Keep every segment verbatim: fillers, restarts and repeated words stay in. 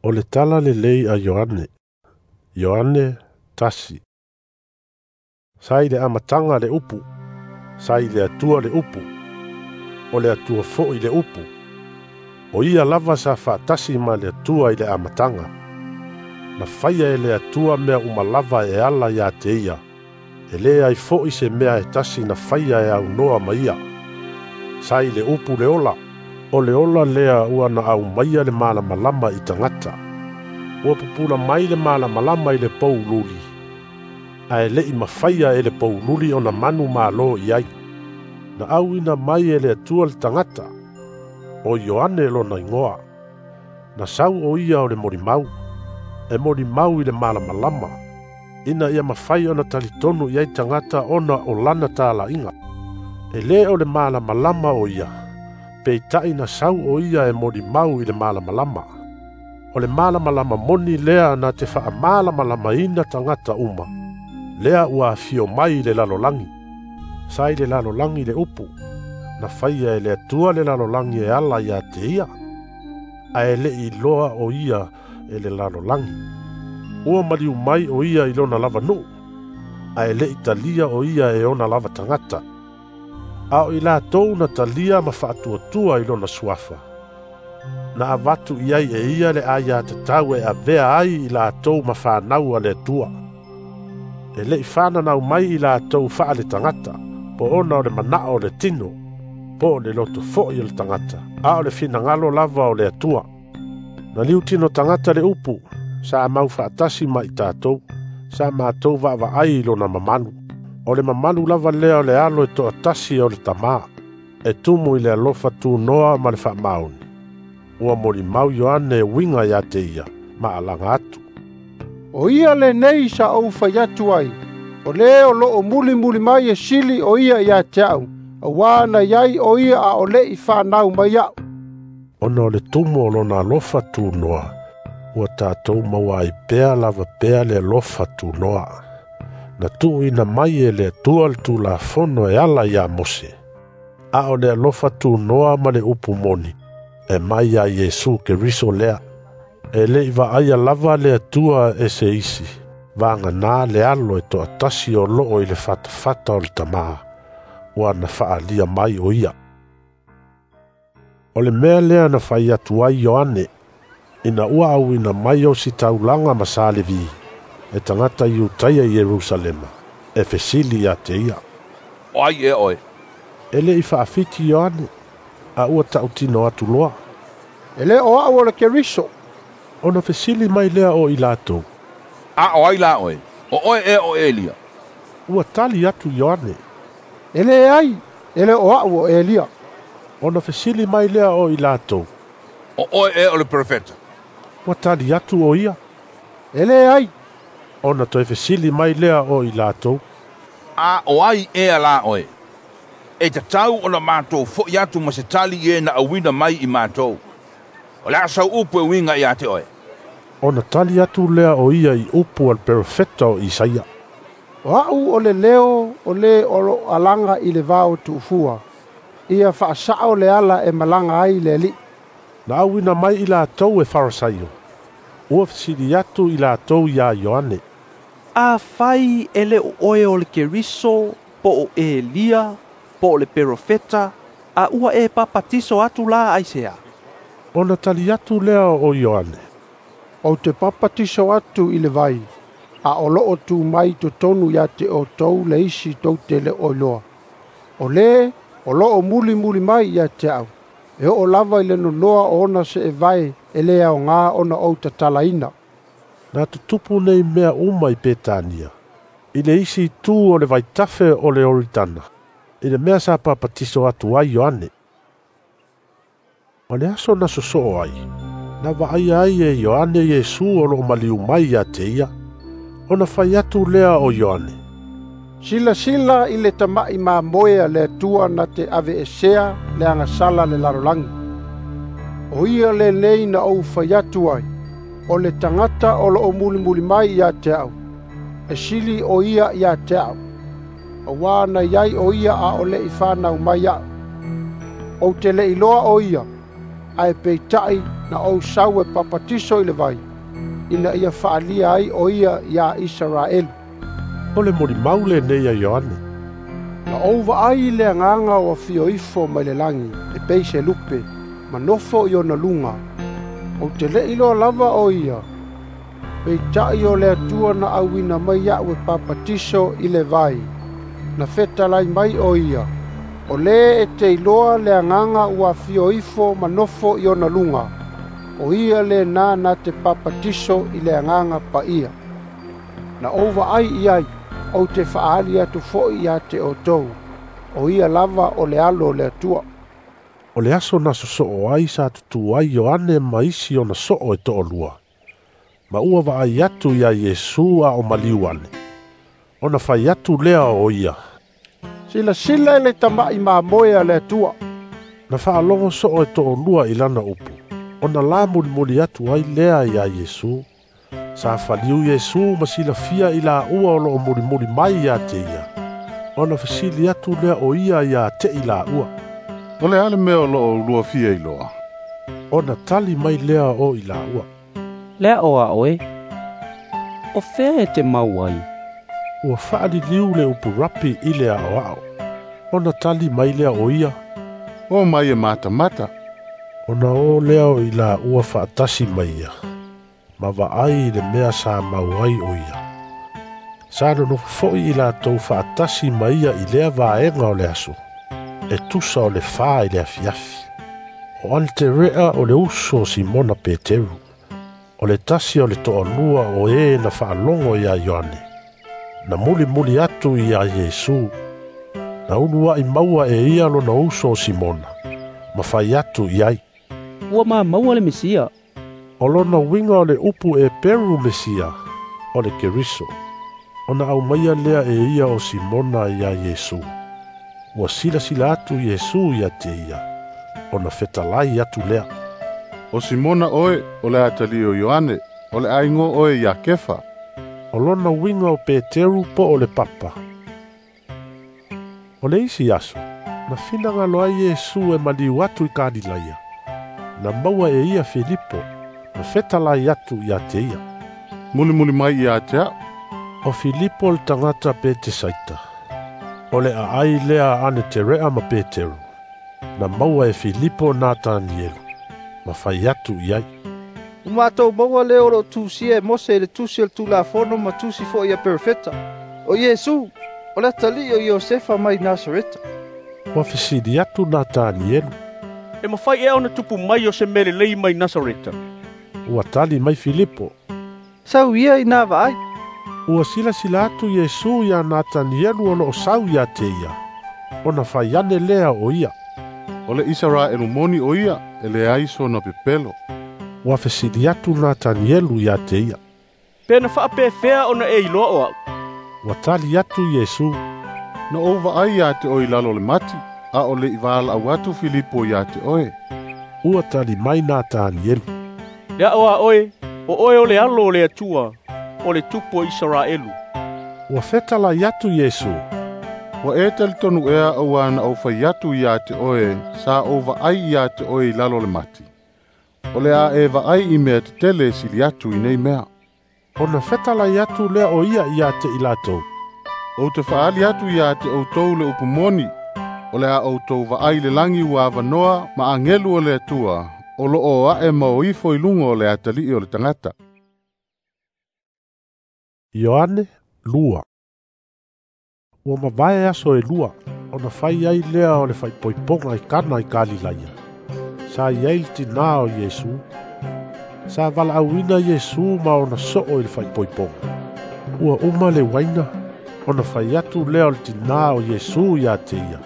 O le tala lelei a Ioane. Ioane tasi. Sa i le amataga le upu. Sa i le Atua le upu. O le Atua foi le upu. O ia lava sa faatasi ma le Atua i le amataga. Na faia e le Atua mea uma lava e ala ia te ia. E le ai foi se mea e tasi na faia e aunoa ma ia. Sa i le upu le ola. O le ola lea ua na aumaia le malamalama i tagata. Ua pupula mai le malamalama i le poululi. Ae le'i mafaia e le poululi ona manu malo i ai. Na auina mai e le Atua le tagata. O Ioane lona igoa. Na sau o ia o le molimau. E molimau i le malamalama. Ina ia mafai ona talitonu i ai tagata ona o lana talaiga. E le o le malamalama o ia. Peitai na sau o ia e molimau i le malamalama. O le malamalama moni lea na te faamalamalamaina tagata uma. Lea ua afio mai i le lalolagi. Sa i le lalolagi le upu. Na faia e le Atua le lalolagi e ala ia te ia. Ae le'i iloa o ia e le lalolagi. Ua maliu mai o ia i lona lava nuu. Ae le'i talia o ia e ona lava tagata. A o i latou na talia ma faatuatua i lona suafa. Na avatu i ai e ia le aiatatau e avea ai i latou ma fanau a le Atua. E le'i fananau mai i latou faaletagata, po ona o le manao o le tino, po o le loto foi o le tagata, a o le finagalo lava o le Atua. Na liutino tagata le upu, sa mau faatasi ma i tatou, sa matou vaavaai i lona mamalu. O le mamalu lava lea o le alo e toatasi o le tamā, e tumu i le alofa tunoa ma le faamaoni. Ua molimau Ioane e uiga ia te ia, ma alaga atu. O ia lenei sa ou fai atu ai, o le o loo mulimuli mai e sili o ia ia te au, auā na iai o ia a o le'i fanau mai a'u. Ona o le tumu o lona alofa tunoa, ua tatou maua ai pea lava pea le alofa tunoa. Na tuuina mai e le Atua le Tulafono e ala ia Mose. A o le alofa tunoa ma le upu moni, e mai ia Iesu Keriso lea. E le'i vaaia lava le Atua e se isi, vagana le alo e toatasi o loo i le fatafata o le tamā, ua na faalia mai o ia. O le mea lea na fai atu ai Ioane, ina ua auina mai o ositaulaga ma Salevi, e tagata Iutaia i Ierusalema, e fesili ia te ia. O ai ea oe? E le'i faafiti Ioane, a ua tautino atu loa. E le o a'u o le Keriso. Ona fesili mai lea o i latou. A o ai la oe? O oe ea o Elia? Ua tali atu Ioane. E leai, e le o a'u o Elia. Ona fesili mai lea o i latou. O oe ea o le perofeta? Ua tali atu o ia. E leai. Ona toe fesili mai lea o i latou. A o ai ea la oe? E tatau ona matou fo'i atu ma se tali i e na auina mai i matou. O le a sau upu e uiga ia te oe. Ona tali atu lea o ia i upu a le perofeta o Isaia. O a'u o le leo o le o loo alaga i le vao tuufua. Ia faasa'o le ala e malaga ai le Alii. Na auina mai i latou e Farisaio. Ua fesili atu i latou iā Ioane. Afai e le o oe o le Keriso, po o Elia, po o le perofeta, a ua e papatiso atu la aisea? Ona tali atu lea o Ioane. Ou te papatiso atu i le vai, a o loo tu mai totonu ia te outou le isi tou te le o iloa. O le o loo mulimuli mai ia te a'u, e oo lava i le nonoa o ona seevae e le aogā ona ou tatalaina. Na tutupu nei mea uma i Petania, i le isi itu o le vaitafe o le Ioritana, i le mea sa papatiso atu ai Ioane. O le aso na sosoo ai, na vaaia ai e Ioane Iesu o loo maliu mai ia te ia. Ona fai atu lea o Ioane. Silasila i le tama'i mamoe a le Atua na te aveesea le agasala le lalolagi. O ia lenei na ou fai atu ai, o le tagata o loo mulimuli mai ia te a'u, e sili o ia ia te a'u, auā na iai o ia a o le'i fanau mai a'u. Ou te le'i iloa o ia, ae peitai Na ou sau e papatiso i le vai, ina ia faalia ai o ia iā Isaraelu. O le molimau lenei a Ioane. Na ou vaai i le Agaga o afio ifo mai le lagi, e pei se lupe, ma nofo i ona luga. Ou te le'i iloa lava o ia, peitai o le Atua na auina mai iaʻu e papatiso i le vai, na fetalai mai o ia, o lē e te iloa le Agaga ua afio ifo ma nofo i ona luga, o ia lenā na te papatiso i le Agaga Paia. Na ou vaai i ai, ou te faaali atu fo'i ia te outou, o ia lava o le Alo o le Atua. O le aso na sosoo ai sa tutu ai Ioane ma isi ona soo e toalua. Ma ua vaai atu ia Iesu a o maliu ane. Ona fai atu lea o ia. Silasila i le tama'i mamoe a le Atua. Na faalogo soo e toalua i lana upu. Ona la mulimuli atu ai lea ia Iesu. Sa faliu Iesu ma silafia i laua o loo mulimuli mai ia te ia. Ona fesili atu lea o ia ia te i laua. O le a le mea o loo ulua fia iloa. Ona tali mai lea o i laua. Lea o a oe. O fea e te mau ai. Ua faaliliu le upu rapi i le aoao. Ona tali mai lea o ia. O mai e matamata. Ona o lea o i laua faatasi mai ia. Ma vaai i le mea sa mau ai o ia. Sa nonofo foi i latou faatasi mai ia i lea vaega o le aso. E tusa o le fa i le afiafi. O Anterea o le uso o Simona Peteru. O le tasi o le toalua o e na faalogo ia Ioane. Na mulimuli atu ia Iesu. Na uluai maua e ia lona uso o Simona. Ma fai atu i ai. Ua maua le Mesia. O lona uiga o le upu e Peru Mesia, o le Keriso. Ona aumaia lea e ia o Simona ia Iesu. Ua silasila atu Iesu ia te ia. Ona fetalai atu lea. O Simona oe, o le atalii o Ioane, o le a igoa oe ia Kefa. O lona uiga o Peteru po o le papa. O le isi aso, na finagalo ai Iesu e maliu atu i Kalilaia. Na maua e ia Filipo, na fetalai atu ia te ia. Mulimuli mai ia te au. O Filipo le tagata Petesaita. O le aai lea Aneterea ma Peteru. Na maua e Filipo Natanielu. Ma fai atu i ai. Ua matou maua lea o loo tusia e Mose i le tusi o le Tulafono ma tusi fo'i a perofeta. O Iesu, o le atalii o Iosefa mai Nasareta. Ua fesili atu Natanielu. E mafai ea ona tupu mai o se mea lelei mai Nasareta. Ua tali mai Filipo. Sau ia ina vaai. Ua silasila atu Iesu ia Natanielu o loo sau ia te ia. Ona fai ane lea o ia. O le Isaraelu moni o ia, e leai sona pepelo. Ua fesili atu Natanielu ia te ia. Pe na faapefea ona e iloa o au. Ua tali atu Iesu. Na ou vaai ia te oe i lalo o le mati, a o le'i valaau atu Filipo ia te oe. Ua tali mai Natanielu. Le ao a oe, o oe o le Alo o le Atua, o le Tupu o Isaraelu. Ua fetalai atu Iesu. Ua e talitonu ea auā na ou fai atu ia te oe, sa ou vaai ia te oe i lalo o le mati. O le a e vaai i mea tetele e sili atu i nei mea. Ona fetalai atu lea o ia ia te i latou. Ou te faaali atu ia te outou le upu moni, o le a outou vaai i le lagi ua avanoa ma agelu o le Atua, o loo ae ma o ifo i luga o le atalii o le tagata. Ioane lua. Ua mavae aso e lua, ona fai ai lea o le faaipoipoga i Kana i Kalilaia. Sa i ai le tinā o Iesu. Sa valaauina Iesu ma ona soo i le faaipoipoga. Ua uma le uaina, ona fai atu lea o le tinā o Iesu ia te ia.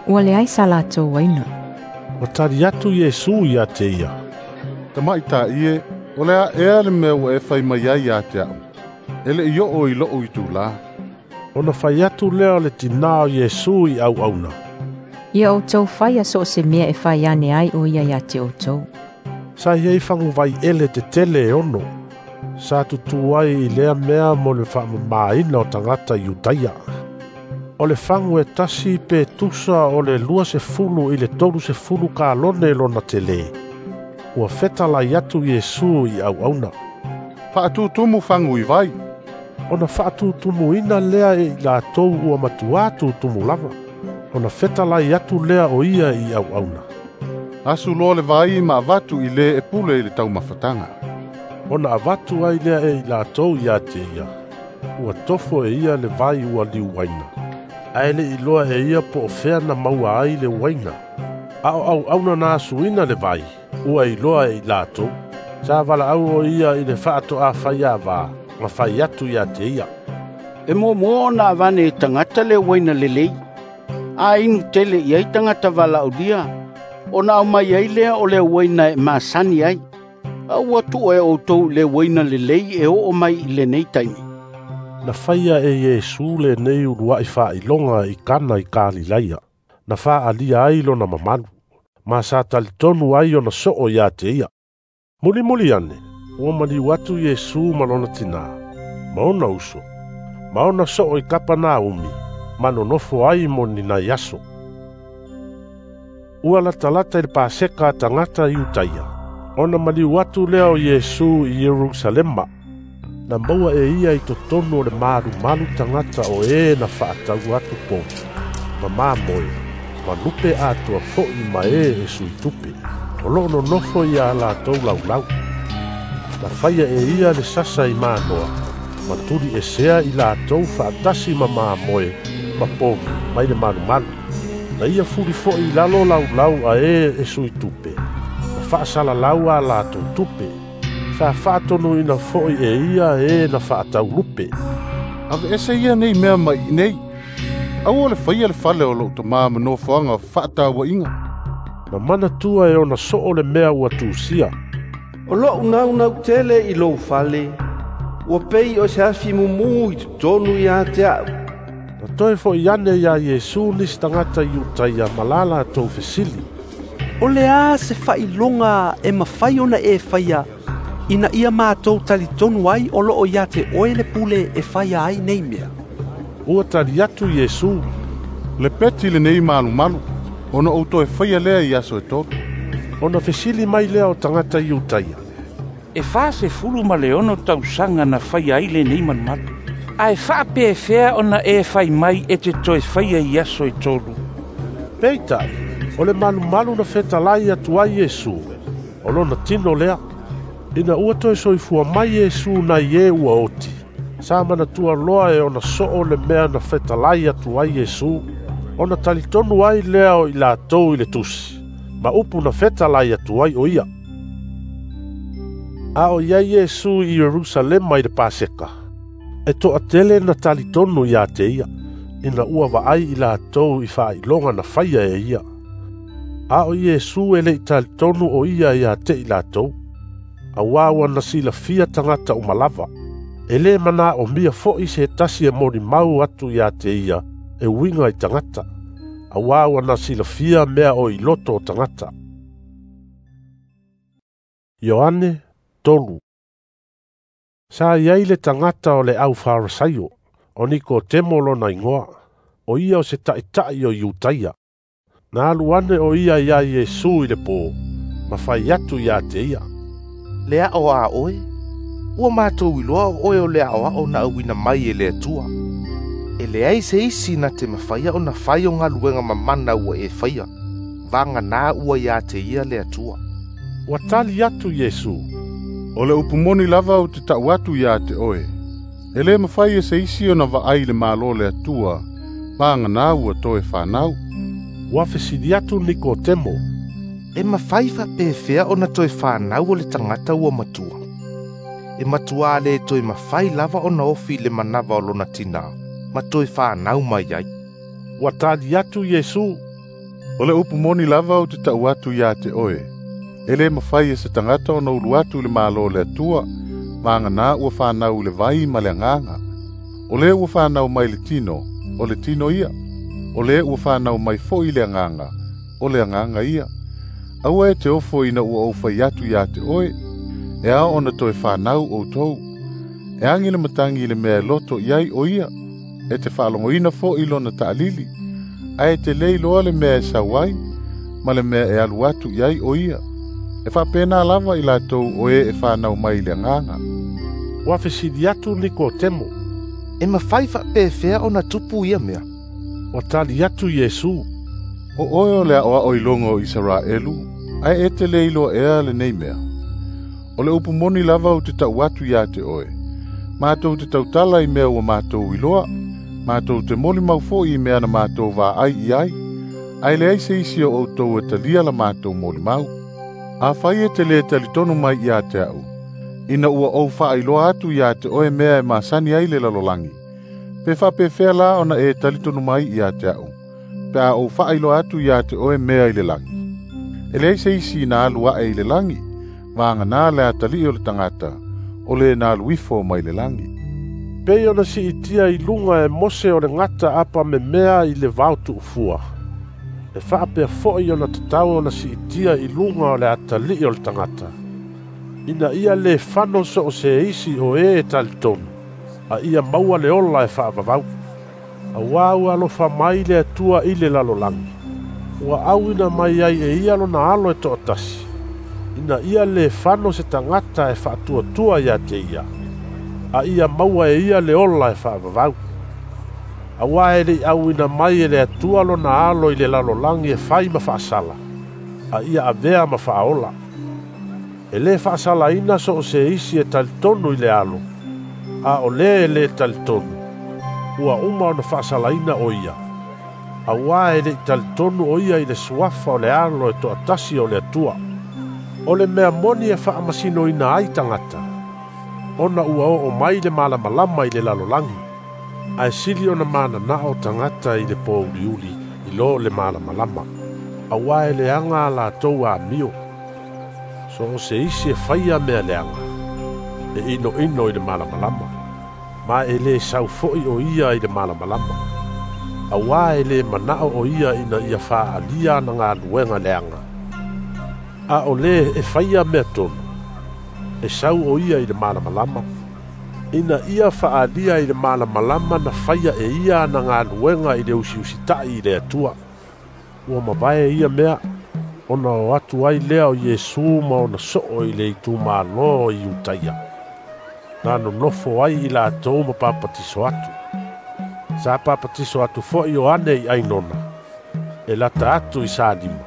Ua leai sa latou uaina. Ua tali atu Iesu ia te ia. Tamaita'i e, o le a ea le mea ua e fai mai ai ia te au. E le'i oo i lou itulā. Ona fai atu lea o le tinā o Iesu i auauna. Ia outou faia so o se mea e fai ane ai o ia ia te outou. Sa i ai faguvai ele tetele e ono. Sa tutu ai i lea mea mo le faamamāina o tagata Iutaia. O le fagu e tasi pe tusa o le lua sefulu i le tolu sefulu kalone lona telē. Ua fetalai atu Iesu i auauna, "Faatutumu fagu i vai." Ona faatutumuina lea e i latou ua matuā tutumu lava. Ona fetalai atu lea o ia i auauna, "Asu loa le vai ma avatu i le e pule i le taumafataga." Ona avatu ai lea e i latou ia te ia. Ua tofo e ia le vai ua liuaina, ae le iloa e ia po o fea na maua ai le uaina. A o auauna na asuina le vai, ua iloa e i latou. Sa valaau o ia i le faatoafaiavā, ma fai atu ia te ia, "E muamua ona avane e tagata le uaina lelei, a inu tele i ai tagata valaaulia, ona aumai ai lea o le uaina e masani ai. A ua tuu e outou i le uaina lelei e oo mai i lenei taimi." Na faia e Iesu lenei uluai faailoga i Kana i Kalilaia, na faaalia ai lona mamalu, ma sa talitonu ai ona soo ia te ia. Mulimuli ane, ua maliu atu Iesu ma lona tinā, ma ona uso, ma ona soo i Kapanaumi, ma nonofo ai mo ni nai aso. Ua latalata i le Paseka a tagata Iutaia, ona maliu atu lea o Iesu i Ierusalema. Na maua e ia i totonu o le malumalu tagata o e na faatau atu povi, ma mamoe, ma lupe atoa foi ma e e sui tupe, o loo nonofo ia latou laulau. Na faia e ia le sasa i manoa, ma tuli esea i latou faatasi ma mamoe, ma povi mai le malumalu. Na ia fuli foi i lalo laulau a e e sui tupe, ma faasalalau a latou tupe. Sa faatonuina foi e ia e na faatau lupe. "Aveese ia nei mea mai i nei. Aua le faia le fale o lou tamā ma nofoaga fefaatauaiga." Na manatua e ona soo le mea ua tusia, "O lou naunau tele i lou fale, ua pei o se afi mumu i totonu ia te a'u." Na toe fo'i ane iā Iesu nisi tagata Iutaia ma la latou fesili, "O le a se faailoga e mafai ona e faia, ina ia matou talitonu ai o loo ia te oe le pule e faia ai nei mea?" Ua tali atu Iesu, "Le peti lenei malumalu, ona ou toe faia lea i aso e tolu." Ona fesili mai lea o tagata Iutaia, "E fasefulu ma le ono tausaga na faia ai lenei malumalu, ae faapefea ona e fai mai e te toe faia i aso e tolu?" Peitai, o le malumalu na fetalai atu ai Iesu, o lona tino lea. Ina ua toe soifua mai Iesu nai e ua oti, sa manatua loa e ona soo le mea na fetalai atu ai Iesu, ona talitonu ai lea o i latou i le tusi, ma upu na fetalai atu ai o ia. A o iai Iesu i Ierusalema i le Paseka, e toatele na talitonu ia te ia, ina ua vaai i latou i faailoga na faia e ia. A o Iesu e le i talitonu o ia ia te i latou, auā ua na silafia tagata uma lava. E lē manaomia foi se tasi e molimau atu ia te ia e uiga i tagata, auā ua na silafia mea o i loto o tagata. Ioane tolu. Sa iai le tagata o le au Farisaio, o Nikotemo lona igoa, o ia o se taʻitaʻi o Iutaia. Na alu ane o ia iā Iesu i le pō, ma fai atu ia te ia, "Le ao a oe, ua matou iloa o oe o le aoao na auina mai e le Atua. E leai se isi na te mafaia ona fai o galuega mamana ua e faia, vagana ua ia te ia le Atua." Ua tali atu Iesu, "O le upu moni lava ou te tau atu ia te oe, e lē mafai e se isi ona vaai le malo le Atua, vagana ua toe fanau." Ua fesili atu Nikotemo, "E mafai faapefea ona toe fanau o le tagata ua matua? E matuā le toe mafai lava ona ofi i le manava o lona tinā, ma toe fanau mai ai." Ua tali atu Iesu, "O le upu moni lava ou te tau atu ia te oe, e lē mafai e se tagata ona ulu atu i le malo le Atua, vagana ua fanau i le vai ma le agaga. O le ua fanau mai le tino, o le tino ia. O le ua fanau mai foi le agaga, o le agaga ia. Aua e te ofo ina ua ou fai atu ia te oe, e ao ona toe fanau outou. E agi le matagi i le mea e loto i ai o ia, e te faalogoina foi lona taalili, ae te le iloa le mea e sau ai, ma le mea e alu atu i ai o ia. E faapena lava i latou o e e fanau mai i le agaga. Ua fesili atu Nikotemo, E mafai faapefea ona tupu ia mea? Ua tali atu Iesu, O oe o le aʻoaʻo iloga o Isaraelu, ae e te le iloa ea lenei mea. O le upu moni lava ou te ta'u atu iā te oe, matou te tautala i mea ua matou iloa, matou te molimau fo'i i mea na matou vaai i ai, ae leai se isi o outou e talia la matou molimau. Afai e te lē talitonu mai iā te a'u, ina ua ou faailoa atu iā te oe mea e masani ai le lalolagi, pe faapefea la ona e talitonu mai iā te a'u, pe a ou faailoa atu iā te oe mea i le lagi. E leai se isi na alu a'e i le lagi, vagana le atalii o le tagata, o le na alu ifo mai le lagi. Pei ona siitia i luga e Mose o le gata apamemea i le vao tu'ufua, e faapea fo'i ona tatau ona siitia i luga o le atalii o le tagata, ina ia lē fano so o se isi o e e talitonu, a ia maua le ola e faavavau. Auā ua alofa mai le Atua i le lalolagi, ua auina mai ai e ia lona alo e to'atasi, ina ia lē fano se tagata e faatuatua iā te ia, a ia maua e ia le ola e faavavau. Auā e le'i auina mai e le Atua lona alo i le lalolagi e fai ma faasala, a ia avea ma faaola. E lē faasalaina so o se isi e talitonu i le alo, a o lē e lē talitonu, ua uma ona faasalaina o ia. Auā e le'i talitonu o ia i le suafa o le alo e to'atasi o le Atua. O le mea moni e faamasinoina ai tagata, ona ua oo mai le malamalama i le lalolagi, ae sili ona mananao tagata i le pouliuli i lo le malamalama, auā e leaga a latou amio. So o se isi e faia mea leaga, e inoino i le malamalama, ma e lē sau fo'i o ia i le malamalama, auā e lē mana'o o ia ina ia faaalia ana galuega leaga. A o lē e faia mea tonu, e sau o ia i le malamalama, ina ia faaalia i le malamalama na faia e ia ana galuega i le usiusita'i i le Atua. Ua mavae ia mea, ona o atu ai lea o Iesu ma ona so'o i le itumālō i Iutaia, na nonofo ai i latou ma papatiso atu. Sa papatiso atu fo'i Ioane i Ainona, e lata atu i Salima,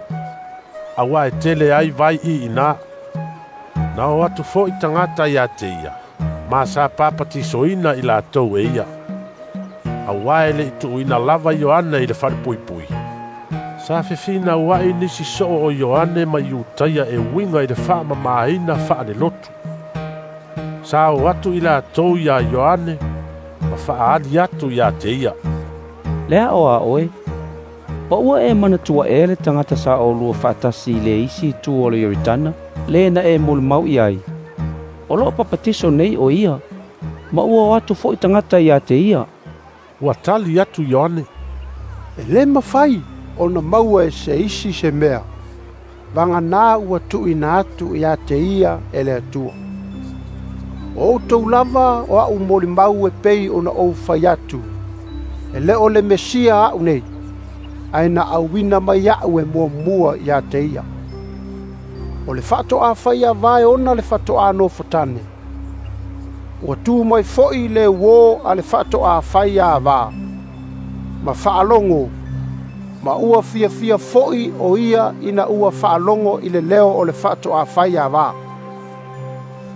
auā e tele ai vai i inā. Na o atu fo'i tagata iā te ia, ma sa papatisoina i latou e ia, auā e le'i tu'uina lava Ioane i le falepuipui. Sa fefinaua'i nisi so'o o Ioane ma Iutaia e uiga i le faamamāina faalelotu. Sa o atu i latou iā Ioane ma faaali atu iā te ia. Le a o a oe, pa ua e manatua ea le tagata sa olua faatasi i le isi itu o le Ioritana, lē na e molimau i ai. O loo papatiso nei o ia, ma ua o atu fo'i tagata iā te ia. Ua tali atu Ioane, E lē mafai ona maua e se isi se mea, vagana ua tu'uina atu iā te ia e le Atua. O outou lava o a'u molimau e pei ona ou fai atu, e lē o le Mesia a'u nei, ae na auina mai a'u e muamua iā te ia. O le faato'a fai ava e ona le faato'a nofotane. Ua tu mai fo'i le uō a le faato'a fai avā, ma faalogo, ma ua fiafia fo'i o ia ina ua faalogo i le leo o le faato'a fai avā.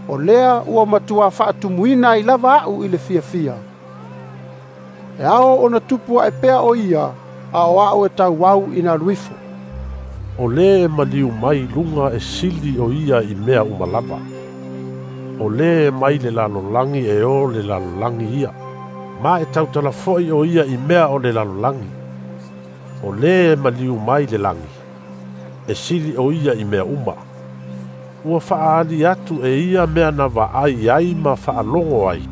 O lea ua matuā faatumuina ai lava a'u i le fiafia. E ao ona tupu a'e pea o ia, a o a'u e tauau ina alu ifo. O lē e maliu mai luga e sili o ia i mea uma lava. O lē e mai le lalolagi e o le lalolagi ia, ma e tautala fo'i o ia i mea o le lalolagi. O lē e maliu mai le lagi, e sili o ia i mea uma. Ua faaali atu e ia mea na vaai ai ma faalogo ai,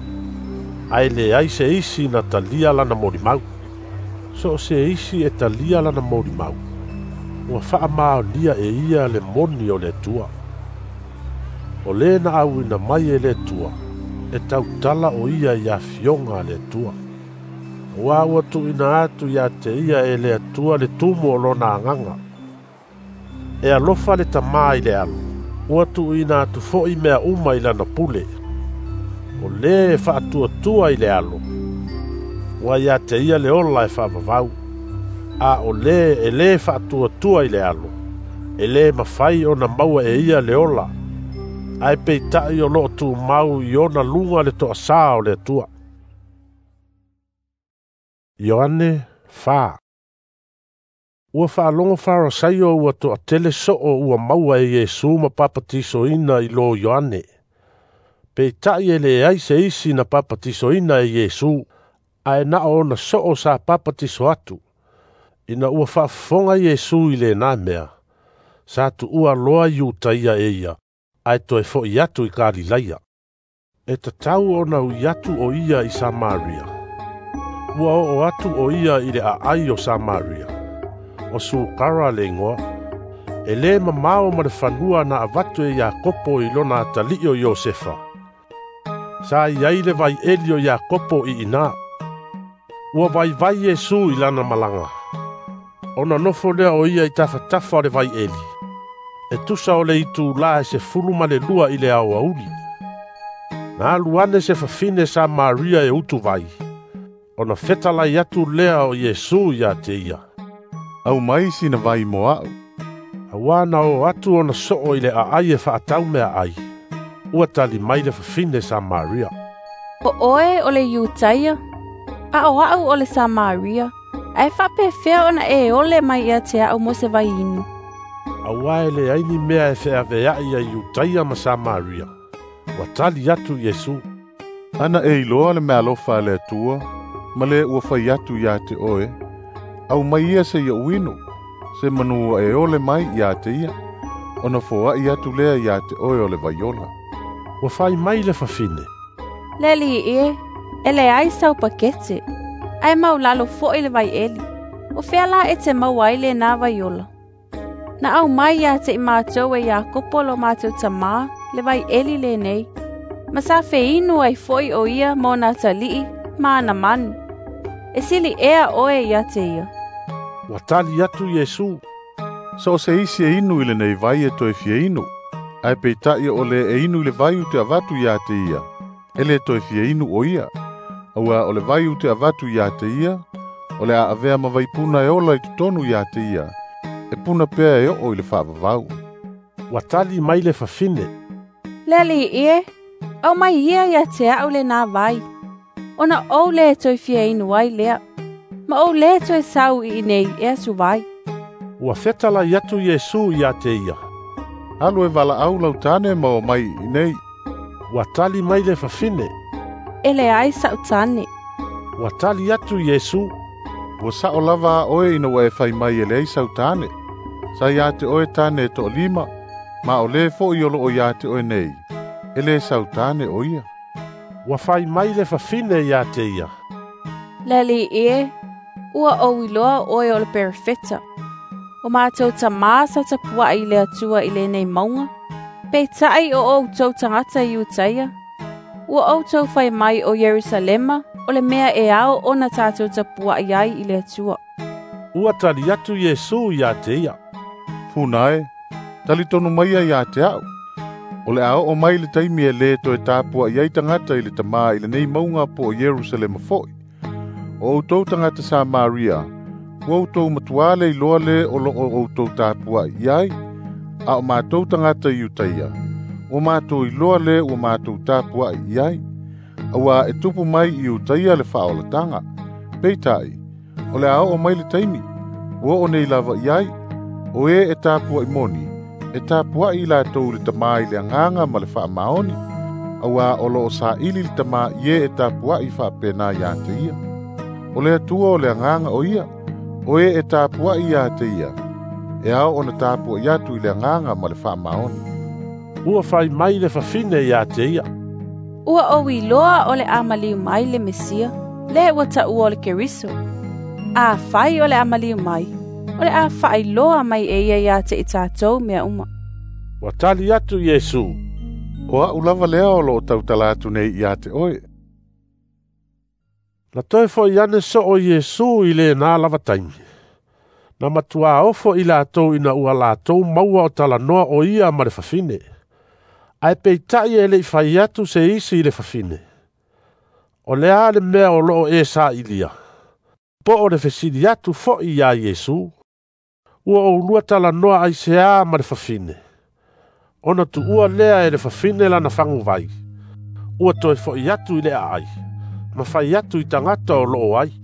ae leai se isi na talia lana molimau. So o se isi e talia lana molimau, ua faamaonia e ia le moni o le Atua. O lē na auina mai e le Atua, e tautala o ia i afioga a le Atua. Auā ua tu'uina atu iā te ia e le Atua le tumu o lona agaga. E alofa le Tamā i le Alo, Ua tuuina atu fo'i mea uma i lana pule. O lē e faatuatua i le Alo, ua ia te ia le ola e faavavau. A o lē e lē faatuatua i le Alo, e lē mafai ona maua e ia le ola, ae peita'i o loo tumau i ona luga le toasā o le Atua. Ioane fa. Ua faalogo Farasaio ua toatele soo ua maua e Iesu ma papatisoina i lo Ioane. Peita'i e leai se isi na papatisoina e Iesu, ae na o ona soo sa papatiso atu. Ina ua faafofoga Iesu i lenā mea, sa tuua loa Iutaia e ia, ae toe fo'i atu i Kalilaia. E tatau ona ui atu o ia i Samaria. Ua oo atu o ia i le aai o Samaria. O Sukara le igoa. E lē mamao ma le fanua na avatu e Iakopo i lona atalii o Iosefa. Sa i ai le vaieli o Iakopo i inā. Ua vaivai Iesu i lana malaga. Ona nofo lea o ia i tafatafa o le vaieli. E tusa o le itulā e sefulu ma le lua i le aoauli. Na alu ane se fafine Samaria e utuvai. Ona fetalai atu lea o Iesu ia te ia. Aumai sina vai mo a'u. Auā na oo atu ona soo i le aai e faatau meaai. Ua tali mai le fafine Samaria. O oe o le Iutaia, a o a'u o le Samaria, ae faapefea ona e ole mai ia te a'u mo se vai inu. Auā e leai ni mea e feavea'i ai Iutaia ma Samaria. Ua tali atu Iesu. Ana e iloa le meaalofa a le Atua, ma le ua fai atu ia te oe, aumai ia se iaʻu inu, se manu ua e ole mai ia te ia, ona foa'i atu lea ia te oe o le vaiola. Ua fai mai le fafine. Le alii e, e leai sau pakete, ae maulalo fo'i le vaieli. O fea la e te maua ai lenā vaiola. Na aumai ia te i mātou e Iakopo lo mātou tamā le vaieli lenei. Ma sa feinu ai fo'i o ia ma ona atalii ma ana manu. E sili ea oe ia te ia. Ua tali atu Iesu. So o se isi e inu i lenei vai e toe fia inu, ae peita'i o le e inu i le vai u te avatu ia te ia, e le toe fia inu o ia. Auā o le vai u te avatu ia te ia, o le a avea ma vaipuna e ola i totonu ia te ia, e puna pea e oo i le faavavau. Ua tali mai le fafine. Le alii e, aumai ia ia te a'u lenā vai. Ona ou le toe fia inu ai lea. Ma ou le toe sau i inei e asu vai. Ua fetalai atu Iesu ia te ia. Alu e valaau lau tane ma o mai i inei. Ua tali mai le fafine. E leai sa'u tane. Ua tali atu Iesu. Ua sa'o lava a oe ina ua e fai mai e leai sau tane. Sa ia te oe tane e to'alima, ma o lē fo'i o loo ia te oe nei, e lē sau tane o ia. Ua fai mai le fafine ia te ia. Le alii e, ua ou iloa oe o le perofeta. O mātou tamā sa tapua'i i le Atua i lenei mauga. Peita'i o outou tagata i Iutaia. Ua outou fai mai o Ierusalema o le mea e ao ona tātou tapua'i ai i le Atua. Ua tali atu Iesu ia te ia. Puna e, talitonu maia ia te a'u. O le a oo mai le taimi e lē toe tapua'i ai tagata i le Tamā i lenei mauga po o Ierusalema fo'i. O outou tagata Samaria, ua outou matuā le iloa lē o loo outou tapua'i i ai, a o mātou tagata i Iutaia, ua mātou iloa lē ua mātou tapua'i i ai. Auā e tupu mai i Iutaia le faaolataga. Peita'i, o le a oo mai le taimi, ua oo nei lava i ai, o e e tapua'i moni, e tapua'i i latou i le Tamā i le agaga ma le faamaoni, auā o loo saili le Tamā i e e tapua'i faapenā ia te ia. O le Atua o le agaga o ia, o e e tapua'i ia te ia, e ao ona tapua'i atu i le agaga ma le faamaoni. Ua fai mai le fafine ia te ia. Ua ou iloa o le a maliu mai le Mesia, le ua taua o le Keriso. A fai o le a maliu mai, o le a faailoa mai e ia ia te i tātou mea uma. Ua tali atu Iesu. O a'u lava lea o loo tautala atu nei ia te oe. Na toe fo'i ane soo Iesu i lenā lava taimi. Na matuā ofo i latou ina ua latou maua o talanoa o ia ma le fafine. Ae peita'i e le'i fai atu se isi i le fafine, o le a le mea o loo e sa'ilia, po o le fesili atu fo'i iā Iesu, ua oulua talanoa aiseā ma le fafine, ona tu'ua lea e le fafine lana faguvai, ua toe fo'i atu i le aai, ma fai atu i tagata o loo ai.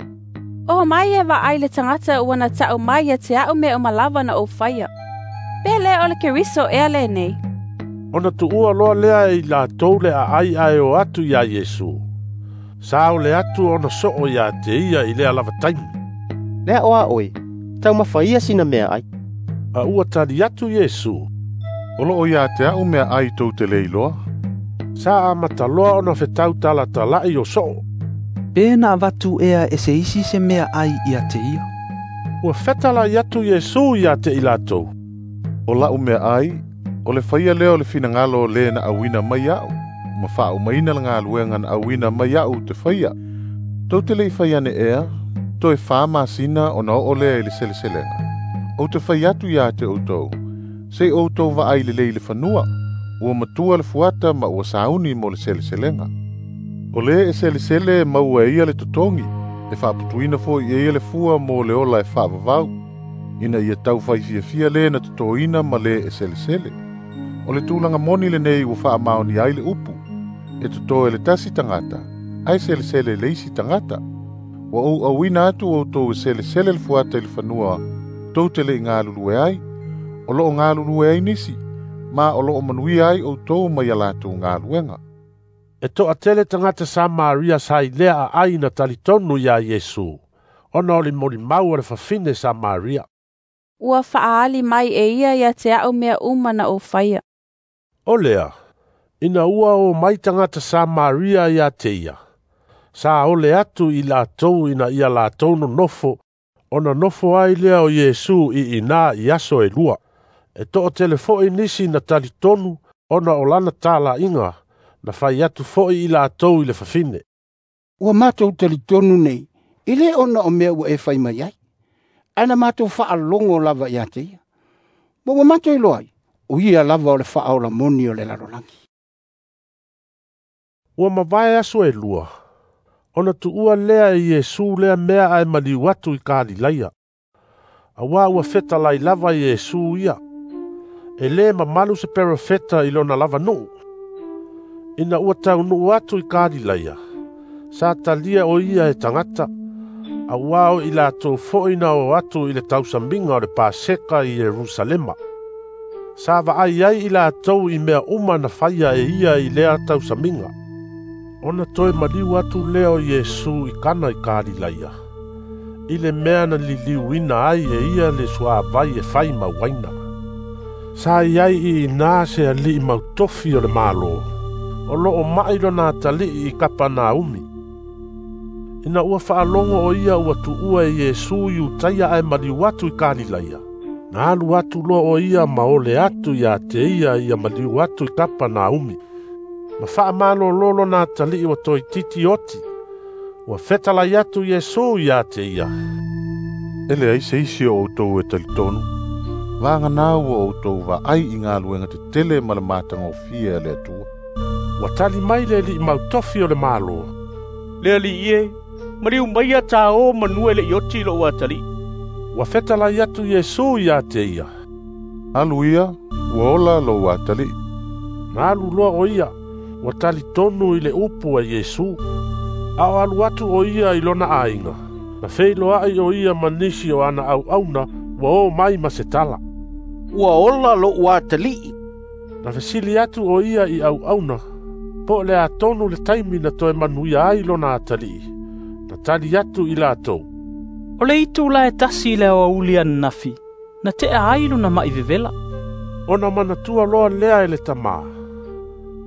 Oo mai e vaai le tagata ua na ta'u mai ia te a'u mea uma lava na ou faia. Pe lē o le Keriso ea lenei? Ona tu'ua loa lea e i latou le aai ae o atu iā Iesu. Sa ole atu ona so'o iā te ia i lea lava taimi. Le a'o a oe, taumafa ia sina meaai. A ua tali atu Iesu, O loo iā te a'u meaai tou te lē iloa. Sa amata loa ona fetautalatalai o so'o. Pe na avatu ea e se isi se meaai ia te ia. Ua fetalai atu Iesu iā te i latou. O la'u meaai, o le faia lea o le finagalo o lē na auina mai a'u, ma faaumaina le galuega na auina mai a'u te faia. Tou te le'i fai ane ea, toe fā masina ona oo lea i le seleselega. Ou te fai atu iā te outou, se'i outou vaai lelei i le fanua, ua matua le fuata ma ua sauni mo le seleselega. O lē e selesele e maua e ia le totogi, e faaputuina fo'i e ia le fua mo le ola e faavavau, ina ia taufai fiafia lē na totoina ma lē e selesele. O le tulaga moni lenei ua faamaonia ai le upu, e totō e le tasi tagata, ae selesele le isi tagata. Ua ou auina atu outou e selesele le fuata i le fanua, tou te le'i galulue ai, o loo galulue ai nisi, ma o loo manuia ai outou mai a latou galuega. E to'atele tagata Samaria sa i lea aai na talitonu iā Iesu, ona o le molimau a le fafine Samaria. Ua faaali mai e ia ia te a'u mea uma na ou faia. O lea, ina ua o mai tagata Samaria iā te ia, sa ole atu i latou ina ia latou nonofo, ona nofo ai lea o Iesu i inā i aso e lua. E to'atele fo'i nisi na talitonu ona o lana tala'iga, na fai atu fo'i i latou i le fafine. Ua matou talitonu nei, e lē ona o mea ua e fai mai ai, ae na matou faalogo lava iā te ia. Ma ua matou iloa ai, o ia lava o le Faaola moni o le lalolagi. Ua mavae aso e lua, ona tu'ua lea e Iesu lea mea ae maliu atu i Kalilaia. Auā ua fetalai lava Iesu ia. E lē mamalu se perofeta i lona lava nu'u. Ina ua taunuu atu i Kalilaia, sa talia o ia e tagata, auā o i latou fo'i na o atu i le tausamiga o le Paseka i Ierusalema. Sa vaai ai i latou i mea uma na faia e ia i lea tausamiga. Ona toe maliu atu lea o Iesu i Kana i Kalilaia, i le mea na liliuina ai e ia le suavai e fai ma uaina. Sa iai i inā se ali'i mautofi o le Malo, o loo ma'i lona atali'i i Kapanaumi. Ina ua faalogo o ia ua tu'ua e Iesu Iutaia ae maliu atu i Kalilaia, na alu atu loa o ia ma ole atu iā te ia ia maliu atu i Kapanaumi. Ma faamalōlō lona atali'i ua toeititi oti, ua fetalai atu Iesu iā te ia. E leai se isi o outou e talitonu, vaganā ua outou vaai i galuega tetele ma le matagofie a le Atua. Ua tali mai le ali'i mautofi o le Malo. Le ali'i e, maliu mai ia tāō manua e le'i oti lo'u atali'i. Ua fetalai atu Iesu iā te ia. Alu ia, ua ola lou atali'i. Na alu loa o ia, ua talitonu i le upu a Iesu. A o alu atu o ia i lona aiga, na feiloa'i o ia ma nisi o ana auauna ua o mai ma se tala. Ua ola lo'u atali'i. Na fesili atu o ia i auauna, po o le atonu le taimi na toe manuia ai lona atali'i. Na tali atu i latou. O le itula e tasi i le aoauli ananafi, na te'a ai lona ma'i vevela. Ona manatua loa lea e le tamā,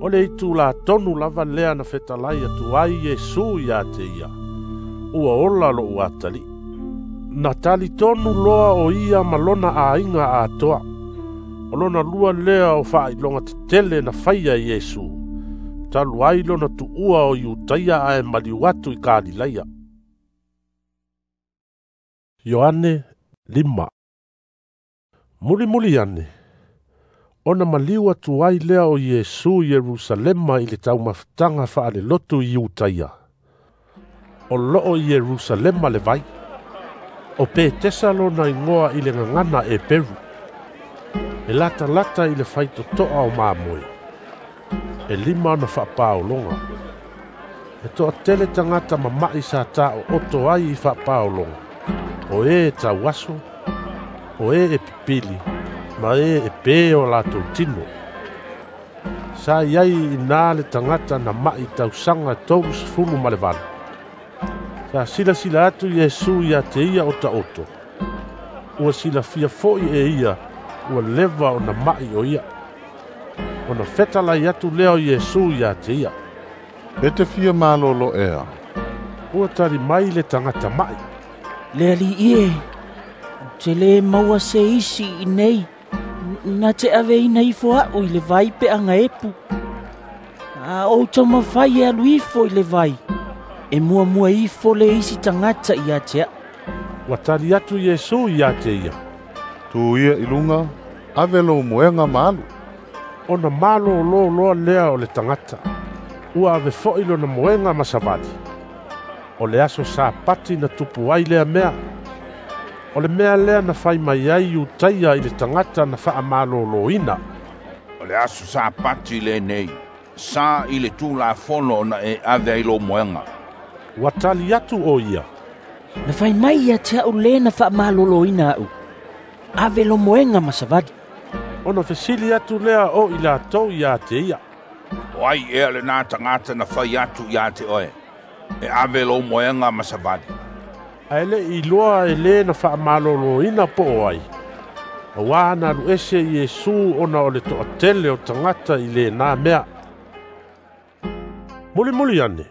o le itula tonu lava lea na fetalai atu ai Iesu iā te ia, ua ola lo'u atali'i. Na talitonu loa o ia ma lona aiga atoa. O lona lua lea o faailoga tetele na faia e Iesu, talu ai lona tu'ua o Iutaia ae maliu atu i Kalilaia. Ioane lima. Mulimuli ane, Ona maliu atu ai lea o Iesu i Ierusalema i le taumafataga faalelotu i Iutaia. O loo i Ierusalema le vai. O Petesa lona igoa i le gagana e Peru. E latalata i le faitotoa o mamoe. E lima ona faapaologa. E toatele tagata mama'i sa taooto ai i faapaologa. O e tauaso, o e e pipili, ma e e pē o latou tino. Sa iai i le tagata na ma'i tausaga tolu sefulu ma le valu. Sa silasila atu Iesu ia te ia o taoto. Ua silafia fo'i e ia ua leva ona ma'i o ia. Ona fetalai atu lea o Iesu ia te ia. E te fia malolo ea. Ua tali mai le tagata ma'i. Le alii e, ou te lē maua se isi i nei na te aveina ifo a'u i le vai peaga epu. A ou taumafai e alu ifo i le vai, e muamua ifo le isi tagata ia te a'u. Ua tali atu Iesu ia te ia. Tu ia i luga, ave lou moega ma alu. Ona malōlō loa lea o le tagata. Ua ave fo'i lona moega ma savali. O le aso Sapati na tupu ai lea mea. O le mea lea na fai mai ai Iutaia i le tagata na faamalōlōina. O le aso Sapati lenei, sa i le Tulafono ona e ave ai lou moega. Ua tali atu o ia. Na fai mai ia te a'u lē na faamalōlōina a'u. Ave lo moega ma savali. Ona fesili atu lea o i latou ia te ia. O ai ea lenā tagata na fai atu ia te oe, e ave lou moega ma savali. Ae le'i iloa e lē na faamalōlōina po o ai. Auā na alu ese Iesu ona o le toatele o tagata i lenā mea. Mulimuli ane,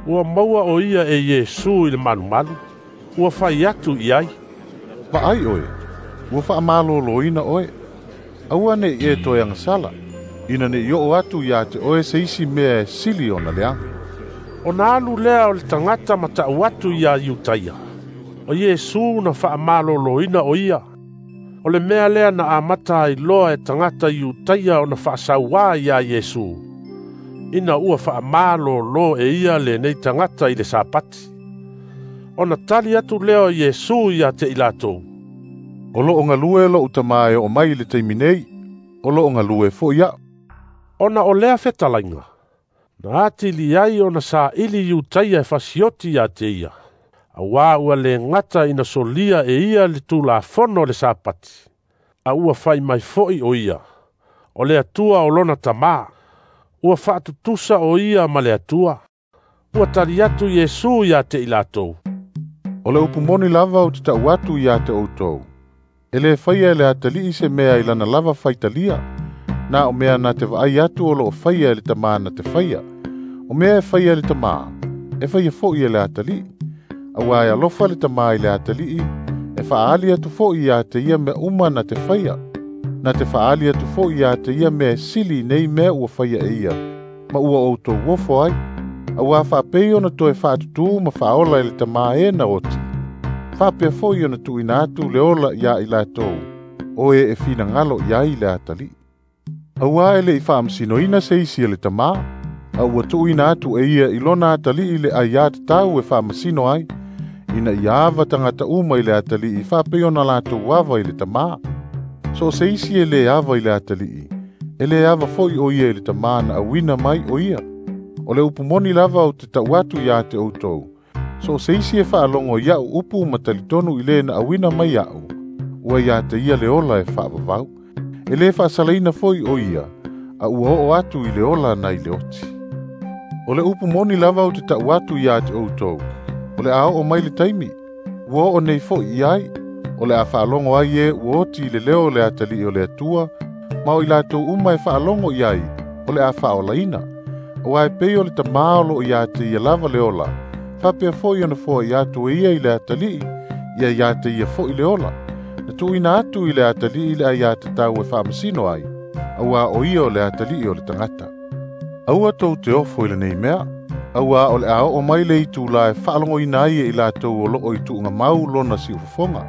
ua maua o ia e Iesu i le malumalu. Ua fai atu i ai. Vaai oe, ua faamalōlōina oe. Aua ne'i e toe agasala, ina ne'i oo atu ia te oe se isi mea e sili ona leaga. Ona alu lea o le tagata ma ta'u atu iā Iutaia. O Iesu na faamalōlōina o ia. O le mea lea na amata ai loa e tagata Iutaia ona faasauā iā Iesu. Ina ua faamalōlō e ia lenei tagata i le Sapati. Ona tali atu lea o Iesu ia te i latou. O loo galue lo'u tamā e oo mai i le taimi nei, o loo galue fo'i a'u. Ona o lea fetalaiga, na atili ai ona saili Iutaia e fasioti ia te ia. Auā ua lē gata ina solia e ia le Tulafono o le Sapati. A ua fai mai fo'i o ia. O le Atua o lona tamā. Ua faatutusa o ia ma le Atua. Ua tali atu Iesu ia te i latou. O le upu moni lava ou te ta'u atu ia te outou. E lē faia e le atalii se mea i lana lava faitalia. Na o mea na te vaai atu o loo faia e le tamā na te faia. O mea e faia e le tamā, e faia fo'i e le atalii. Auā e alofa le tamā i le atalii, e faaali atu fo'i ia te ia mea uma na te faia. Na te faaali atu fo'i ia te ia mea e sili nei mea ua faia e ia, ma ua outou ofo ai. Auā faapei ona toe faatutū ma faaola e le tamā e na oti. Faapea fo'i ona tuuina atu le ola iā i latou, o e e finagalo i ai le atalii. Auā e le'i faamasinoina se isi e le tamā, a ua tuuina atu e ia i lona atalii le aiā tatau e faamasino ai, ina ia ava tagata uma i le atalii faapei ona latou ava i le tamā. So o se isi e lē ava i le atalii, e lē ava fo'i o ia i le tamā na auina mai o ia. O le upu moni lava ou te ta'u atu iā te outou. So o se isi e faalogo ia'u upu ma talitonu i lē na auina mai a'u, ua ia te ia le ola e faavavau. E lē faasalaina fo'i o ia, a ua oo atu i le ola nai le oti. O le upu moni lava ou te ta'u atu iā te outou. O le a oo mai le taimi, ua oo nei fo'i i ai. O le a faalogo ai e ua oti i le leo o le atalii o le Atua, ma o i latou uma e faalogo i ai, o le a faaolaina. Auā e pei o le tamā o loo iā te ia lava le ola, faapea fo'i ona foa'i atu e ia i le atalii, ia iā te ia fo'i le ola. Na tuuina atu i le atalii le aiā tatau e faamasino ai, auā o ia o le atalii o le tagata. Aua tou te ofo i lenei mea, auā o le a oo mai le itulā e faalogoina ai e i latou o loo i tuugamau lona siufofoga,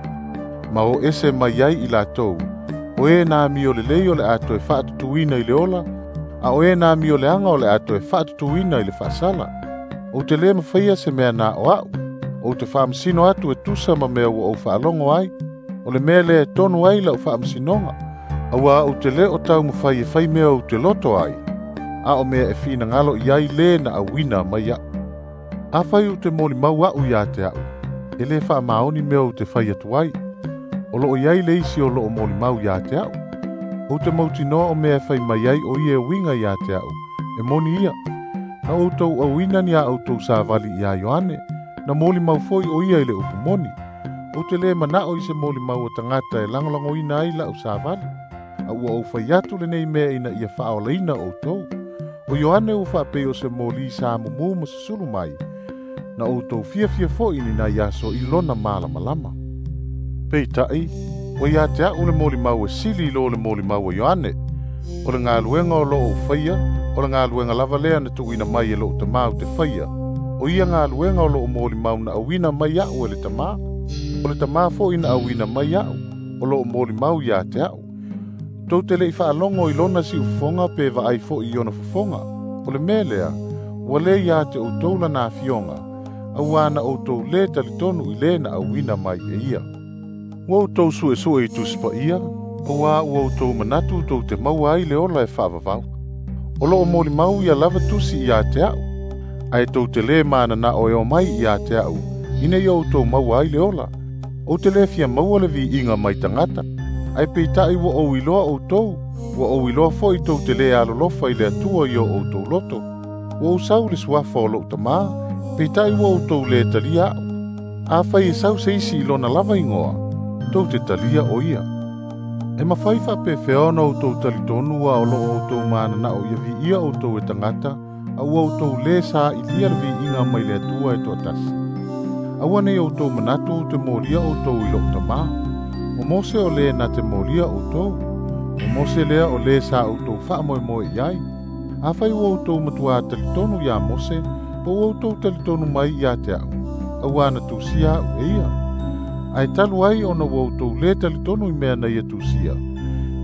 ma o ese mai ai i latou, O e na amio lelei o le a toe faatutuina i le ola, a o e na amio leaga o le a toe faatutuina i le faasala. Ou te le mafaia se mea na o au, ou te faamasino atu e tusa ma mea ua ou faalogo ai, o le mea lea e tonu ai lau faamasinoga, auā ou te lē o taumafai e fai mea ou te loto ai, a o mea e finagalo i ai lē na auina mai aʻu. Afai ou te molimau aʻu iā te aʻu, e lē faamaoni mea ou te fai atu ai, o loo iai le isi o loo molimau iā te aʻu. Ou te mautinoa o mea e fai mai ai o ia e uiga iā te aʻu, e moni ia. Na outou auina ni a outou savali iā Ioane, na molimau foi o ia i le upu moni. Ou te lē manaʻo i se molimau o tagata e lagolagoina ai laʻu savali, a ua ou fai atu lenei mea ina ia faaolaina outou. O Ioane ua faapei o se moli sa mumū ma susulu mai, na outou fiafia foi ni nai aso i lona malamalama. Peitai, ua iā te aʻu le molimau e sili i lo le molimau a Ioane. O le galuega o loo ou faia, o le galuega lava lea na tuuina mai e loʻu tamā ou te faia. O ia galuega o loo molimau na auina mai aʻu e le tamā. O le tamā foʻi na auina mai aʻu, o loo molimau iā te aʻu. Tou te leʻi faalogo i lona siufofoga pe vaai foʻi i ona fofoga. O le mea lea, ua lē iā te outou lana afioga, auā na outou lē talitonu i lē na auina mai e ia. Ua outou suʻesuʻe i Tusi Paia, auā ua outou manatu tou te maua ai le ola e faavavau. O loo molimau ia lava tusi iā te aʻu, ae tou te lē mananaʻo e o mai iā te aʻu, ina ia outou maua ai le ola. Ou te lē fia maua le viiga mai tagata, ae peitaʻi ua ou iloa outou, ua ou iloa foʻi tou te lē alolofa i le Atua i o outou loto. Ua ou sau le suafa o loʻu tamā, peitaʻi ua outou lē talia aʻu. Afai e sau se isi i lona lava igoa, tou te talia o ia. E mafai faapefea ona outou talitonu a o loo outou mananaʻo ia viia outou e tagata, a ua outou lē saʻilia le viiga mai le Atua e toatasi. Aua nei outou manatu ou te molia outou i loʻu tamā. O Mose o lē na te molia outou, o Mose lea o lē sa outou faamoemoe i ai. Afai ua outou matuā talitonu iā Mose, po ua outou talitonu mai iā te aʻu, auā na tusia aʻu e ia. Ae talu ai ona ua outou lē talitonu i mea na ia tusia,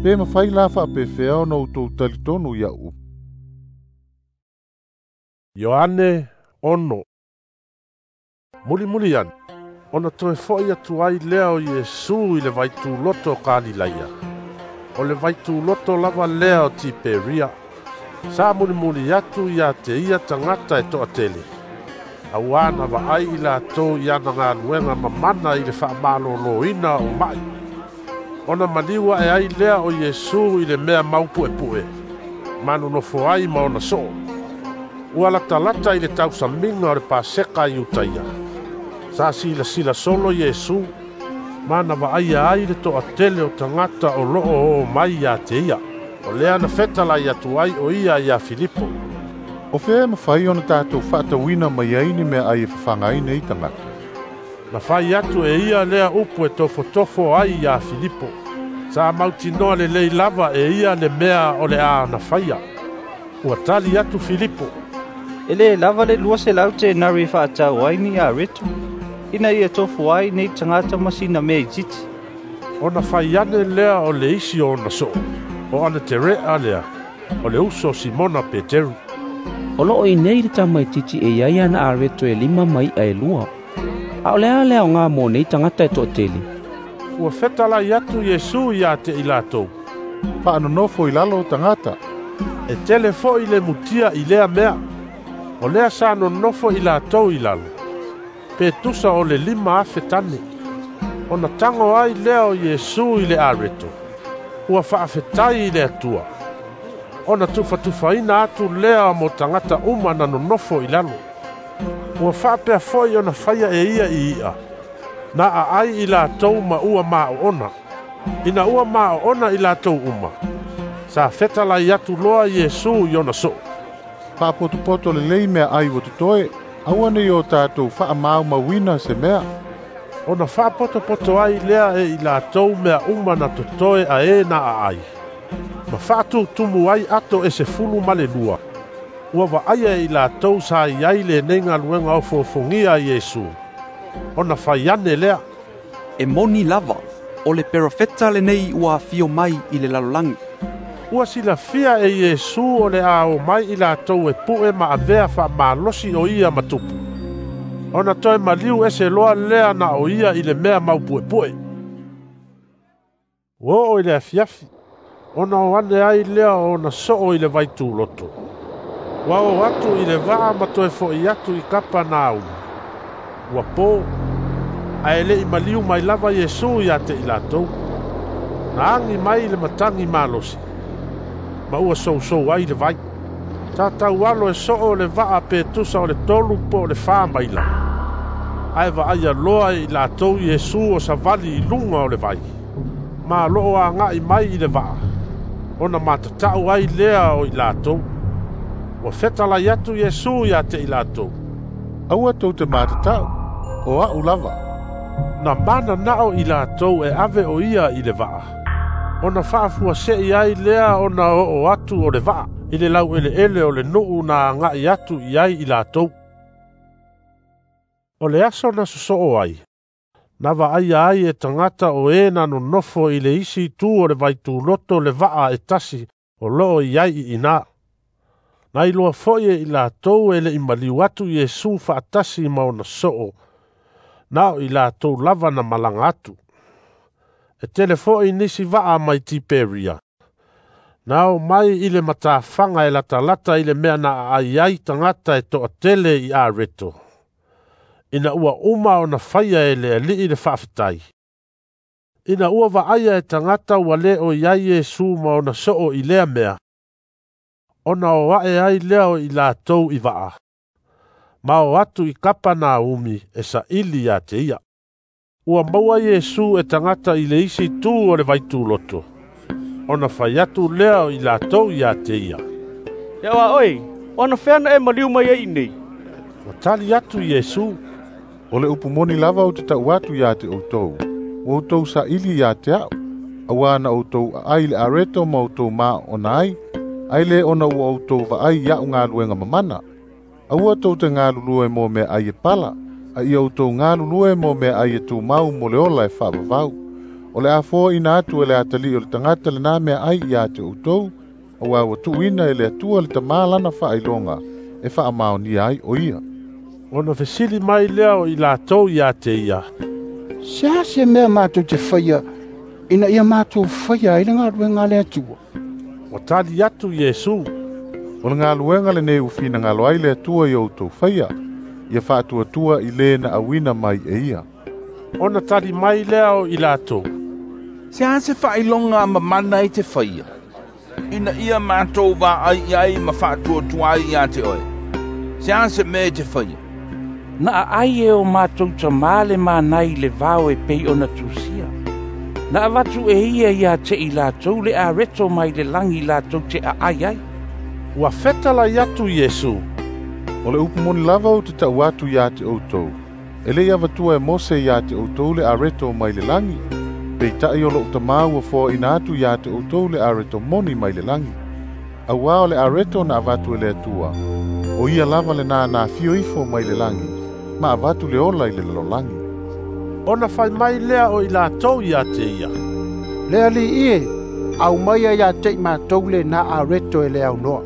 pe mafai la faapefea ona outou talitonu iaʻu. Ioane ono. Mulimuli ane, ona toe foʻi atu ai lea o Iesu i le vaituloto o Kalilaia. O le vaituloto lava lea o Tiperia. Sa mulimuli atu iā te ia tagata e toʻatele, auā na vaai i latou i ana galuega mamana i le faamalōlōina o maʻi. Ona maliu aʻe ai lea o Iesu i le mea maupuepue, ma nonofo ai ma ona soo. Ua latalata i le tausamiga o le Paseka i Iutaia. Sa silasila solo Iesu, ma na vaaia ai le toʻatele o tagata o loo oo mai iā te ia. O lea na fetalai atu ai o ia iā Filipo. O fea e mafai ona tatou faatauina mai ai ni meaai e fafaga ai nei tagata? Na fai atu e ia lea upu e tofotofo ai iā Filipo. Sa mautinoa lelei lava e ia le mea o le a na faia. Ua tali atu Filipo, E lē lava le lua selau tenari e faatau ai ni areto, ina ia tofu ai nei tagata ma sina mea itiiti. Ona fai ane lea o le isi o ona soo, o Anatereʻa lea, o le uso o Simona Peteru. O loo i nei le tamaititi e iai ana areto e lima ma iʻa e lua. A o le a le aogā mo nei tagata e toʻatele? Ua fetalai atu Iesu iā te i latou, Faanonofo i lalo o tagata. E tele foʻi le mutia i lea mea. O lea sa nonofo i latou i lalo, pe tusa o le lima afe tane. Ona tago ai lea o Iesu i le areto, ua faafetai i le Atua. Ona tufatufaina atu lea mo tagata uma na nonofo i lalo. Ua faapea foʻi ona faia e ia i iʻa, na aai i latou ma ua maoona. Ina ua maoona i latou uma, sa fetalai atu loa Iesu i ona soo. Faapotopoto lelei meaai ua totoe, aua nei o tatou faamaumauina se mea. Ona faapotopoto ai lea e i latou mea uma na totoe a e na aai, ma faatutumu ai ato e sefulu ma le lua. Ua vaaia e i latou sa i ai lenei galuega ofoofogia a Iesu. Ona fai ane lea, E moni lava, O le perofeta lenei ua afio mai i le lalolagi. Ua silafia e Iesu o le a o mai i latou e pu'e ma avea faamalosi o ia ma tupu. Ona toe maliu ese loa lea na o ia i le mea maupuepue. Ua oo i le afiafi, ona o ane ai lea o ona soo i le vaituloto. Ua o atu i le vaa ma toe fo'i atu i Kapanaumu. Ua po, ae le'i maliu mai lava Iesu ia te i latou. Na agi mai le matagi malosi, ma ua sousou ai le vai. Tatau alo e soo le vaa pe tusa o le tolu po o le fa maila. Ae vaaia loa e i latou Iesu o savali i luga o le vai. Ma loo aga'i mai i le vaa, ona matata'u ai lea o i latou. Ua fetalai atu Iesu ia te i latou. Aua tou te matata'u, o a'u lava. Na manana'o i latou e ave o ia i le vaa. Ona faafuase'i ai lea ona oo atu o le vaa i le laueleele o le nu'u na aga'i atu i ai i latou. O le aso na sosoo ai, na vaaia ai e tagata o e na nonofo i le isi itu o le vaituloto le vaa e tasi o loo i ai i ina. Na iloa fo'i e i latou e le'i maliu atu Iesu faatasi ma ona soo, na o i latou lava na malaga atu. E tele fo'i nisi vaa mai Tiperia. Na o mai i le matafaga e latalata i le mea na aai ai tagata e to'atele i areto. Ina ua uma ona faia e le Alii le faafetai. Ina ua vaaia e tagata ua le o iai Iesu ma ona soo i lea mea, ona o a'e ai lea o i latou i vaa. Ma o atu i Kapanaumu e sa'ili ia te ia. Ua maua Iesu e tagata i le isi itu o le vaituloto. Ona fai atu lea o i latou ia te ia. E aʻo a oe, o anafea na e maliu mai ai iinei? Ua tali atu Iesu. O le upu moni lava ou te ta'u atu iā te outou, ua outou sa'ili iā te a'u, auā na outou aai le areto ma outou maoona ai, ae lē ona ua outou vaai iaʻu galuega mamana. Aua tou te galulue mo meaai e pala, a ia outou galulue mo meaai e tumau mo le ola e faavavau. O le a foaina atu e le atalii o le tagata lenā meaai iā te outou, auā ua tuuina e le Atua le Tamā lana faailoga e faamaonia ai o ia. Ona fesili mai lea o i latou ia te ia. Se a se mea matou te faia ina ia matou faia ai le galuega a le Atua? Ua tali atu Iesu. O le galuega lenei ua finagalo ai le Atua i outou faia, ia faatuatua i le na auina mai e ia. Ona tali mai lea o i latou. Se a se faailoga mamana e te faia, ina ia matou vaai i ai ma faatuatua ai ia te oe. Se a se mea e te faia? Na aai e o matou tamā le mana i le vao e pei ona tusia. Na avatu e ia ia te i latou le areto mai le lagi latou te aai ai. Ua fetalai atu Iesu. O le upu moni lava ou te ta'u atu iā te outou, e le'i avatua e Mose iā te outou le areto mai le lagi, peita'i o lo'u Tamā ua foaina atu iā te outou le areto moni mai le lagi. Auā o le areto na avatu e le Atua, o ia lava lenā na afio ifo mai le lagi, ma avatu le ola i le lalolagi. Ona fai mai lea o i latou ia te ia. Le Alii e, aumaia ia te i matou lenā areto e le aunoa.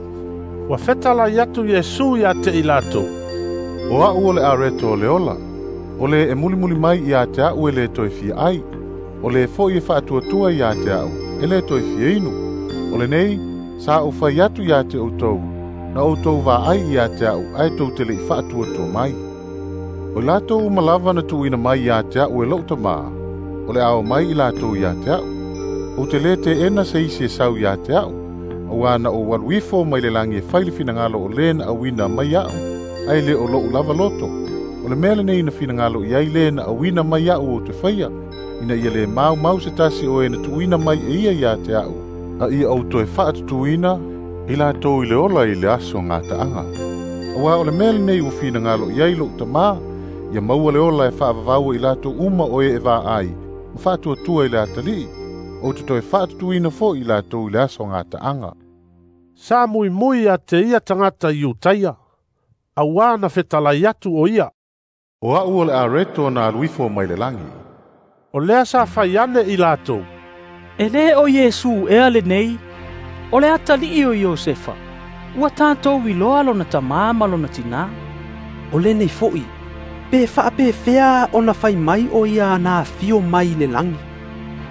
Ua fetalai atu Iesu ia te i latou. O a'u o le areto o le ola, o le e mulimuli mai ia te a'u e le toe fia ai, o le fo'i e faatuatua ia te a'u e le toe fia inu. O lenei, sa ou fai atu ia te outou, na outou vaai ia te a'u ae tou te le'i faatuatua mai. O i latou uma lava na tuuina mai ia te a'u e lo'u Tamā, o le a o mai i latou ia te a'u. Ou te lē te'ena se isi e sau ia te a'u, auā na ou alu ifo mai le lagi e fai le finagalo o lē na auina mai a'u, ae lē o lo'u lava loto. O le mea lenei na finagalo i ai lē na auina mai a'u ou te faia, ina ia lē maumau se tasi o e na tuuina mai e ia iā te a'u, a ia ou toe fa'atutuina i latou i le ola i le aso gata'aga. Auā o le mea lenei ua finagalo i ai lo'u Tamā, ia maua le ola e faavavau i latou uma o e e vaai, ma faatuatua i le atalii, ou te toe fa'atutuina fo'i i latou i le aso gata'aga. Sa muimui ia te ia tagata Iutaia, auā na fetalai atu o ia. O a'u o le areto na alu ifo mai le lagi. O lea sa fai ane i latou, E lē o Iesu ea lenei, o le atalii o Iosefa, ua tatou iloa lona tamā ma lona tinā. O lenei fo'i, pe faapefea ona fai mai o ia na afio mai i le lagi.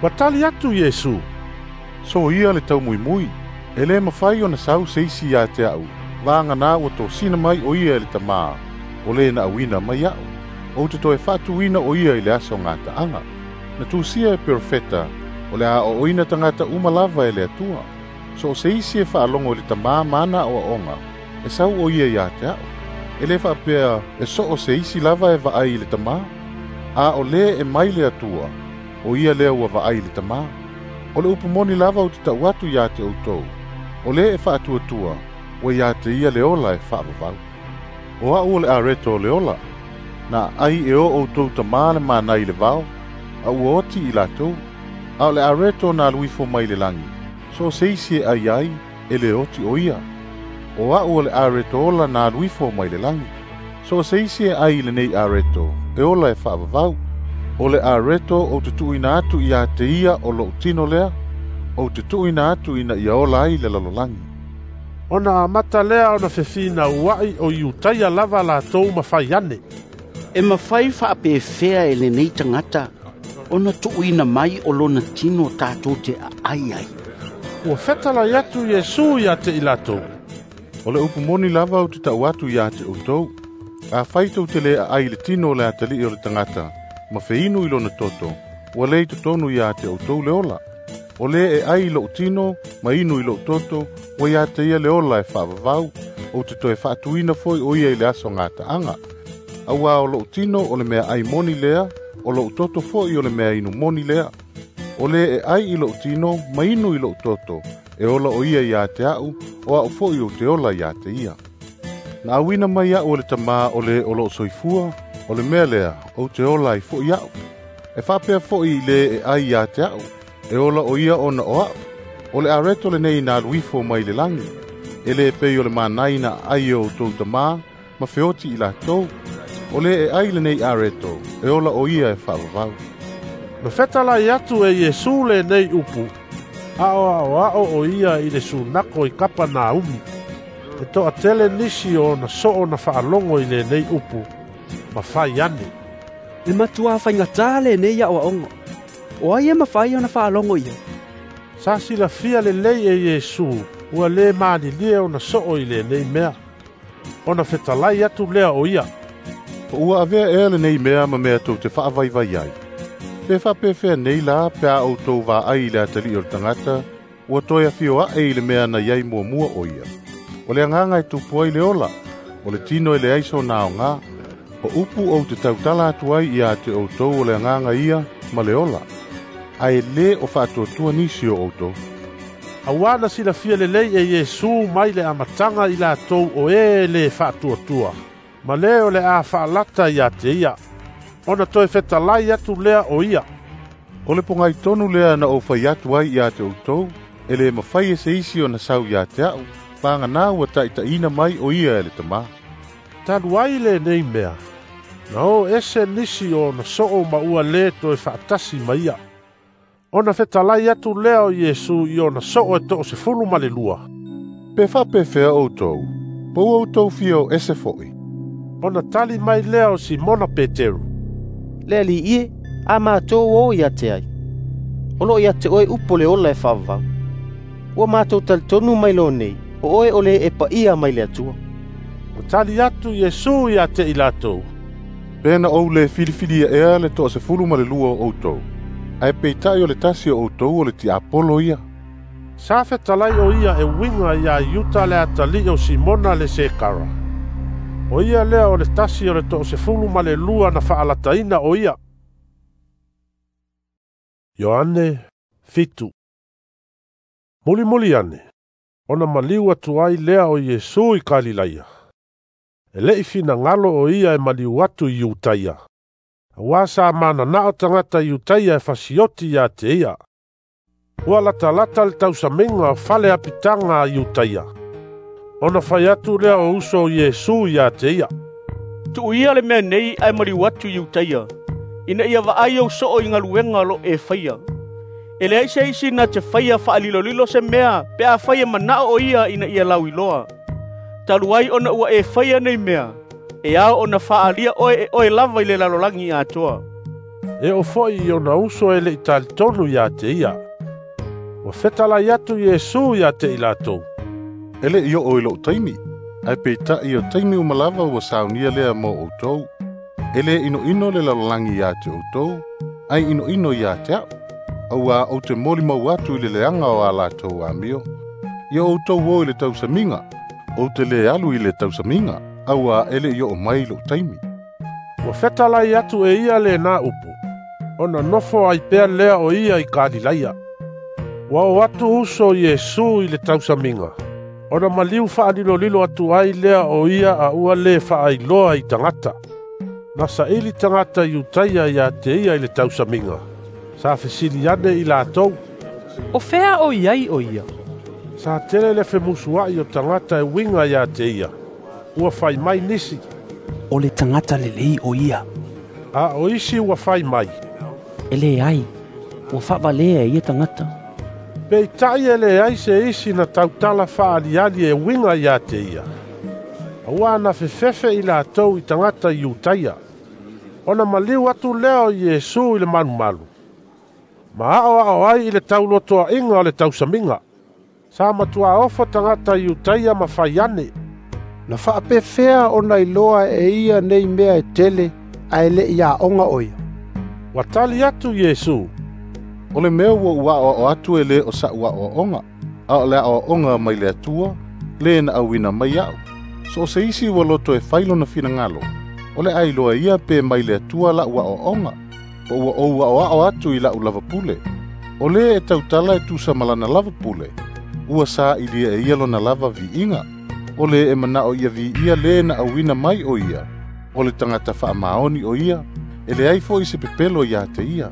Ua tali atu Iesu, So ia le taumuimui, e lē mafai ona sau se isi iā te a'u, vagana ua tosina mai o ia e le tamā, o lē na auina mai a'u. Ou te toe faatuina o ia i le aso gataaga. Na tusia e perofeta, o le aoaoina tagata uma lava e le Atua. So o se isi e faalogo i le tamā ma ana aoaoga, e sau o ia iā te a'u. E lē faapea e so o se isi lava e vaai i le tamā, a o lē e mai le Atua, o ia lea ua vaai i le tamā. O le upu moni lava ou te ta'u atu iā te outou, o lē e faatuatua, ua iā te ia le ola e faavavau. O a'u o le areto o le ola, na ai e o outou tamā le manai i le vao, a ua oti i latou, a o le areto na alu ifo mai le lagi, so o se isi e ai ai, e le oti o ia. O a'u o le areto ola na alu ifo mai le lagi, so o se isi e ai i lenei areto, e ola e faavavau. O le areto ou te tuuina atu iā te ia o lo'u tino lea, ou te tuuina atu ina ia ola ai le lalolagi. Ona amata lea ona fefinaua'i o Iutaia lava latou ma fai ane, E mafai faapefea e lenei tagata ona tuuina mai o lona tino tatou te aai ai. Ua fetalai atu Iesu iā te i latou, O le upu moni lava ou te ta'u atu iā te outou, afai tou te lē aai i le tino o le atalii o le tagata, ma feinu i lona toto, ua lē i totonu iā te outou le ola. O lē e ai i lo'u tino, ma inu i lo'u toto, ua iā te ia le ola e faavavau, ou te toe faatuina foi o ia i le aso gataaga. Auā o lo'u tino o le mea ai moni lea, o lo'u toto fo'i o le mea inu moni lea. O lē e ai i lo'u tino, ma inu i lo'u toto, e ola o ia iā te a'u, o a'u fo'i ou te ola iā te ia. Na auina mai a'u e le tamā o lē o lo'o soifua, o le mea lea, ou te ola ai fo'i a'u. E faapea fo'i i lē e ai iā te a'u, e ola o ia ona o a'u. O le areto lenei na alu ifo mai le lagi, e lē pei o le manai na aai e outou tamā, ma feoti i latou. O lē e ai lenei areto, e ola o ia e faavavau. Na fetalai atu e Iesu lenei upu, a o aoao o ia i le sunako i Kapanaumi. E toatele nisi o ona soo na faalogo i lenei upu, ma fai ane, E matuā faigatā lenei aoaoga, o ai e mafai ona faalogo i ai. Sa silafia lelei e Iesu, ua lē malilie ona soo i lenei mea. Ona fetalai atu lea o ia, Po ua avea ea lenei mea ma mea tou te faavaivai ai. Pe faapefea nei la pe a outou vaai i le atalii o le tagata, ua toe afio a'e i le mea na iai muamua o ia. O le agaga e tupu ai le ola, o le tino e leai sona aogā. O upu ou te tautala atu ai iā te outou o le agaga ia ma le ola, ae lē o faatuatua nisi o outou. Auā na silafia lelei e Iesu mai le amataga i latou o ē lē faatuatua, ma lē o le a faalata iā te ia. Ona toe fetalai atu lea o ia, O le pogai tonu lea na ou fai atu ai iā te outou, e lē mafai e se isi ona sau iā te a'u, vagana ua taʻitaʻina mai o ia e le tamā. Talu ai lenei mea, na o ese nisi o ona soo ma ua lē toe faatasi ma ia. Ona fetalai atu lea o Iesu i ona soo e toosefulu ma le lua. Pe faapefea outou, po ua outou fia o ese fo'i. Ona tali mai lea o Simona Peteru, Le Alii e, a matou o ia te ai. O loo ia te oe upu o le ola e faavavau. Ua matou talitonu mai loa nei, o oe o le e paia mai le Atua. Ua tali atu Iesu iā te i latou, Pe na ou lē filifilia ea le toasefulu ma le lua o outou, ae peitaʻi o le tasi o outou o le tiapolo ia. Sa fetalai o ia e uiga iā Iuta le atalii o Simona le Sekara. O ia lea o le tasi o le toosefulu ma le lua na faalataina o ia. Ioane fitu. Mulimuli ane, ona maliu atu ai lea o Iesu i Kalilaia. E leʻi finagalo o ia e maliu atu i Iutaia. Auā sa mananao tagata Iutaia e fasioti iā te ia. Ua latalata le tausamiga o fale apitaga a Iutaia. Ona fai atu lea o uso o Iesu iā te ia, Tuuia le mea nei ae maliu atu i Iutaia, ina ia vaai ou so'o i galuega o lo'o e faia. E leai se isi na te faia fa'alilolilo se mea pe afai e mana'o o ia ina ia lauiloa. Talu ai ona ua e faia nei mea, e ao ona fa'aalia oe e oe lava i le lalolagi atoa." E oo fo'i i ona uso e le'i talitonu iā te ia. Ua fetalai atu Iesu iā te i latou, "E le'i oo i lo'u taimi, ae peita'i o taimi uma lava ua saunia lea mo outou. E lē inoino le lalolagi iā te outou, ae inoino iā te a'u, auā ou te molimau atu i le leaga o a latou amio. Ia outou o i le tausamiga, ou te lē alu i le tausamiga, auā e le'i oo mai lo'u taimi." Ua fetalai atu e ia lenā upu, ona nofo ai pea lea o ia i Kalilaia. Ua o atu uso Iesu i le tausamiga, ona maliu fa'alilolilo atu ai lea o ia a ua lē fa'ailoa i tagata. Na sa'ili tagata Iutaia iā te ia i le tausamiga. Sa fesili ane i latou, "O fea o i ai o ia?" Sa tele le femusua'i o tagata e uiga iā te ia. Ua fai mai nisi, "O le tagata lelei o ia." A o isi ua fai mai, "E leai, ua fa'avalea e ia tagata." Peita'i e leai se isi na tautala fa'aaliali e uiga iā te ia, auā na fefefe i latou i tagata Iutaia. Ona maliu atu lea o Iesu i le malumalu, ma a'oa'o ai i le taulotoa'iga o le tausamiga. Sa matuā ofo tagata Iutaia ma fai ane, "Na fa'apefea ona iloa e ia nei mea e tele, ae le'i a'oga o ia?" Ua tali atu Iesu, "O le mea ua ou a'oa'o atu e lē o sa'u a'oa'oga, a o le a'oa'oga mai le Atua, lē na auina mai a'u. So o se isi ua loto e fai lona finagalo, o le a iloa ia pe mai le Atua la'u a'oa'oga, po ua ou a'oa'o atu i la'u lava pule. O lē e tautala e tusa ma lana lava pule, ua sa'ilia e ia lona lava vi'iga. O lē e mana'o ia vi'ia lē na auina mai o ia, o le tagata fa'amaoni o ia, e leai fo'i se pepelo iā te ia.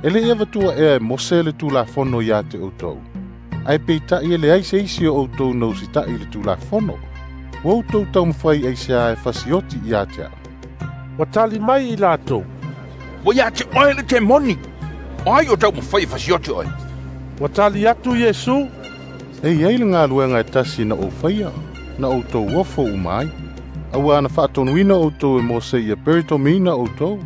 E le'i avatua ea e Mose le Tulafono iā te outou, ae peita'i e leai se isi o outou na usita'i i le Tulafono. Ua outou taumafai aiseā e fasioti iā te a'u?" Ua tali mai i latou, "Ua iā te oe le temoni. O ai o taumafai e fasioti oe?" Ua tali atu Iesu, "E iai le galuega e tasi na ou faia, na outou ofo uma ai. Auā na fa'atonuina outou e Mose ia peritomeina outou.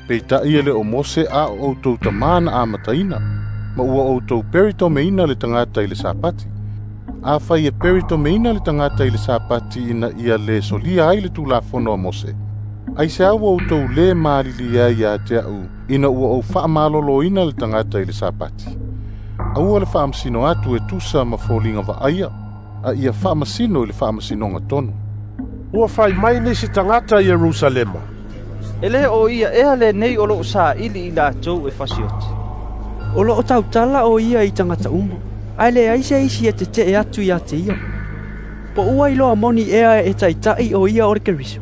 Peita'i e lē o Mose a o outou tamā na amataina, ma ua outou peritomeina le tagata i le Sapati. Afai e peritomeina le tagata i le Sapati ina ia lē solia ai le Tulafono a Mose, aiseā ua outou lē malilie ai iā te a'u ina ua ou fa'amalōlōina le tagata i le Sapati? Aua le fa'amasino atu e tusa ma foliga va'aia, a ia fa'amasino i le fa'amasinoga tonu." Ua fai mai nisi tagata i Ierusalema, "E lē o ia ea lenei o lo'o sa'ili i latou e fasioti? O lo'o tautala o ia i tagata uma, ae leai se isi e tete'e atu iā te ia. Po ua iloa moni ea e ta'ita'i o ia o le Keriso?"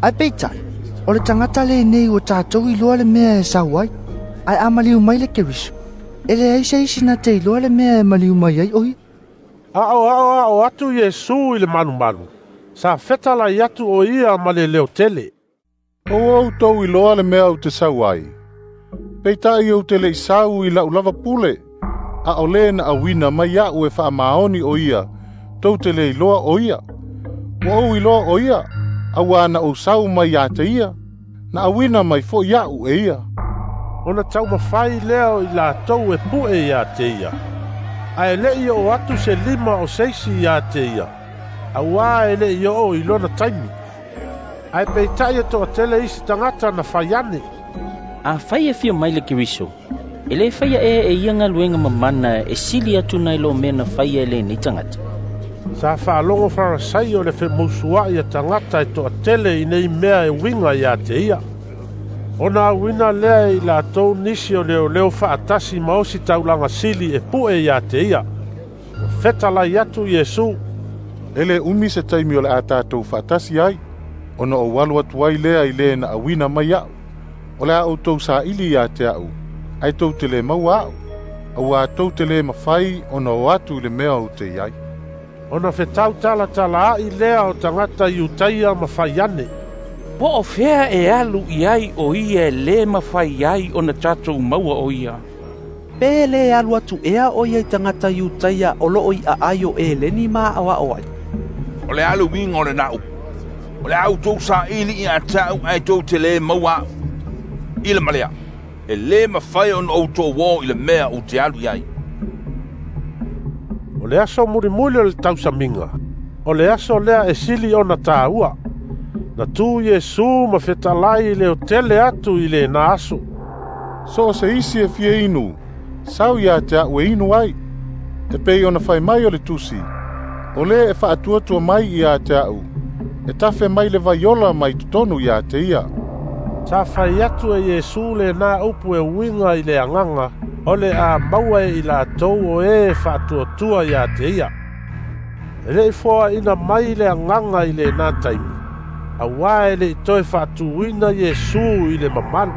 "Ae peita'i, o le tagata lenei ua tatou iloa le mea e sau ai, ae a maliu mai le Keriso, e leai se isi na te iloa le mea e maliu mai ai o ia." A'oa'o a'o atu Iesu i le malumalu. Sa fetalai atu o ia ma le leotele, "O ua outou iloa le mea ou te sau ai. Peita'i ou te le'i sau i la'u lava pule, a o lē na auina mai a'u e fa'amaoni o ia, tou te lē iloa o ia. Ua ou iloa o ia, auā na ou sau mai iā te ia, na auina mai fo'i a'u e ia." Ona taumafai lea o i latou e pu'e iā te ia, ae le'i oo atu se lima o se isi iā te ia, auā e le'i oo i lona taimi. Ae peita'i e to'atele isi tagata na fai ane, "Afai e fia mai le Keriso, e lē faia ea e ia galuega mamana e sili atu nai lo mea na faia e lenei tagata?" Sa fa'alogo Farasaio le femusua'i a tagata e to'atele i nei mea e uiga iā te ia. Ona auina lea e i latou nisi o leoleo fa'atasi ma osi taulaga sili e pu'e iā te ia. Ua fetalai atu Iesu, "E lē umi se taimi o le a tatou fa'atasi ai, ona ou alu atu ai lea i lē na auina mai a'u. O le a outou sa'ili iā te a'u, ae tou te lē maua a'u, auā tou te lē mafai ona o atu i le mea ou te i ai." Ona fetautalatala'i lea o tagata Iutaia ma fai ane, Po o fea e alu i ai o ia e lē mafai ai ona tatou maua o ia? Pe lē alu atu ea o ia i tagata Iutaia o loo i aai o Eleni ma aoao ai? O le a le uiga o lenā upu, o le a outou saili ia te a'u ae tou te lē maua a'u. I le ma lea, e lē mafai ona outou ō i le mea ou te alu i ai. O le aso mulimuli o le tausamiga, o le aso lea e sili ona tāua. Na tu Iesu ma fetalai i le otele atu i lenā aso. So o se isi e fia inu, sau ia te a'u e inu ai. E pei ona fai mai o le tusi, o le e faatuatua mai ia te a'u, e tafe mai le vaiola mai totonu ia te ia. Sa fai atu e Iesu lenā upu e uiga i le agaga, o le a maua e i latou o e faatuatua ia te ia. E le'i foaina mai le agaga i lenā taimi, auā e le'i toe faatuina Iesu i le mamalu.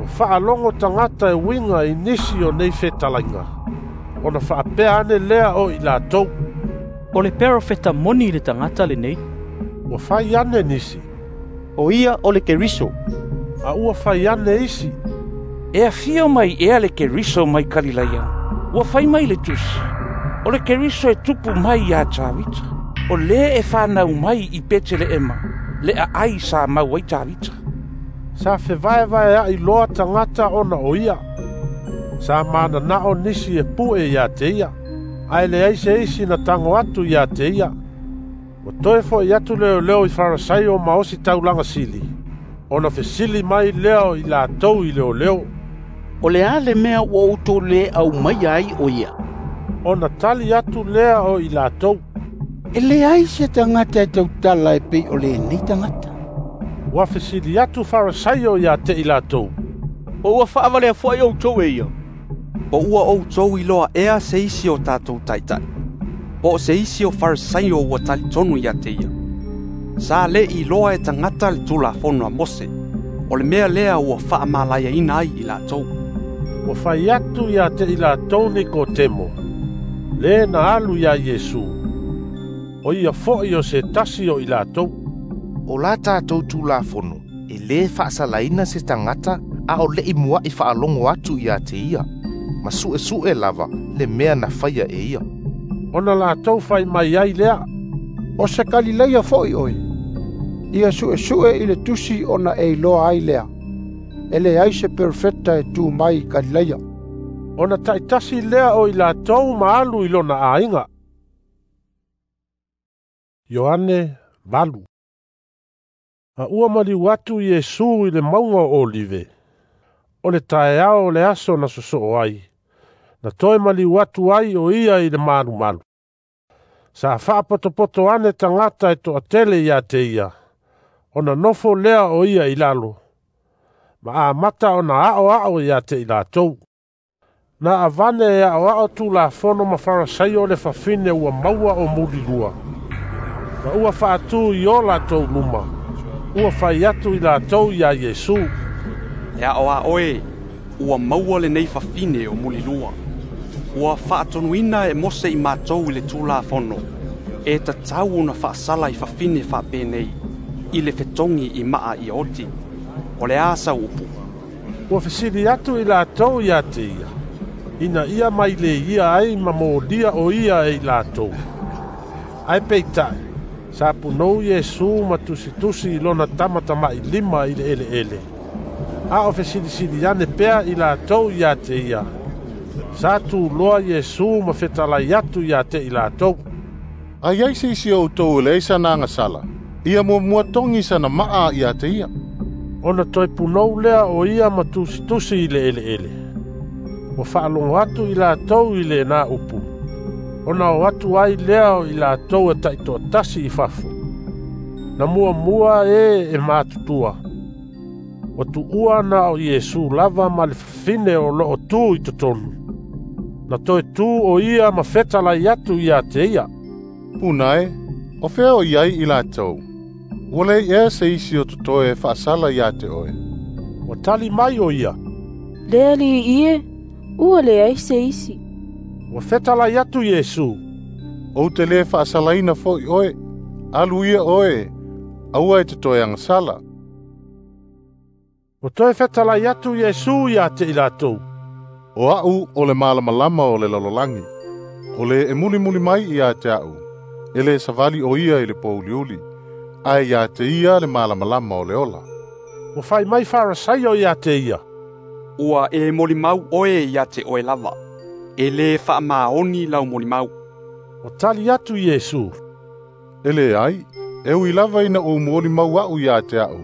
Ua faalogo tagata e uiga i nisi o nei fetalaiga, ona faapea ane lea o i latou, O le perofeta moni le tagata lenei. Ua fai ane nisi, O ia o le Keriso. A ua fai ane isi, E afio mai ea le Keriso mai Kalilaia? Ua fai mai le tusi, o le Keriso e tupu mai iā Tavita, o lē e fanau mai i Peteleema, le aai sa mau ai Tavita. Sa fevaevaea'i loa tagata ona o ia. Sa manana'o nisi e pu'e iā te ia, ae leai se isi na tago atu iā te ia. Ua toe fo'i atu leoleo i Farasaio ma osi taulaga sili, ona fesili mai lea o i latou i leoleo, O le a le mea ua outou lē aumaia ai o ia? Ona tali atu lea o i latou, E leai se tagata e tautala e pei o lenei tagata. Ua fesili atu Farasaio iā te i latou, Po ua faavalea fo'i outou e ia? Po ua outou iloa ea se isi o tatou ta'ita'i, po o se isi o Farisaio ua talitonu ia te ia? Sa lē iloa e tagata le Tulafono a Mose, o le mea lea ua faamalaiaina ai i latou. Ua fai atu ia te i latou Nikotemo, le na alu iā Iesu, o ia fo'i o se tasi o i latou. O la tatou Tulafono, e lē faasalaina se tagata a o le'i mua'i faalogo atu ia te ia, ma su'esu'e lava le mea na faia e ia. Ona latou fai mai ai lea, O se Kalilaia fo'i oe. Ia su'esu'e i le tusi ona e iloa ai lea, e leai se perofeta e tu mai i Kalilaia. Ona ta'itasi lea o i latou ma alu i lona aiga. Ioane valu. A ua maliu atu Iesu i le mauga o Olive, o le taeao o le aso na sosoo ai, na toe maliu atu ai o ia i le malumalu. Sa faapotopoto ane tagata e toatele ia te ia, ona nofo lea o ia i lalo, ma amata ona a'oa'o ia te i latou. Na avane e a'oa'o Tulafono ma Farasaio le fafine ua maua o mulilua, ma ua faatū i o latou luma, ua fai atu i latou iā Iesu, E aoao e, ua maua lenei fafine o mulilua. Ua faatonuina e Mose i matou i le Tulafono, e tatau ona faasala i fafine faapenei, i le fetogi i maa ia oti. O le a sau upu? Ua fesili atu i latou ia te ia, ina ia mai le ia ai ma molia o ia e i latou. Ae peita'i, sa punou Iesu ma tusitusi i lona tamatama'i lima i le eleele. A o fesilisili ane pea i latou ia te ia, sa tuloa Iesu ma fetalai atu ia te i latou. A iai se isi o outou e leai sana agasala, ia muamua togi sana maa ia te ia. Ona toe punou lea o ia ma tusitusi i le eleele. Ua faalogo atu i latou i lenā upu, ona o atu ai lea o i latou e ta'itoatasi i fafo. Na muamua e e matutua. Ua tu'ua na o Iesu lava ma le fafine o loo tu i totonu. Na toe tu o ia ma fetalai atu ia te ia, Puna e, o fea o iai i latou? Ua leai ea se isi o totoe e faasala ia te oe? Ua tali mai o ia, Le Alii e, ua leai se isi. Ua fetalai atu Iesu, Ou te lē faasalaina fo'i oe. Alu ia oe, Aua e te toe agasala. Ua toe fetalai atu Iesu ia te i latou. O a'u o le malamalama o le lalolagi. O le e mulimuli mai ia te a'u, e lē savali o ia i le pouliuli, ae ia te ia le malamalama o le ola. Ua fai mai Farasaio ia te ia. Ua e molimau oe ia te oe lava. E lē faamaoni lau molimau. Ua tali atu Iesu. E leai, e ui lava ina ou molimau a'u ia te a'u,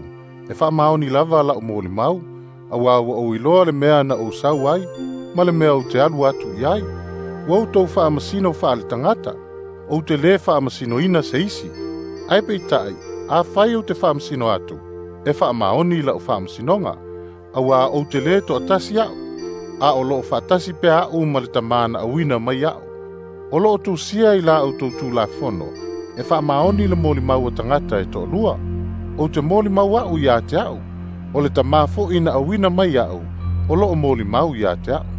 e faamaoni lava la'u molimau, auā ua ou iloa le mea na ou sau ai, ma le mea ou te alu atu i ai. Ua outou faamasino faaletagata, ou te lē faamasinoina se isi. Ae peita'i, afai ou te faamasino atu, e faamaoni la'u faamasinoga, auā ou te lē to'atasi a'u, a o lo'o faatasi pea a'u ma le tamā na auina mai a'u. O lo'o tusia i la outou Tulafono, e faamaoni le molimau a tagata e to'alua. Ou te molimau a'u ia te a'u, o le tamā fo'i na auina mai a'u, o lo'o molimau ia te a'u.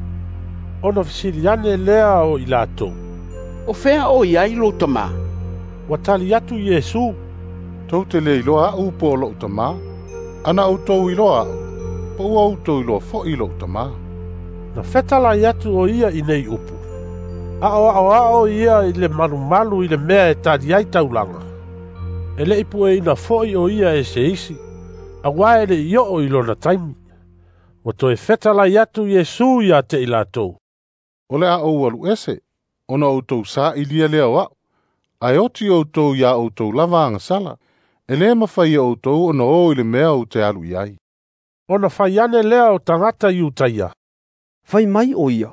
Ona fesili ane lea o i latou. O fea o i ai lou tamā? Ua tali atu Iesu. Tou te lē iloa a'u po o lo'u tamā. Ana outou iloa a'u, po ua outou iloa fo'i lo'u tamā. Na fetalai atu o ia i nei upu. A'oa'oa'o ia i le malumalu i le mea e tali ai taulaga. E le'i pueina fo'i o ia e se isi, auā e le'i o'o i lona taimi. Ua toe fetalai atu Iesu ia te i latou. O le a ou alu ese, ona outou sa'ilia lea o a'u, ae oti outou iā outou lava agasala, e lē mafai e outou ona o i le mea ou te alu i ai. Ona fai ane lea o tagata Iutaia. Fai mai o ia,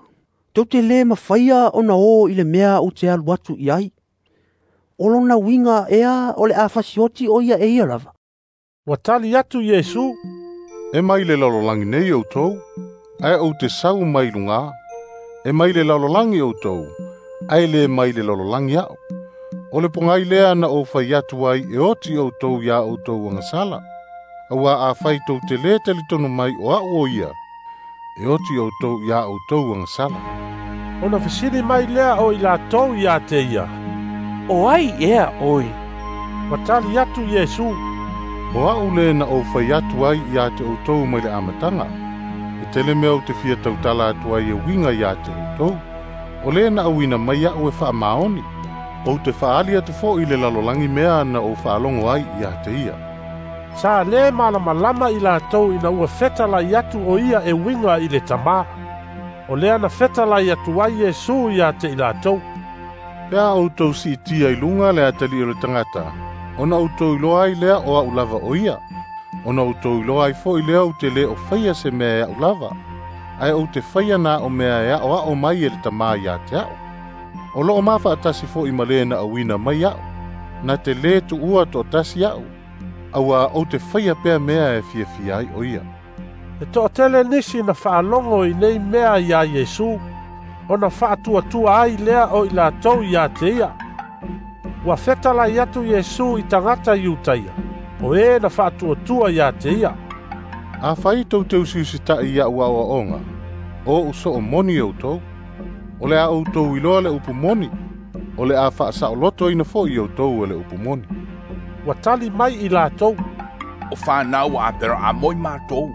tou te lē mafaia ona o i le mea ou te alu atu i ai. O lona uiga ea o le a fasioti o ia e ia lava. Ua tali atu Iesu. E mai le lalolagi nei outou, ae ou te sau mai lugā. E mai le lalolagi outou, ae lē mai le lalolagi a'u. O le pogai lea na ou fai atu ai e oti outou iā outou agasala. Auā afai tou te lē talitonu mai o a'u o ia, e oti outou iā outou agasala. Ona fesili mai lea o i latou ia te ia. O ai ea oe? Ua tali atu Iesu. O a'u lē na ou fai atu ai ia te outou mai le amataga. E tele mea ou te fia tautala atu ai e uiga iā te outou. O lē na auina mai a'u e faamaoni. Ou te fa'aali atu fo'i le lalolagi mea na ou fa'alogo ai ia te ia. Sa lē malamalama i latou ina ua fetalai atu o ia e uiga i le tamā. O lea na fetalai atu ai Iesu ia te i latou. Pe a outou si'itia i luga le atali'i o le tagata, ona outou iloa ai lea o a'u lava o ia. Ona outou iloa ai fo'i lea ou te lē o faia se mea e a'u lava, ae ou te faia na o mea e a'oa'o mai e le tamā iā te a'u. O lo'o mafa'atasi fo'i ma lē na auina mai a'u, na te lē tu'ua to'atasi a'u, auā ou te faia pea mea e fiafia ai o ia. E to'atele nisi na fa'alogo i nei mea iā Iesu, ona fa'atuatua ai lea o i latou ia te ia. Ua fetalai atu Iesu i tagata Iutaia, o e na fa'atuatua ia te ia. Afai tou te usiusita'i ia'u a'oa'oga, o o'u so'o moni outou. O le a outou iloa le upu moni, o le a fa'asa'olotoina fo'i outou e le upu moni. Ua tali mai i latou. O fanau a Aperaamo i matou.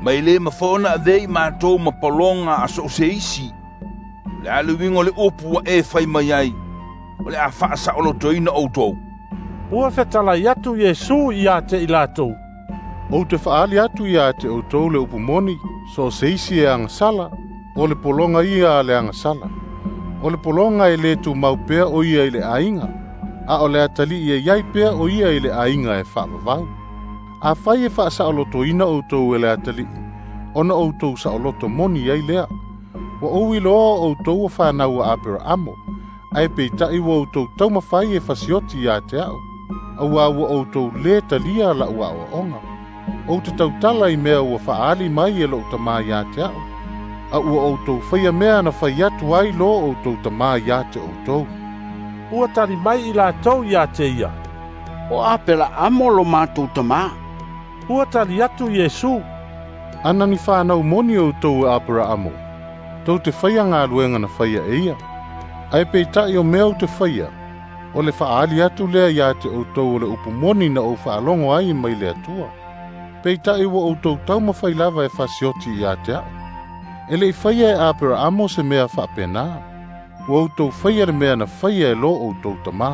Ma e lē mafai ona avea i matou ma paloga a so o se isi. O le a le uiga o le upu ua e fai mai ai, o le a fa'asa'olotoina outou. Ua fetalai atu Iesu ia te i latou. Ou te fa'aali atu ia te outou le upu moni, so o se isi e agasala, o le pologa ia a le agasala. O le pologa e lē tumau pea o ia i le aiga, a o le atali'i e iai pea o ia i le aiga e fa'avavau. Afai e fa'asa'olotoina outou e le atali'i, ona outou sa'oloto moni ai lea. Ua ou iloa outou o fanau a Aperaamo, ae peita'i ua outou taumafai e fasioti ia te a'u, auā ua outou lē talia la'u a'oa'oga. Ou te tautala i mea ua fa'aali mai e lo'u tamā iā te a'u, a ua outou faia mea na fai atu ai lō outou tamā iā te outou. Ua tali mai i latou ia te ia. O Aperaamo lo matou tamā. Ua tali atu Iesu. Ana ni fanau moni outou e Aperaamo, tou te faia galuega na faia e ia. Ae peita'i o mea ou te faia, O le fa'aali atu lea iā te outou o le upu moni na ou fa'alogo ai mai le Atua. Peita'i ua outou taumafai lava e fasioti iā te a'u. E le'i faia e Aperaamo se mea fa'apenā. Ua outou faia le mea na faia e lo outou tamā.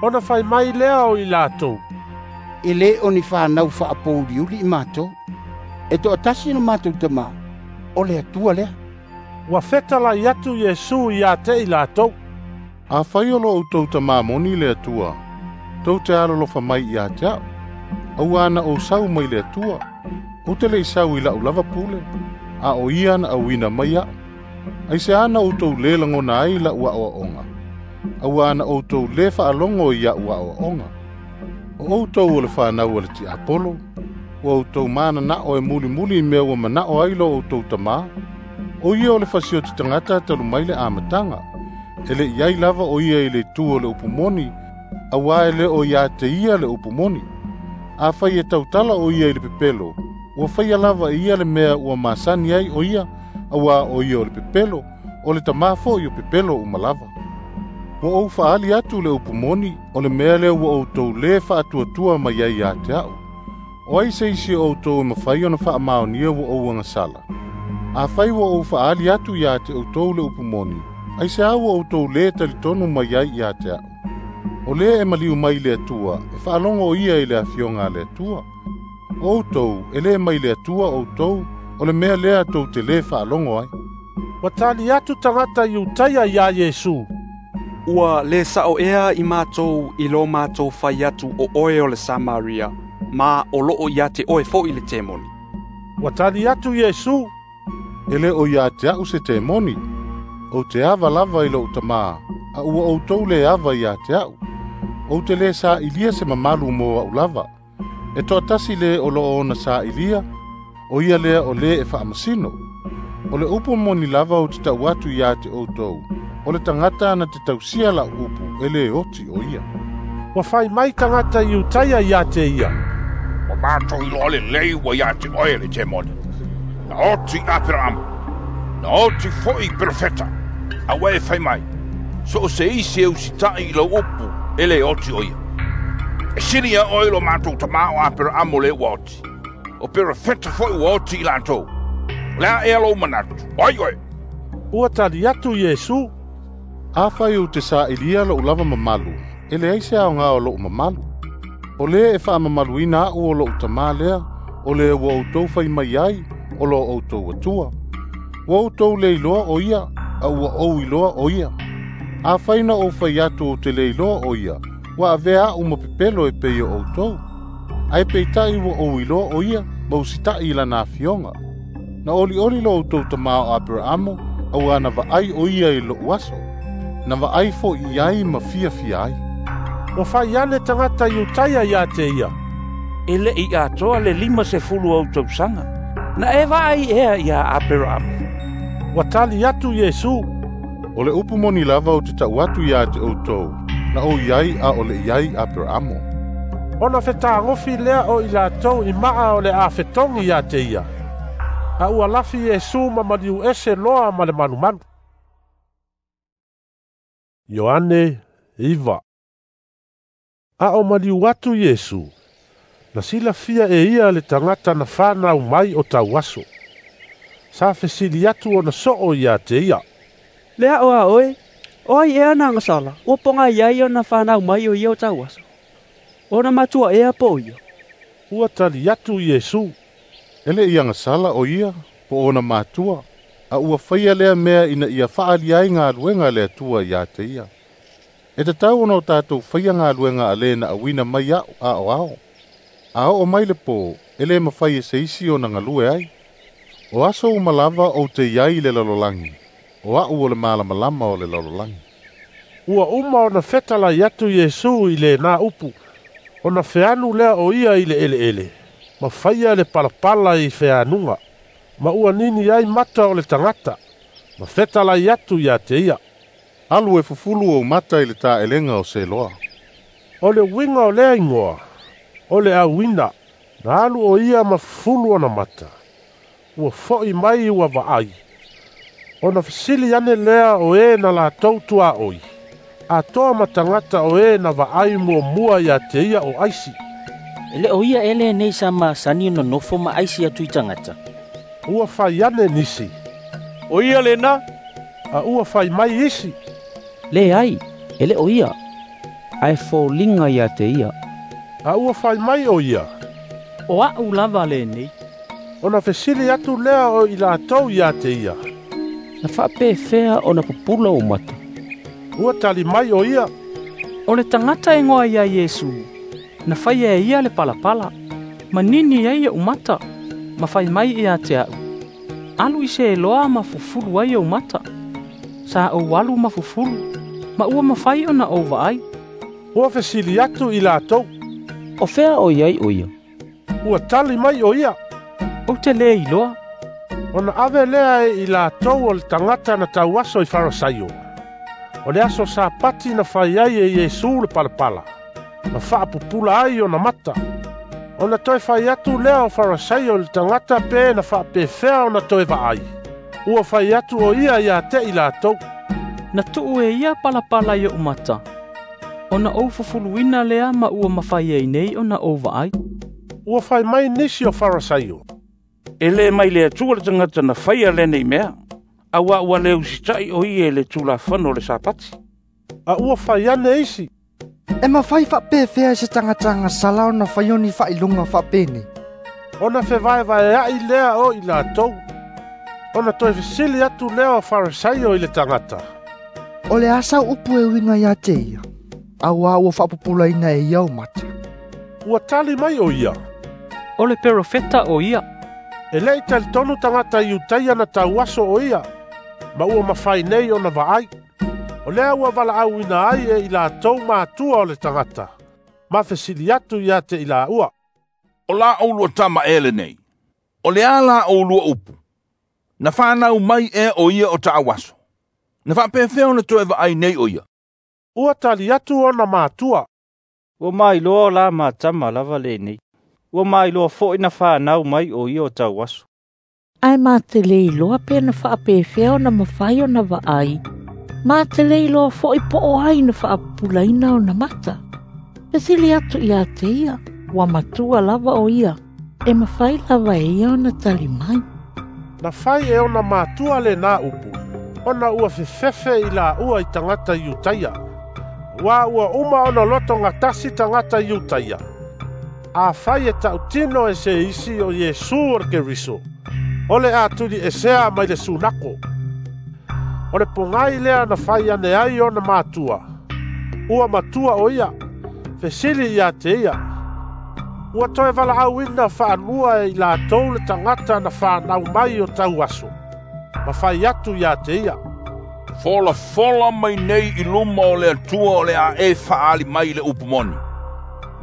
Ona fai mai lea o i latou. E lē o ni fanau fa'apouliuli i matou. E to'atasi no matou tamā, o le Atua lea. Ua fetalai atu Iesu iā te i latou. Afai o lo outou tamā moni le Atua, tou te alolofa mai iā te a'u. Auā na ou sau mai le Atua, ou te le'i sau i la'u lava pule, a o ia na auina mai a'u. Aiseā na outou lē lagona ai la'u a'oa'oga, auā na outou lē fa'alogo i a'u a'oa'oga. O outou o le fanau a le ti'apolo, ua outou manana'o e mulimuli i mea ua mana'o ai lo outou tamā. O ia o le fasioti tagata talu mai le amataga, e le'i ai lava o ia i le itu o le upu moni, auā e lē o iā te ia le upu moni. Afai e tautala o ia i le pepelo, ua faia lava e ia le mea ua masani ai o ia, auā o ia o le pepelo, o le tamā fo'i o pepelo uma lava. Ua ou fa'aali atu le upu moni, o le mea lea ua outou lē fa'atuatua mai ai iā te a'u. O ai se isi o outou e mafai ona fa'amaonia ua ou agasala. Afai ua ou fa'aali atu iā te outou le upu moni, aiseā ua outou lē talitonu mai ai iā te a'u. O lē e maliu mai le Atua, e fa'alogo o ia i le afioga a le Atua. O outou, e lē mai le Atua outou, o le mea lea tou te lē fa'alogo ai. Ua tali atu tagata Iutaia iā Iesu. Ua lē sa'o ea i matou i lo matou fai atu o oe o le Samaria, ma o lo'o iā te oe fo'i le temoni. Ua tali atu Iesu. E lē o iā te a'u se temoni. Ou te ava lava i lo'u tamā, a ua outou lē ava iā te a'u. Ou te lē sa'ilia se mamalu mo a'u lava. E to'atasi lē o lo'o ona sa'ilia, o ia lea o lē e fa'amasino. O le upu moni lava ou te ta'u atu iā te outou, o le tagata na te tausia la'u upu e lē oti o ia. Ua fai mai tagata Iutaia iā te ia. Ua matou iloa lelei ua iā te oe le temoni. Na oti Aperaamo, na oti fo'i perofeta, a ua e fai mai, so o se isi e usita'i i lau upu e lē oti o ia. E sili ia oe lo matou tamā o Aperaamo lē ua oti. O perofeta fo'i ua oti i latou. O le a ea lou manatu, o ai oe? Ua tali atu Iesu. Afai ou te sa'ilia lo'u lava mamalu, e leai se aogā o lo'u mamalu. O lē e fa'amamaluina a'u o lo'u tamā lea, o lē ua outou fai mai ai, o lo outou Atua. Ua outou lē iloa o ia, a ua ou iloa o ia. Afai na ou fai atu ou te lē iloa o ia, ua avea a'u ma pepelo e pei o outou. Ae peita'i ua ou iloa o ia, ma usita'i i lana afioga. Na olioli lo outou tamā o Aperaamo, auā na va'ai o ia i lo'u aso. Na va'ai fo'i ai ma fiafia ai. Ua fai ane tagata Iutaia iā te ia. E le'i atoa le lima sefulu ou tausaga. Na e va'ai ea iā Aperaamo. Ua tali atu Iesu. O le upu moni lava ou te ta'u atu iā te outou, na ou iai a o le'i ai Aperaamo. Ona fetagofi lea o i latou i ma'a o le afetogi iā te ia. A ua lafi Iesu ma maliu ese loa ma le malumalu. Ioane iva. A o maliu atu Iesu, na silafia e ia le tagata na fanau mai o tauaso. Sa fesili atu ona so'o iā te ia. Le a'o a oe, o ai ea na agasala, ua pogai ai ona fanau mai o ia o tauaso. Ona matua ea po o ia. Ua tali atu Iesu. E le'i agasala o ia, po ona matua, a ua faia lea mea ina ia fa'aali ai galuega a le Atua iā te ia. E tatau ona o tatou faia galuega a lē na auina mai a'u a'oao. A o'o mai le pō, e lē mafai e se isi ona galue ai. O aso uma lava ou te iai i le lalolagi, o a'u o le malamalama o le lalolagi. Ua uma ona fetalai atu Iesu i lenā upu, ona feanu lea o ia i le eleele, ma faia le palapala i feanuga, ma ua nini ai mata o le tagata, ma fetalai atu iā te ia. Alu e fufulu ou mata i le tā'elega o Seloa. O le uiga o lea igoa, o le auina, na alu o ia ma fufulu ona mata. Ua fo'i mai ua va'ai. Ona fesili ane lea o e na latou tuaoi. Atoa ma tagata o e na vaai muamua ia te ia o aisi. E le o ia ele nei sa masani ona nofo ma aisi atu i tagata. Ua fai ane nisi, O ia lena. A ua fai mai isi, Leai, e le o ia, ae foliga ia te ia. A ua fai mai o ia, O a'u lava lenei. Ona fesili atu lea o i latou ia te ia, Na faapefea ona pupula ou mata? Ua tali mai o ia, O le tagata e igoa ia Iesu, na faia e ia le palapala, manini ai o'u mata, ma fai mai ia te a'u, Alu i se eloa ma fufulu ai ou mata. Sa ou alu ma fufulu, ma ua mafai ona ou vaai. Ua fesili atu i latou, O fea o i ai o ia? Ua tali mai o ia, Ou te lē iloa. Ona ave lea e i latou o le tagata na tauaso i Farasaio. O le aso Sapati na fai ai e Iesu le palapala, ma faapupula ai ona mata. Ona toe fai atu lea o Farasaio i le tagata pe na faapefea ona toe vaai. Ua fai atu o ia ia te i latou, Na tuu e ia palapala i o'u mata, ona ou fufuluina lea ma ua mafai ai nei ona ou vaai. Ua fai mai nisi o Farasaio, E le mai le Atua le tagata na faia lenei mea, auā ua le usita'i o ia i le Tulafono o le Sapati. A ua fai ane isi, E mafai faapefea e se tagata agasala ona faia ni faailoga faapenei? Ona fevaevaea'i lea o i latou. Ona toe fesili atu lea o Farasaio i le tagata, O le a sau upu e uiga ia te ia, auā ua faapupulaina e ia ou mata? Ua tali mai o ia, O le perofeta o ia. E le'i talitonu tagata Iutaia na tauaso o ia, ma ua mafai nei ona vaai. O lea ua valaauina ai e i latou matua o le tagata, ma fesili atu ia te i laua, O la oulua tama ea lenei? O le a la oulua upu? Na fanau mai ea o ia o taauaso? Na faapefea ona toe vaai nei o ia? Ua tali atu ona matua, Ua mailoa o la matama lava lenei. Ua mailoa fo'i na fanau mai o ia o tauaso. Ae ma te le iloa pe na faapefea ona mafai ona vaai, ma te le iloa fo'i po o ai na faapupulaina ona mata. Fesili atu ia te ia, ua matua lava o ia, e mafai lava e ia ona tali mai. Na fai e ona matua lenā upu, ona ua fefefe i laua i tagata Iutaia. Auā ua uma ona loto gatasi tagata Iutaia, afai e tautino e se isi o Iesu o le Keriso, o le a tuliesea mai le sunako. O le pogai lea na fai ane ai ona matua, ua matua o ia, fesili ia te ia. Ua toe valaauina faalua e i latou le tagata na fanau mai o tauaso, ma fai atu ia te ia, Folafola mai nei i luma o le Atua o le a e faaali mai le upu moni.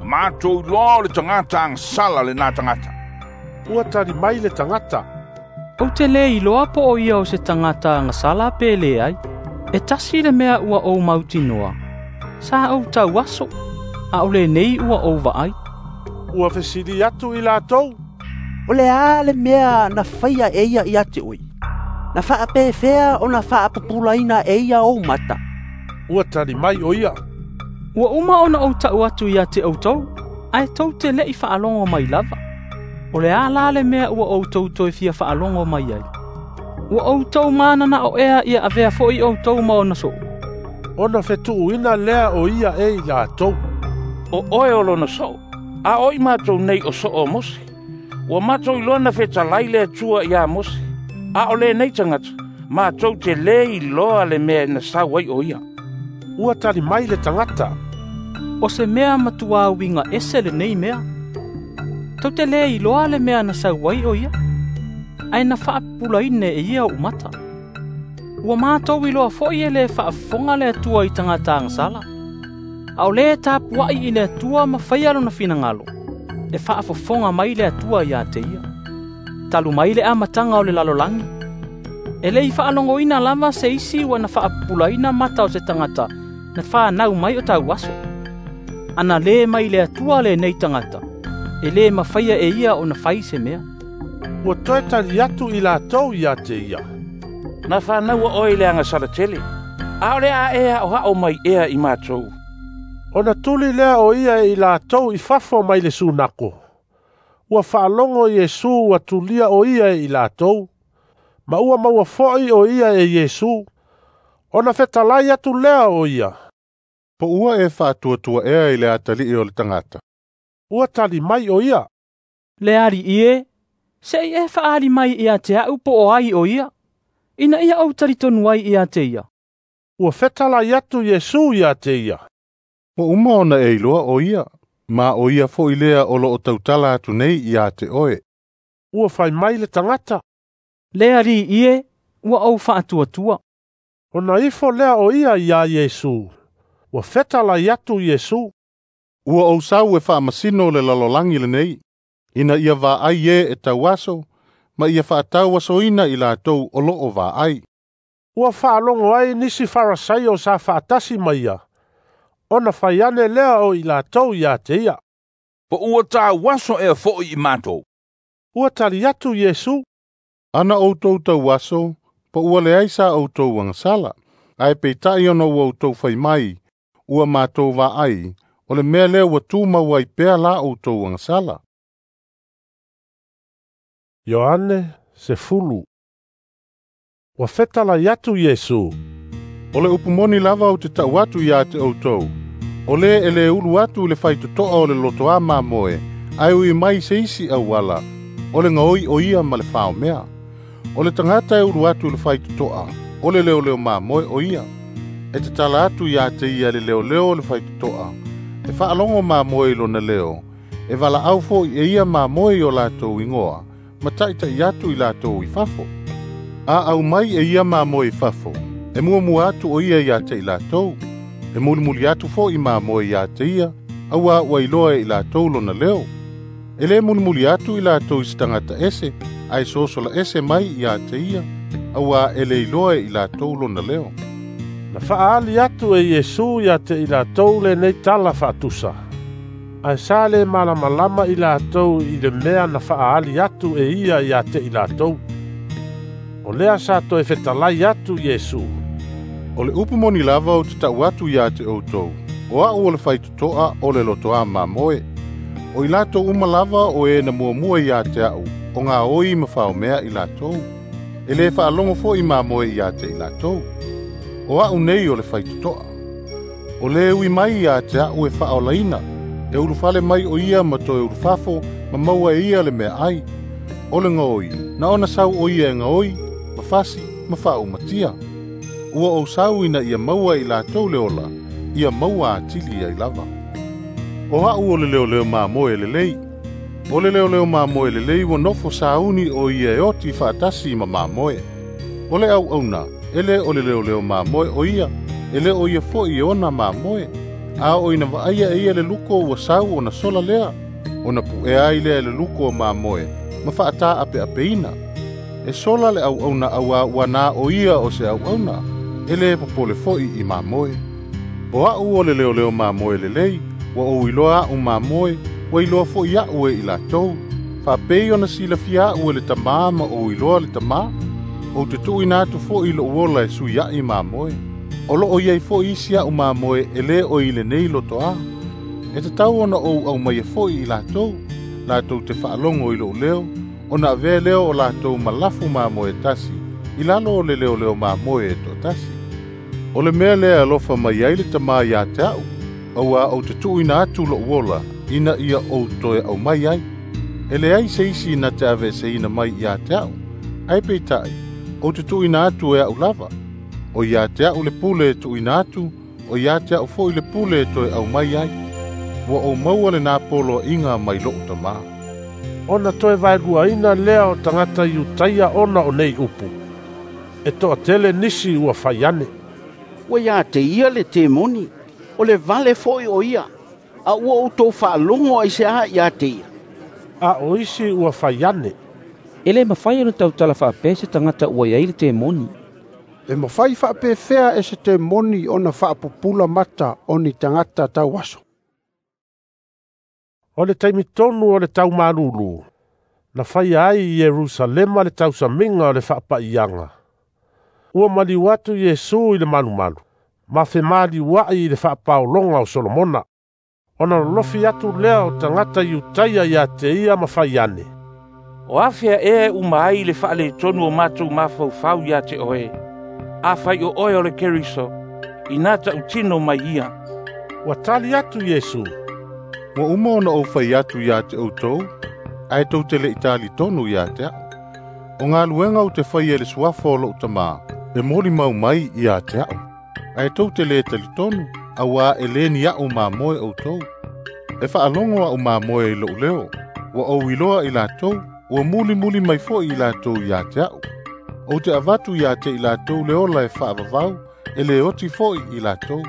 Ma matou iloa o le tagata agasala lenā tagata. Ua tali mai le tagata, Ou te lē iloa po o ia o se tagata agasala pe leai. E tasi le mea ua ou mautinoa, sa ou tauaso, a o lenei ua ou vaai. Ua fesili atu i latou, O le a le mea na faia e ia ia te oe? Na faapefea ona faapupulaina e ia ou mata? Ua tali mai o ia, Ua uma ona ou ta'u atu ia te outou, ae tou te le'i faalogo mai lava. O le a la le mea ua outou toe fia faalogo mai ai? Ua outou manana'o ea ia avea fo'i outou ma ona so'o? Ona fetuuina lea o ia e i latou, O oe o lona so'o, a o i matou nei o so'o o Mose. Ua matou iloa na fetalai le Atua iā Mose, a o lenei tagata, matou te lē iloa le mea na sau ai o ia. Ua tali mai le tagata, O se mea matuā uiga ese lenei mea. Tou te lē iloa le mea na sau ai o ia, ae na faapupulaina e ia o'u mata. Ua matou iloa fo'i e lē faafofoga le Atua i tagata agasala. A o lē tapua'i i le Atua ma faia lona finagalo, e faafofoga mai le Atua ia te ia. Talu mai le amataga o le lalolagi, e lē i faalogoina lava se isi ua na faapupulaina mata o se tagata na fanau mai o tauaso. Ana lē mai le Atua lenei tagata, e lē mafaia e ia ona fai se mea. Ua toe tali atu i latou ia te ia, Na fanaua oe i le agasala tele, A o le a e a'oa'o mai ea i matou?" Ona tuli lea o ia e i latou i fafo mai le sunako. Ua faalogo Iesu ua tulia o ia e i latou, ma ua maua fo'i o ia e Iesu. Ona fetalai atu lea o ia, "Po ua e faatuatua'ea i le atali'i o le tagata?" Ua tali mai o ia, "Le Ali'i e, se'i e fa'aali mai ia te a'u po o ai o ia, ina ia ou talitonu ai ia te ia." Ua fetalai atu Iesu ia te ia, "Ua uma ona e iloa o ia, ma o ia fo'i lea o lo'o tautala atu nei ia te oe." Ua fai mai le tagata, "Le Ali'i e, ua ou fa'atuatua." Ona ifo lea o ia iā Iesu. Ua fetalai atu Iesu, "Ua ou sau e faamasino le lalolagi lenei, ina ia vaai e e tauaso, ma ia faatauasoina i latou o lo'o vaai." Ua faalogo ai nisi Farasaio sa faatasi ma ia, ona fai ane lea o i latou ia te ia, "Po ua tauaso ea fo'i i matou?" Ua tali atu Iesu, "Ana outou tauaso, po ua leai sa outou agasala, ae peita'i ona ua outou fai mai, ua matou vaai, o le mea lea ua tumau ai pea la outou agasala." Ioane sefulu. Ua fetalai atu Iesu, "O le upu moni lava ou te ta'u atu iā te outou, o lē e lē ulu atu i le faitoto'a o le lotoā mamoe, ae ui mai se isi auala, o le gaoi o ia ma le faomea. O le tagata e ulu atu i le faitoto'a, o le leoleo mamoe o ia. E tatala atu iā te ia le leoleo o le faitoto'a, e fa'alogo mamoe i lona leo, e vala'au fo'i e ia mamoe i o latou igoa, ma ta'ita'i atu i latou i fafo. A au mai e ia mamoe i fafo, e muamua atu o ia iā te i latou, e mulimuli atu fo'i mamoe iā te ia, auā ua iloa e i latou lona leo. E lē mulimuli atu i latou i se tagata ese, ae sosola ese mai iā te ia, auā e le iloa e i latou lona leo." Na fa'aali atu e Iesu ia te i latou lenei tala fa'atusa. Ae sa le malamalama i latou i le mea na fa'aali atu e ia ia te i latou. O lea sa toe fetalai atu Iesu, "O le upu moni lava ou te ta'u atu iā te outou, o a'u o le faitoto'a o le lotoā mamoe. O i latou uma lava o e na muamua iā te a'u, o gaoi ma faomea i latou. E lē fa'alogo fo'i mamoe iā te i latou. O a'u nei o le faitoto'a. O lē ui mai iā te a'u e fa'aolaina, e ulufale mai o ia ma toe ulufafo ma maua e ia le meaai. O le gaoi, na ona sau o ia e gaoi, ma fasi ma fa'aumatia. Ua ou sau ina ia maua i latou le ola, ia maua atili ai lava. O a'u o le leoleo mamoe lelei. O le leoleo mamoe lelei ua nofo sauni o ia e oti fa'atasi ma mamoe. O le au'auna, e lē o le leoleo mamoe o ia, e lē o ia fo'i e ona mamoe. A oo ina va'aia e ia le luko ua sau ona sola lea, ona pu'ea ai lea e le luko o mamoe, ma fa'atā'ape'apeina. E sola le au'auna auā ua na o ia o se au'auna, e lē popole fo'i i mamoe. O a'u o le leoleo mamoe lelei, ua ou iloa a'u mamoe, ua iloa fo'i a'u e i latou. Fa'apei ona silafia a'u e le Tamā ma ou iloa le Tamā, ou te tu'uina atu fo'i lo'u ola e sui a'i mamoe. O lo'o iai fo'i isi a'u mamoe e lē o i lenei lotoā. E tatau ona ou aumaia fo'i i latou, latou te fa'alogo i lo'u leo, ona avea lea o latou ma lafu mamoe tasi, i lalo o le leoleo mamoe e to'atasi. O le mea lea e alofa mai ai le Tamā iā te a'u, auā ou te tu'uina atu lo'u ola, ina ia ou toe aumai ai. E leai se isi na te aveeseina mai iā te a'u, ae peita'i, ou te tu'uina atu e a'u lava. O iā te a'u le pule e tu'uina atu, o iā te a'u fo'i le pule e toe aumai ai. Ua ou maua lenā poloa'iga mai lo'u Tamā." Ona toe vaeluaina lea o tagata Iutaia ona o nei upu. E to'atele nisi ua fai ane, "Ua iā te ia le temoni, o le vale fo'i o ia, a ua outou fa'alogo aiseā iā te ia?" A o isi ua fai ane, "E lē mafai ona tautala fa'apea se tagata ua iai le temoni." E mafai fa'apefea e se temoni ona fa'apupula mata o ni tagata tauaso?" O le taimi tonu o le taumalūlū, na faia ai i Ierusalema le tausamiga o le fa'apa'iaga. Ua maliu atu Iesu i le malumalu, Ma femaliua'i i le faapaologa o Solomona. Ona lolofi atu lea o tagata Iutaia ia te ia ma fai ane. O afea ea e uma ai le faaletonu o matou mafaufau ia te oe. Afai o oe o le Keriso, ina tautino mai ia. Ua tali atu Iesu. Ua uma ona ou fai atu ia te outou, ae tou te le'i talitonu ia te a'u. O galuega ou te faia i le suafa o lo'u tamā, e molimau mai ia te a'u. Ae tou te lē talitonu, auā e lē ni a'u mamoe outou. E faalogo a'u mamoe i lo'u leo, ua ou iloa i latou, ua mulimuli mai fo'i i latou ia te a'u. Ou te avatu ia te i latou le ola e faavavau, e lē oti fo'i i latou.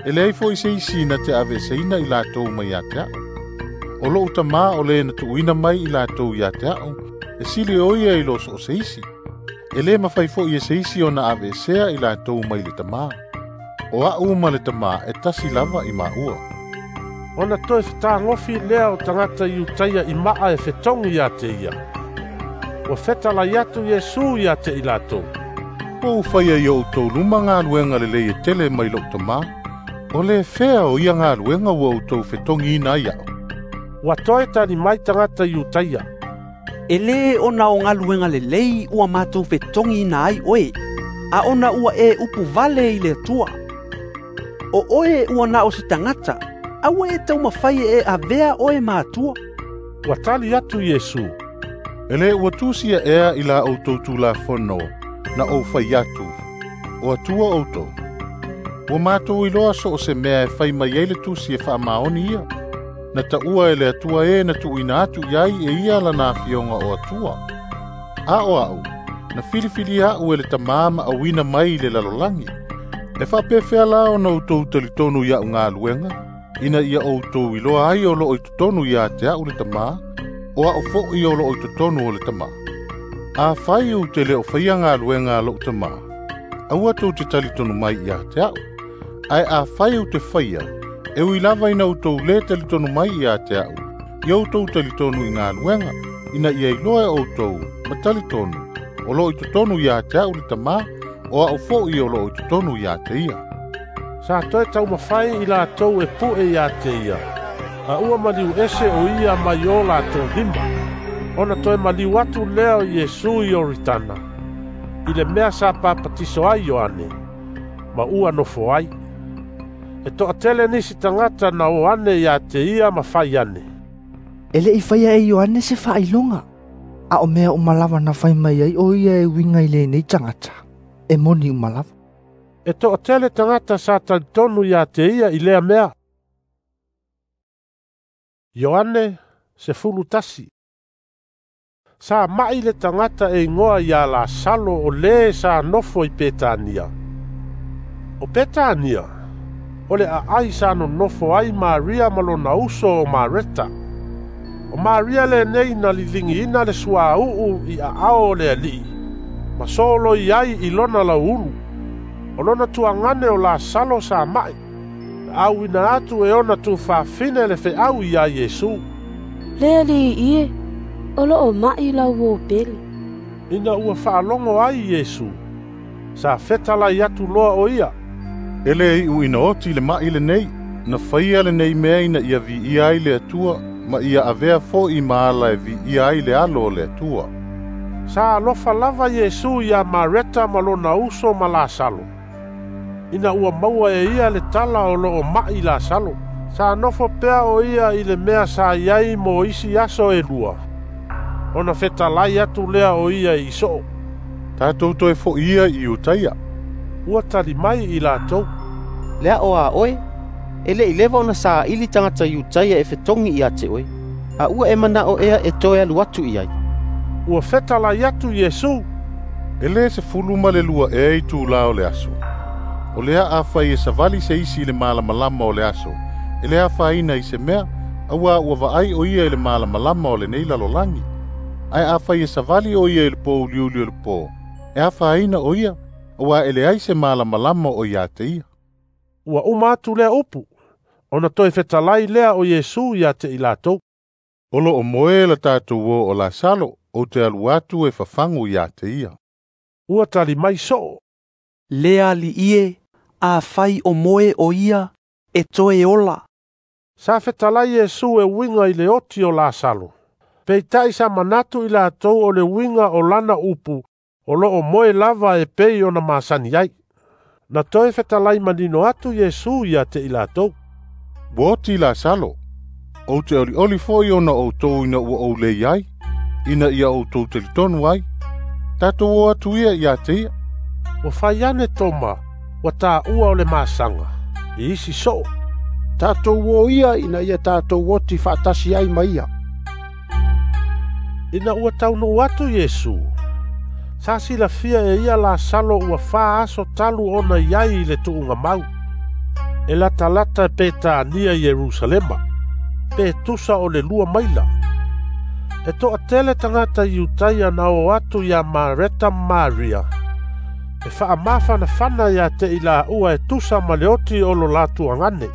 E leai fo'i se isi na te aveeseina i latou mai ia te a'u. O lo'u tamā o lē na tuuina mai i latou ia te a'u, e sili o ia i lo so o se isi. E lē mafai fo'i e se isi ona aveesea i latou mai le tamā. O a'u ma le tamā e tasi lava i maua. Ona toe fetagofi lea o tagata Iutaia i maa e fetogi ia te ia. Ua fetalai atu Iesu ia te i latou. Ua ou faia i o outou luma galuega lelei e tele mai lo'u tamā. O le fea o ia galuega ua outou fetogiina ai a'u. Ua toe tali mai tagata Iutaia. E lē ona o galuega lelei ua matou fetogiina ai oe, a ona ua e upu vale i le Atua. O oe ua na o se tagata, aua e taumafai e avea oe ma Atua. Ua tali atu Iesu. E lē ua tusia ea i la outou Tulafono na ou fai atu, o Atua outou. Ua matou iloa so o se mea e fai mai ai le tusi e faamaoni ia. Na taua e le Atua e na tuuina atu i ai e ia lana afioga o Atua. A o a'u, na filifilia a'u e le tamā ma auina mai i le lalolagi. E faapefea la ona outou talitonu ia'u galuega, ina ia outou iloa ai o lo'o i totonu ia te a'u le tamā, o a'u fo'i o lo'o i totonu o le tamā. Afai ou te le o faia galuega a lo'u tamā, aua tou te talitonu mai ia te a'u. Ae afai ou te faia, e ui lava ina outou lē talitonu mai ia te a'u, ia outou talitonu i galuega, ina ia iloa e outou ma talitonu, o lo'o i totonu ia te a'u le tamā, o a'u fo'i o lo'o i totonu ia te ia. Sa toe taumafai i latou e pu'e ia te ia, a ua maliu ese o ia mai o latou lima. Ona toe maliu atu lea o Iesu i Ioritana, i le mea sa papatiso ai Ioane, ma ua nofo ai. E to'atele nisi tagata na o ane ia te ia ma fai ane. E le'i faia e Ioane se faailoga, a o mea uma lava na fai mai ai o ia e uiga i lenei tagata, e moni uma lava. E to'atele tagata sa talitonu ia te ia i lea mea. Ioane sefulu tasi. Sa ma'i le tagata e igoa ia Lasalo o lē sa nofo i Petania. O Petania, o le aai sa nonofo ai Maria ma lona uso o Mareta. O Maria lenei na liligiina le suauu i aao o le Alii, ma soloi ai i lona lauulu. O lona tuagane o Lasalo sa ma'i, na auina atu e ona tufafine le feau ia Iesu. Le Alii e, o lo'o ma'i lau uō pele. Ina ua faalogo ai Iesu, sa fetalai atu loa o ia. E lē i'u ina oti le ma'i lenei, na faia lenei mea ina ia viia ai le Atua, ma ia avea fo'i ma ala e viia ai le alo o le Atua. Sa alofa lava Iesu ia Mareta ma lona uso ma Lasalo. Ina ua maua e ia le tala o lo'o ma'i Lasalo, sa nofo pea o ia i le mea sa iai mo isi aso e lua. Ona fetalai atu lea o ia i so'o. Tatou toe fo'i ia i Iutaia. Ua tali mai i latou. Le a'o a oe, e le'i leva ona sāili tagata Iutaia e fetogi ia te oe, a ua e mana'o ea e toe alu atu i ai. Ua fetalai atu Iesu. E lē sefulu ma le lua ea itulā o le aso. O lea afai e savali se isi i le malamalama o le aso, e le afaina i se mea, auā ua vaai o ia i le malamalama o lenei lalolagi. Ae afai e savali o ia i le pouliuli o le pō, e afaina o ia, auā e leai se malamalama o ia te ia. Ua uma atu lea upu, ona toe fetalai lea o Iesu ia te i latou. O lo'o moe la tatou uō o Lasalo, ou te alu atu e fafagu ia te ia. Ua tali mai so'o. Le Alii e, Afai o moe o ia, e toe ola. Sa fetalai Iesu e uiga i le oti o Lasalo. Peitai sa manatu i latou o le uiga o lana upu o loo moe lava e pei ona masani ai. Na toe fetalai manino atu Iesu ia te i latou. Ua oti Lasalo, ou te olioli foi ona outou ina ua ou lei ai, ina ia outou talitonu ai. Tatou o atu ia ia te ia. Ua fai ane Toma, ua taua o le masaga, i isi soo. Tatou o ia ina ia tatou oti faatasi ai ma ia. Ina ua taunuu atu Iesu, sa silafia e ia Lasalo ua fa aso talu ona iai i le tuugamau. E latalata e Petania i Ierusalema, pe tusa o le lua maila. E toatele tagata Iutaia na o atu ia Mareta ma Maria, e faamafanafana ia te i laua e tusa ma le oti o lo latou agane.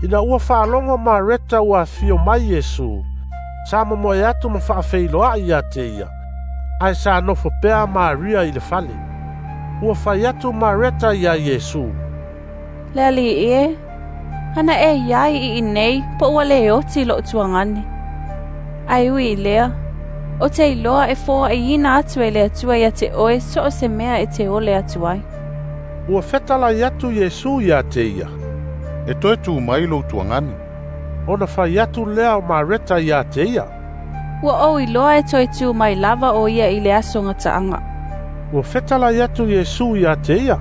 Ina ua faalogo Mareta ua afio mai Iesu, sa momoe atu ma faafeiloai ia te ia, ae sa nofo pea Maria i le fale. Ua fai atu Mareta ia Iesu, Le alii e, ana e iai i inei po ua le oti loo tuagane. Ae ui i lea, o te iloa e foaiina atu e le Atua ia te oe so o se mea e te ole atu ai. Ua fetalai atu Iesu ia te ia, E toe tu mai lou tuagane. Ona fai atu lea o Mareta ia te ia, Ua ou iloa e toe tu mai lava o ia i le aso gataaga. Ua fetalai atu Iesu ia te ia,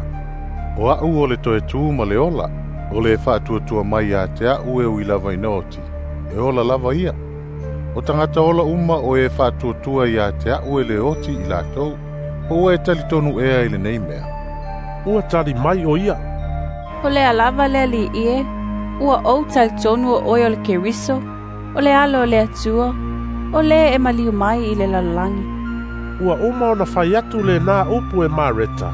O au o le toe tu ma le ola, o le faatuatua mai ia te au e ui lava ina oti, e ola lava ia. O tagata ola uma o e faatuatua ia te au e le oti i latou, po ua e talitonu ea i lenei mea. Ua tali mai o ia, O lea lava le alii e, ua ou talitonu o oe o le Keriso, o le alo o le Atua, o le e maliu mai i le lalolagi. Ua uma ona fai atu lena upu e Mareta,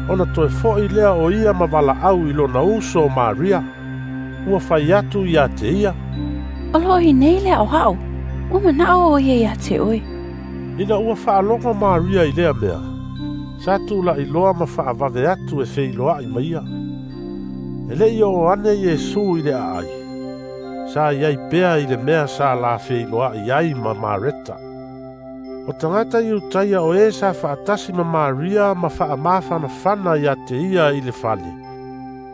ona toe foi lea o ia ma valaau i lona uso o Maria. Ua fai atu ia te ia, O loo i nei le aoao, ua manao o ia ia te oe. Ina ua faalogo Maria i lea mea, sa tula'i loa ma faavave atu e feiloai ma ia. E lei oo ane Iesu i le aai, sa iai pea i le mea sa la feiloai ai ma Mareta. O tagata Iutaia o e sa faatasi ma Maria ma faamafanafana ia te ia i le fale,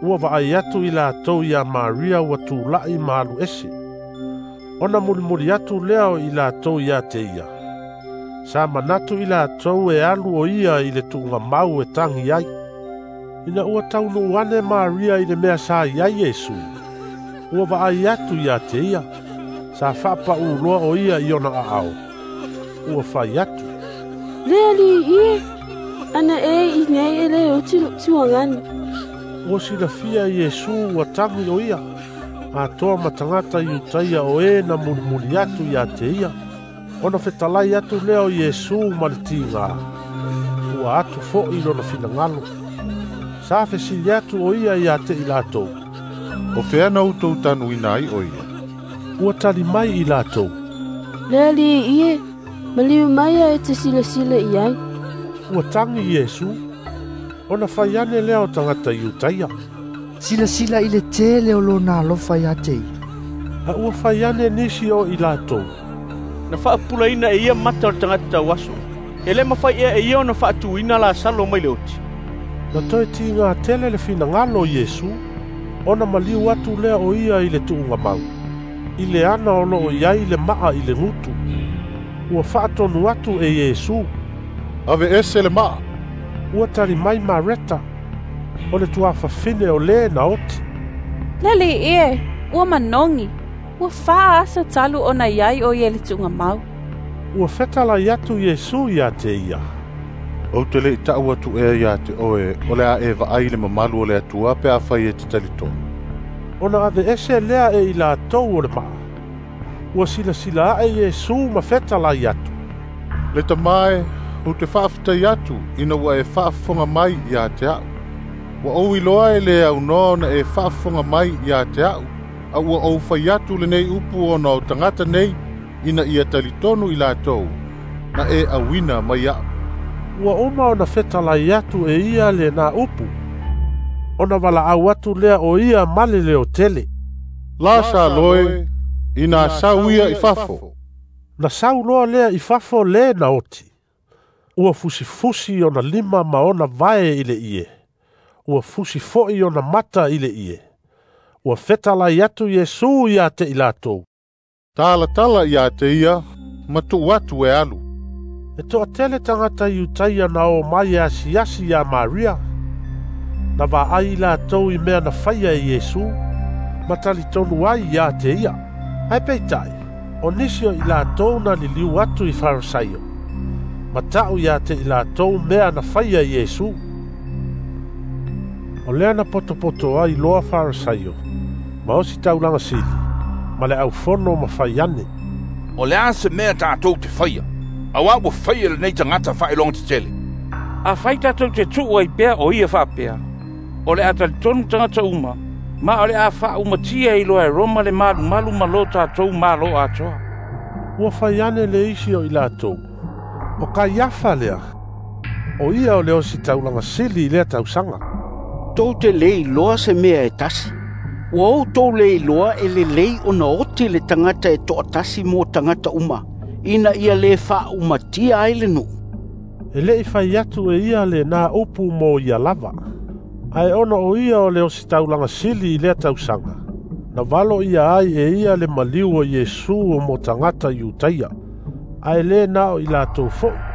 ua vaai atu i latou ia Maria ua tula'i ma alu ese. Ona mulimuli atu lea o i latou ia te ia. Sa manatu i latou e alu o ia i le tuugamau e tagi ai. Ina ua taunuu ane Maria i le mea sa iai Iesu, ua vaai atu ia te ia, sa faapauloa o ia i ona aao. Ua fai atu, Le alii e, ana e i nei e le oti loo tuagane. Ua silafia Iesu ua tagi o ia, atoa ma tagata Iutaia o e na mulimuli atu ia te ia. Ona fetalai atu lea o Iesu ma le tiga, ua atu foi lona finagalo. Sa fesili atu o ia ia te i latou, O fea na outou tanuina ai o ia? Ua tali mai i latou, Le alii e, maliu mai a e te silasila i ai. Ua tagi Iesu, ona fai ane lea o tagata Iutaia, Silasila i le tele o lona alofa ia te ia. A ua fai ane nisi o i latou, Na faapupulaina e ia mata o le tagata tauaso. E le mafai ea e ia ona faatuina Lasalo mai le oti. Na toe tiga tele le finagalo o Iesu, ona maliu atu lea o ia i le tuugamau, i le ana o loo iai le maa i le gutu. Ua faatonu atu e Iesu, Ave ese le maa. Ua tali mai Mareta, o le tuafafine o le na oti. Le alii e, ua manogi, ua fa aso talu ona iai o ia i le tuugamau. Ua fetalai atu Iesu ia te ia, Ou te lei tau atu ea ia te oe, o le a e vaai le mamalu o le Atua pe afai e te talitonu. Ona ave ese lea e i latou o le maa. Ua silasila ae Iesu ma fetalai atu, Le Tama e, ou te faafetai atu ina ua e faafofoga mai ia te au. Ua ou iloa e le aunoa ona e faafofoga mai ia te au, a ua ou fai atu lenei upu ona o tagata nei, ina ia talitonu i latou, na e auina mai au. Ua uma ona fetalai atu e ia lena upu, Ona valaau atu lea o ia ma le leotele. Lasalo e, ina sau ia i fafo. Na sau loa lea i fafo le na oti. Ua fusifusi ona lima ma ona vae i le ie. Ua fusi fo'i ona mata i le ie. Ua fetalai atu Iesu ia te i latou. Talatala ia te ia, ma tuu atu e alu. E toatele tagata Iutaia na o mai e asiasi ia Maria. Na vaai i latou i mea na faia e Iesu, ma talitonu ai ia te ia. Ae peitai, o nisi o i latou na liliu atu i Farisaio, ma ta'u ia te i latou mea na faia e Iesu. O lea na potopoto ai loa Farisaio, ma osi taulaga sili, ma le aufono ma fai ane. O le a se mea tatou te faia, auā ua faia lenei tagata faailoga tetele. Afai tatou te tuu ai pea o ia faapea, o le a talitonu tagata uma, ma o le a faaumatia i loa e Roma le malumalu ma lo tatou malo atoa. Ua fai ane le isi o i latou, o Kaiafa lea, o ia o le osi taulaga sili i lea tausaga. Tou te le iloa se mea e tasi. Ua outou le iloa e lelei ona oti le tagata e toatasi mo tagata uma, ina ia le faaumatia ai le nuu. E le'i fai atu e ia lenā upu mo ia lava. Ae ona o ia o le ositaulaga sili i lea tausaga, na valo ia ai e ia le maliu o Iesu o mo tagata Iutaia, ae lē na o i latou fo'i.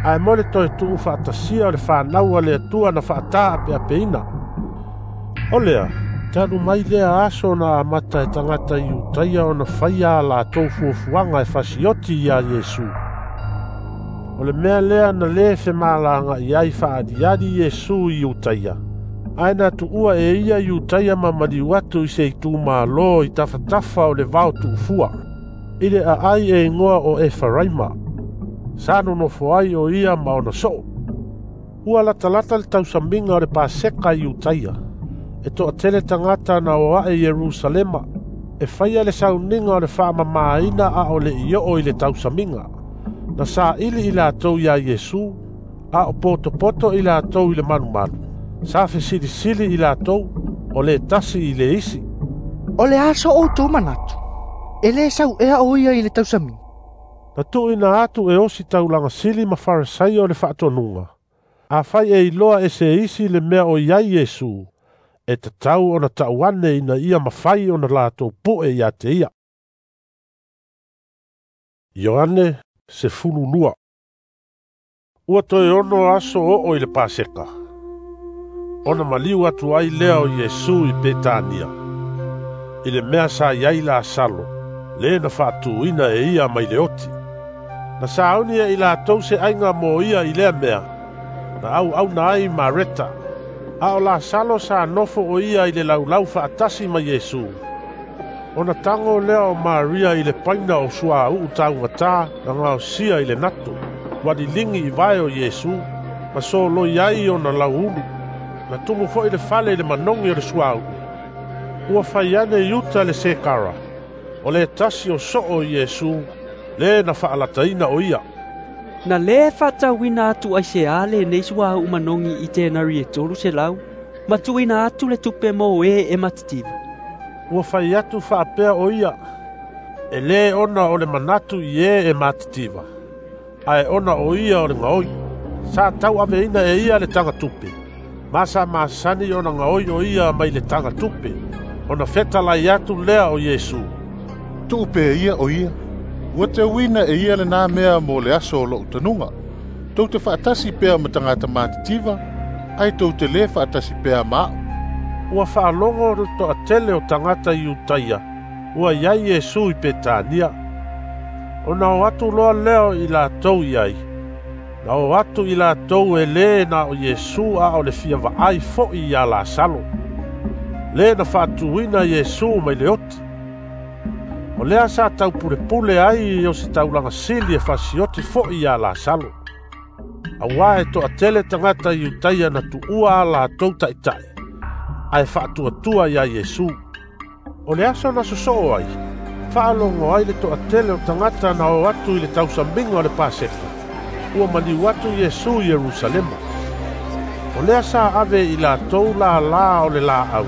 Ae mo le toe tuu faatasia o le fanau a le Atua na faatāa apeapeina. O lea, talu mai lea aso na amata e tagata Iutaia ona faia a latou fuafuaga e fasioti iā Iesu. O le mea lea na lē femalaga'i ai faaaliali Iesu i Iutaia, ae na tuua e ia Iutaia ma maliu atu i se itumālō i tafatafa o le vao tuufua, i le aai e igoa o Efaraima. Sa nonofo ai o ia ma ona soo. Ua latalata le tausamiga o le Paseka i Iutaia, e toatele tagata na o ae Ierusalema, e faia le sauniga o le faamamāina a o le'i oo i le tausamiga. Na saili i latou iā Iesu, a o potopoto i latou i le malumalu. Sa fesilisili i latou, o le tasi i le isi. O le a so outou manatu, e lē sau ea o ia i le tausamiga. Na tuuina atu e osi taulaga sili ma Farisaio o le faatonuga. Afai e iloa e se isi le mea o iai Iesu, e tatau ona ta'u ane ina ia mafai ona latou pu'e ia te ia. Ioane sefulu lua. Ua toe ono aso oo i le Paseka. Ona maliu atu ai lea o Iesu i Petania, i le mea sa iai Lasalo, le na faatuina e ia mai le oti. Na sauni e i latou se aiga mo ia i lea mea, na auauna ai Mareta, a o Lasalo sa nofo o ia i le laulau faatasi ma Iesu. Ona tago lea o Maria i le paina o suauu taugatā na gaosia i le nato, ua liligi i vae o Iesu, ma soloi ai ona lauulu. Na tumu fo'i le fale i le manogi o le suauu. Ua fai ane Iuta le Sekara, o le tasi o soo o Iesu, le na faalataina o ia. Na lē faatauina atu ai seā lenei suauu manogi i tenari e tolu selau, ma tuuina atu le tupe mo e e matitiva. Ua fai atu faapea o ia, e lē ona o le manatu i e e matitiva, ae ona o ia o le gaoi. Sa tauaveina e ia le tagatupe, ma sa masani ona gaoi o ia mai le tagatupe, ona fetalai atu lea o Iesu. Tuu pea ia o ia, ua teuina e ia lenā mea mo le aso o lo'u tanuga. Tou te faatasi pea ma tagata matitiva, ae tou te lē faatasi pea ma a'u. Ua faalogo le toatele o tagata Iutaia, ua iai Iesu i Petania. Ona o atu loa lea o i latou iai. Na o atu i latou e lē na o Iesu a o le fia vaai fo'i iā Lasalo, le na faatuina Iesu mai le oti. O lea sa taupulepule ai o se taulaga sili e fasioti fo'i iā Lasalo. Auā e toatele tagata Iutaia na tuua a latou ta'ita'i, ae faatuatua iā Iesu. O le aso na sosoo ai, faalogo ai le toatele o tagata na o atu i le tausamiga o le Paseka. Ua maliu atu Iesu i Ierusalema. O lea sa ave i latou lālā o le laau,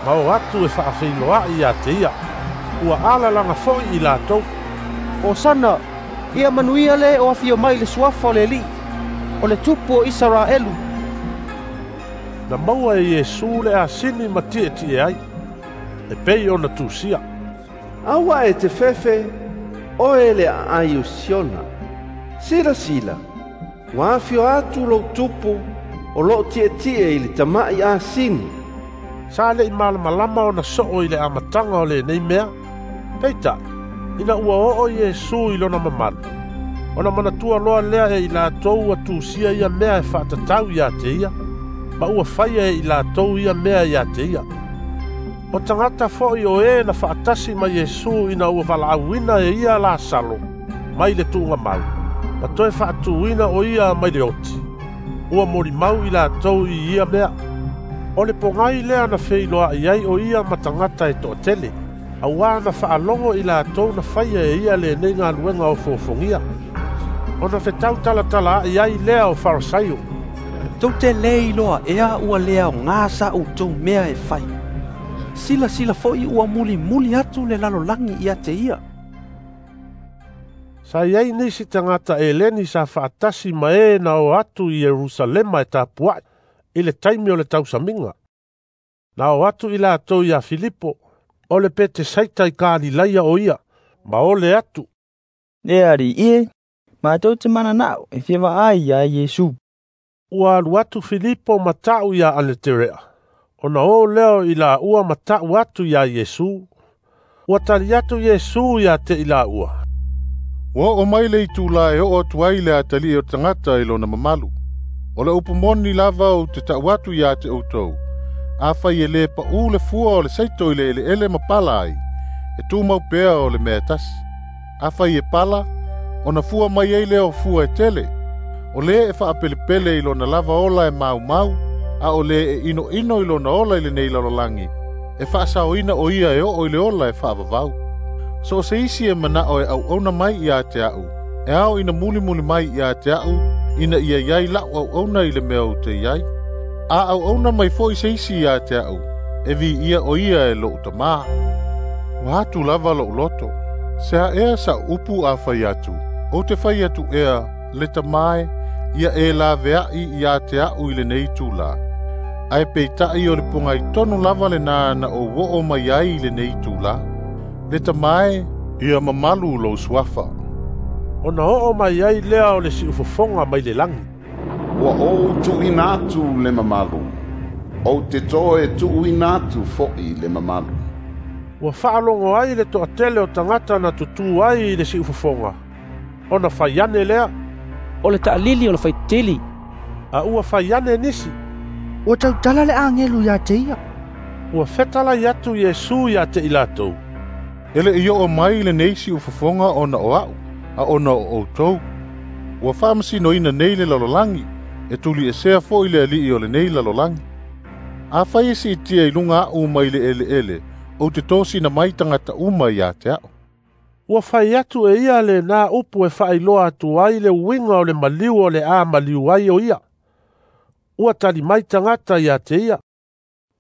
ma o atu e faafeiloai ia te ia. Ua alalaga foi i latou. Osana, ia manuia le o afio mai le suafa o le Alii, o le tupu o Isaraelu. Na maua e Iesu le asini ma tietie ai, e pei ona tusia. Aua e te fefe, oe le aai o Siona. Sila sila, ua afio atu lou tupu o loo tietie i le tama'i asini. Sa le'i malamalama ona soo i le amataga o lenei mea. Peitai, ina ua oo Iesu i lona mamalu, ona manatua loa lea e i latou ua tusia ia mea e faatatau ia te ia, ma ua faia e i latou ia mea ia te ia. O tagata foi o e na faatasi ma Iesu ina ua valaauina e ia Lasalo mai le tuugamau, ma toe faatuina o ia mai le oti, ua molimau i latou i ia mea. O le pogai lea na feiloai ai o ia ma tagata e toatele, auā na faalogo i latou na faia e ia lenei galuega ofoofogia. Ona fetau talatala ai ai lea o Farisaio. Tou te le iloa ea ua le aogā sa outou mea e fai. Silasila foi ua mulimuli atu le lalolagi ia te ia. Sa iai nisi tagata Eleni sa faatasi ma e na o atu i Ierusalema e tapuai i le taimi o le tausamiga. Na o atu i latou ia Filipo, o le Petesaita i Kalilaia o ia, ma ole atu. Le alii e, matou te mananao e fia vaai ia Iesu. Ua alu atu Filipo ma ta'u ia Aneterea, ona o leo i laua ma ta'u atu ia Iesu. Ua tali atu Iesu ia te i laua. Ua oo mai le itulā e oo atu ai le atalii o tagata i lona mamalu. O le upu moni lava ou te ta'u atu ia te outou. Afai e lē pa'ū le fua o le saito i le eleele ma pala ai, e tumau pea o le mea e tasi. Afai e pala, ona fua mai ai lea o fua e tele. O lē e faapelepele i lona lava ola e maumau, a o lē e inoino i lona ola i lenei lalolagi, e faasaoina o ia e oo i le ola e faavavau. So o se isi e manao e auauna mai ia te a'u, e ao ina mulimuli mai ia te a'u, ina ia iai la'u auauna i le mea ou te iai. A auauna mai fo'i se isi ia te a'u, e viia o ia e lo'u tamā. Ua atu lava lo'u loto, se a ea sa'u upu a fai atu, ou te fai atu ea, le tamā e, ia e lavea'i ia te a'u i lenei itulā. Ae peita'i o le pogai tonu lava lenā na ou oo mai ai i lenei itulā. Le tamā e, ia mamalu lou suafa. Ona oo mai ai lea o le siufofoga mai le lagi. Ua ou tuuina atu le mamalu, ou te toe tuuina atu fo'i le mamalu. Ua faalogo ai le toatele o tagata na tutū ai i le siufofoga. Ona fai ane lea. O le taalili o le faitili. A ua fai ane nisi. Ua tautala le agelu ia te ia. Ua fetalai atu Iesu ia te i latou. E le'i oo mai lenei siufofoga ona o a'u, a ona o outou. Ua faamasinoina nei le lalolagi, e tuliesea fo'i le alii o lenei lalolagi. Afai e siitia i luga a'u mai le eleele, ou te tosina mai tagata uma ia te a'u. Ua fai atu e ia lenā upu e faailoa atu ai le uiga o le maliu o le a maliu ai o ia. Ua tali mai tagata ia te ia.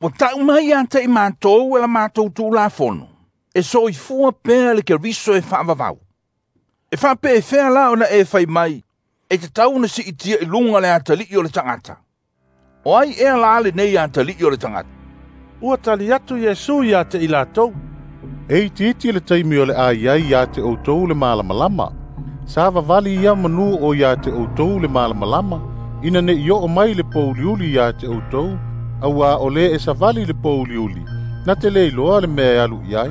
Ua ta'u mai ia te i matou e la matou tulafono, e soifua pea le Keriso e faavavau. E faapeefea la ona e fai mai, e tatau ona siitia i luga le atalii o le tagata. O ai ea la lenei atalii o le tagata? Ua tali atu Iesu ia te i latou. E itiiti le taimi o le a iai ia te outou le malamalama. Sa vavali ia manū o ia te outou le malamalama, ina ne'i oo mai le pouliuli ia te outou, auā o lē e savali le pouliuli, na te le iloa le mea e alu i ai.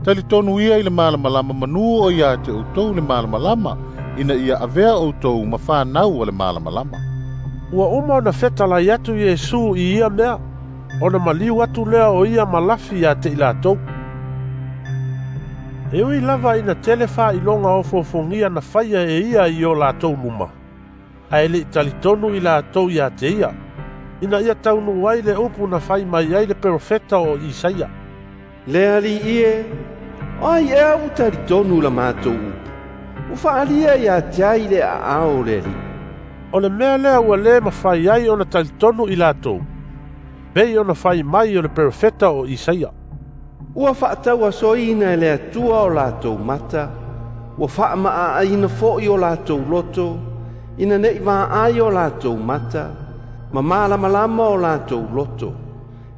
Talitonu ia i le malamalama manū o ia te outou le malamalama, ina ia avea outou ma fanau o le malamalama. Ua uma ona fetalai atu Iesu i ia mea, ona maliu atu lea o ia ma lafi ia te i latou. E ui lava ina tele faailoga ofoofogia na faia e ia i o latou luma, ae le'i talitonu i latou ia te ia, ina ia taunuu ai le upu na fai mai ai le perofeta o Isaia. Le Alii e, o ai ea ua talitonu la matou upu, ua faalia ia te ai le aao o le Alii. O le mea lea ua lē mafai ai ona talitonu i latou, pei ona fai mai o le perofeta o Isaia. Ua faatauasoina e le Atua o latou mata, ua faamaaaina fo'i o latou loto, ina ne'i vaai o latou mata, ma malamalama o latou loto,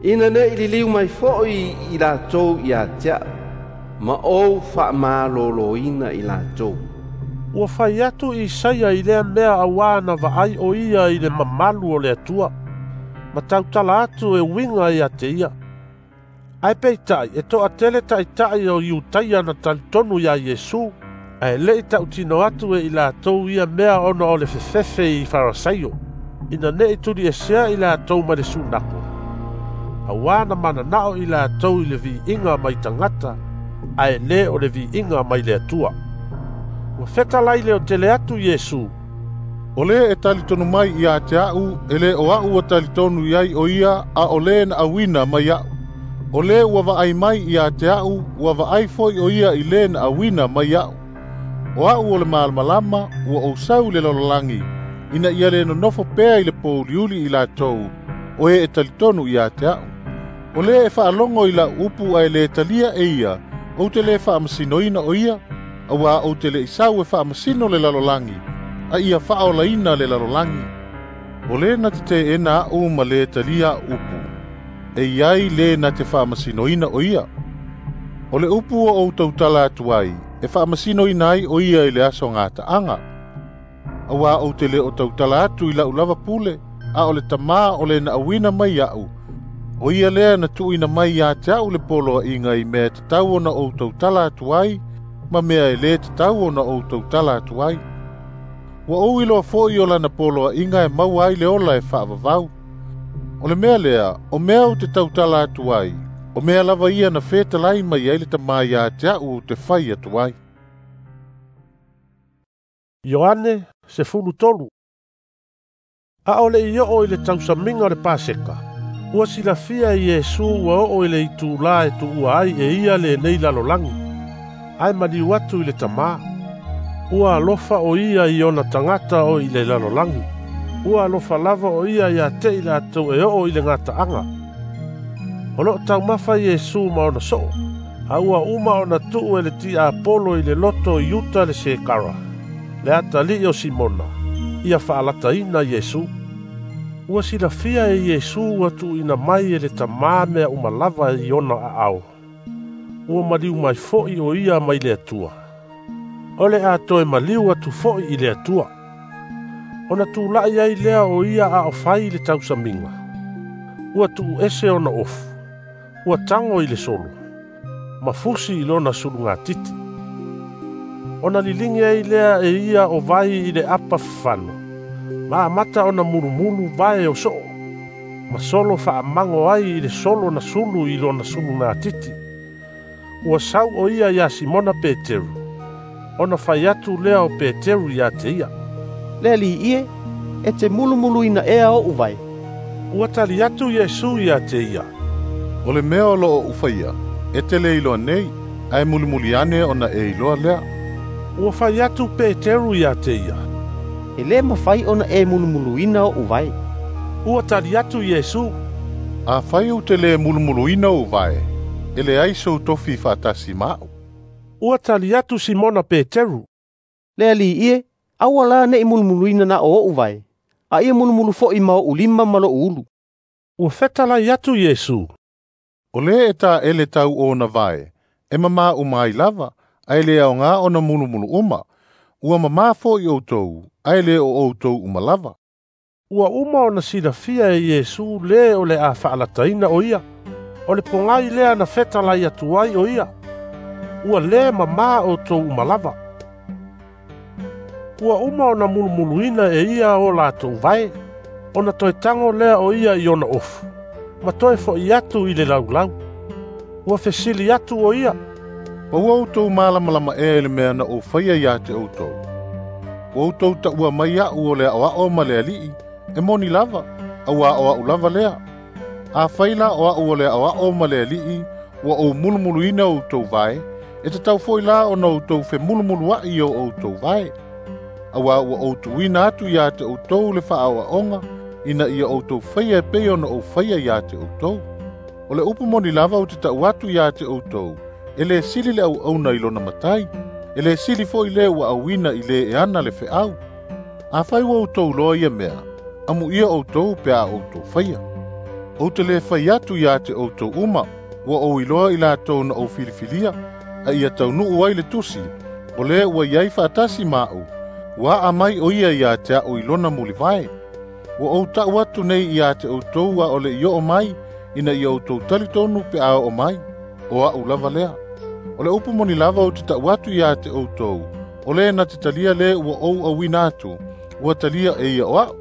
ina ne'i liliu mai fo'i i latou ia te a'u, ma ou faamalōlōina i latou. Ua fai atu Isaia i lea mea auā na vaai o ia i le mamalu o le Atua, ma tautala atu e uiga ia te ia. Ae peitai e toatele ta'ita'i o Iutaia na talitonu iā Iesu, ae le'i ta'utino atu e i latou ia mea ona o le fefefe i Farasaio, ina ne'i tuliesea i latou mai le sunako, auā na manana'o i latou i le viiga mai tagata, ae lē o le viiga mai le Atua. Ua fetalai leotele atu Iesu, O lē e talitonu mai ia te a'u, e lē o a'u ua talitonu i ai o ia, a o lē na auina mai a'u. O lē ua vaai mai ia te a'u, ua vaai fo'i o ia i lē na auina mai a'u. O a'u o le malamalama, ua ou sau i le lalolagi, ina ia lē nonofo pea i le pouliuli i latou, o e e talitonu ia te a'u. O lē e faalogo i la'u upu ae lē talia e ia, ou te lē faamasinoina o ia, auā ou te le'i sau e faamasino le lalolagi, a ia faaolaina le lalolagi. O lē na te teena a'u ma lē talia a'u upu, e iai lē na te faamasinoina o ia. O le upu ua ou tautala atu ai, e faamasinoina ai o ia i le aso gataaga. Auā ou te lē o tautala atu i la'u lava pule, a o le Tamā o le na auina mai a'u, o ia lea na tuuina mai iā te a'u le poloa'iga i mea e tatau ona ou tautala atu ai, ma mea e lē tatau ona ou tautala atu ai. Ua ou iloa fo'i o lana poloa'iga e maua ai le ola e faavavau. O le mea lea, o mea ou te tautala atu ai, o mea lava ia na fetalai mai ai le Tamā iā te a'u ou te fai atu ai. Ioane sefulu tolu. A o le'i o'o i le tausamiga o le Paseka, ua silafia e Iesu ua o'o i le itulā e tu'ua ai e ia lenei lalolagi, ae maliu atu i le Tamā. Ua alofa o ia i ona tagata o i le lalolagi. Ua alofa lava o ia iā te i latou e o'o i le gata'aga. O lo'o taumafa Iesu ma ona so'o, a ua uma ona tu'u e le ti'apolo i le loto i Iuta le Sekara, le atali'i o Simona, ia fa'alataina Iesu. Ua silafia e Iesu ua tu'uina mai e le Tamā mea uma lava i ona a'ao. Ua maliu mai fo'i o ia mai le Atua. O le a toe maliu atu fo'i i le Atua. Ona tula'i ai lea o ia a o fai i le tausamiga. Ua tu'uese ona ofu, ua tago i le solo, ma fusi i lona sulugatiti. Ona liligi ai lea e ia o vai i le apa fafano, ma amata ona mulumulu vae o so'o, ma solo fa'amago ai i le solo na sulu i lona sulugatiti. Ua sau o ia iā Simona Peteru, ona fai atu lea o Peteru iā te ia, Le Ali'i e, e te mulumuluina ea o'u vae. Ua tali atu Iesu iā te ia, O le mea o lo'o ou faia, e te lē iloa nei, ae mulimuli ane ona e iloa lea. Ua fai atu Peteru iā te ia, E lē mafai ona e mulumuluina o'u vae. Ua tali atu Iesu, Afai ou te lē mulumuluina ou vae, e leai sou tofi fa'atasi ma a'u. Ua tali atu Simona Peteru, Le Ali'i e, aua la ne'i mulumuluina na o o'u vae, a ia mulumulu fo'i ma o'u lima ma lo'u ulu. Ua fetalai atu Iesu, O lē e ta'ele tau ona vae, e mamā uma ai lava, ae lē aogā ona mulumulu uma. Ua mamā fo'i outou, ae lē o outou uma lava. Ua uma ona silafia e Iesu lē o le a fa'alataina o ia. O le pogai lea na fetalai atu ai o ia, ua lē mamā outou uma lava. Ua uma ona mulumuluina e ia o latou vae, ona toe tago lea o ia i ona ofu, ma toe fo'i atu i le laulau. Ua fesili atu o ia, Ma ua outou malamalama ea i le mea na ou faia iā te outou. Ua outou ta'ua mai a'u o le a'oa'o ma le ali'i, e moni lava, auā o a'u lava lea. Afai la o a'u o le a'oa'o ma le ali'i, ua ou mulumuluina outou vae, e tatau fo'i la ona outou femulumulua'i o outou vae. Auā ua ou tuuina atu iā te outou le faaoaoga, ina ia outou faia e pei ona ou faia iā te outou. O le upu moni lava ou te ta'u atu iā te outou, e lē sili le auauna i lona matai, e lē sili fo'i lē ua auina i lē e ana le fe'au. Afai ua outou iloa ia mea, amuia outou pe a outou faia. Ou te lē fai atu iā te outou uma, ua ou iloa i latou na ou filifilia, a ia taunuu ai le tusi, o lē ua iai faatasi ma a'u, ua a'a mai o ia iā te a'u i lona mulivae. Ua ou ta'u atu nei iā te outou a o le i oo mai, ina ia outou talitonu pe a oo mai, o a'u lava lea. O le upu moni lava ou te ta'u atu iā te outou, o lē na te talia lē ua ou auina atu, ua talia e ia o a'u.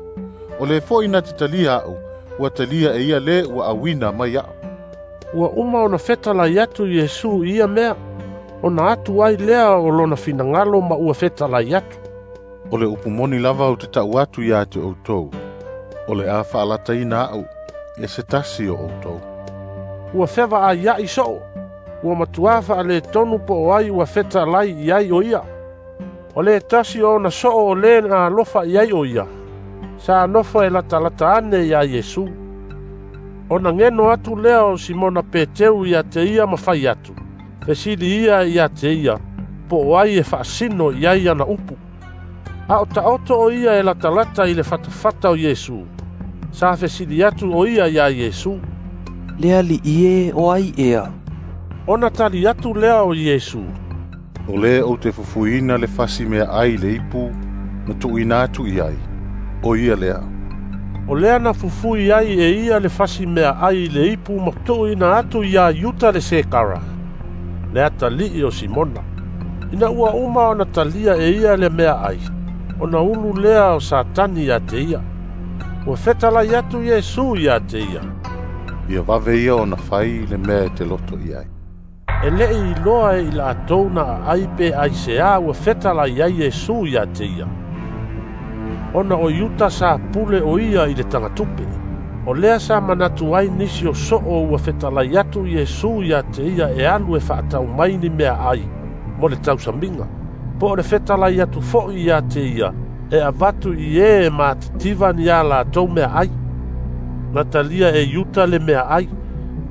O lē fo'i na te talia a'u, ua talia e ia lē ua auina mai a'u. Ua uma ona fetalai atu Iesu i ia mea, ona atu ai lea o lona finagalo ma ua fetalai atu. O le upu moni lava ou te ta'u atu iā te outou, o le a fa'alataina a'u e se tasi o outou. Ua fevaaia'i so'o, ua matuā fa'aletonu po o ai ua fetalai i ai o ia. O le tasi o ona so'o o lē na alofa i ai o ia, sa nofo e latalata ane iā Iesu. Ona geno atu lea o Simona Peteu iā te ia ma fai atu, fesili ia iā te ia, po o ai e fa'asino i ai ana upu. A o ta'oto o ia e latalata i le fatafata o Iesu. Sa fesili atu o ia iā Iesu, Le Ali'i e, o ai ea? Ona tali atu lea o Iesu, O lē ou te fufuina le fasi meaai i le ipu, na tuuina atu i ai, o ia lea. O lea na fufui ai e ia le fasi meaai i le ipu ma tuuina atu iā Iuta le Sekara, le atalii o Simona. Ina ua uma ona talia e ia le meaai, ona ulu lea o Satani iā te ia. Ua fetalai atu Iesu iā te ia, Ia vave ia ona fai le mea e te loto i ai. E le'i iloa e i latou na aai pe aiseā ua fetalai ai Iesu iā te ia. Ona o Iuta sa pule o ia i le tagatupe. O lea sa manatu ai nisi o so'o ua fetalai atu Iesu iā te ia e alu e fa'atau mai ni meaai mo le tausamiga, po o le fetalai atu fo'i iā te ia e avatu i ē e matitiva ni a latou meaai. Na talia e Iuta le meaai,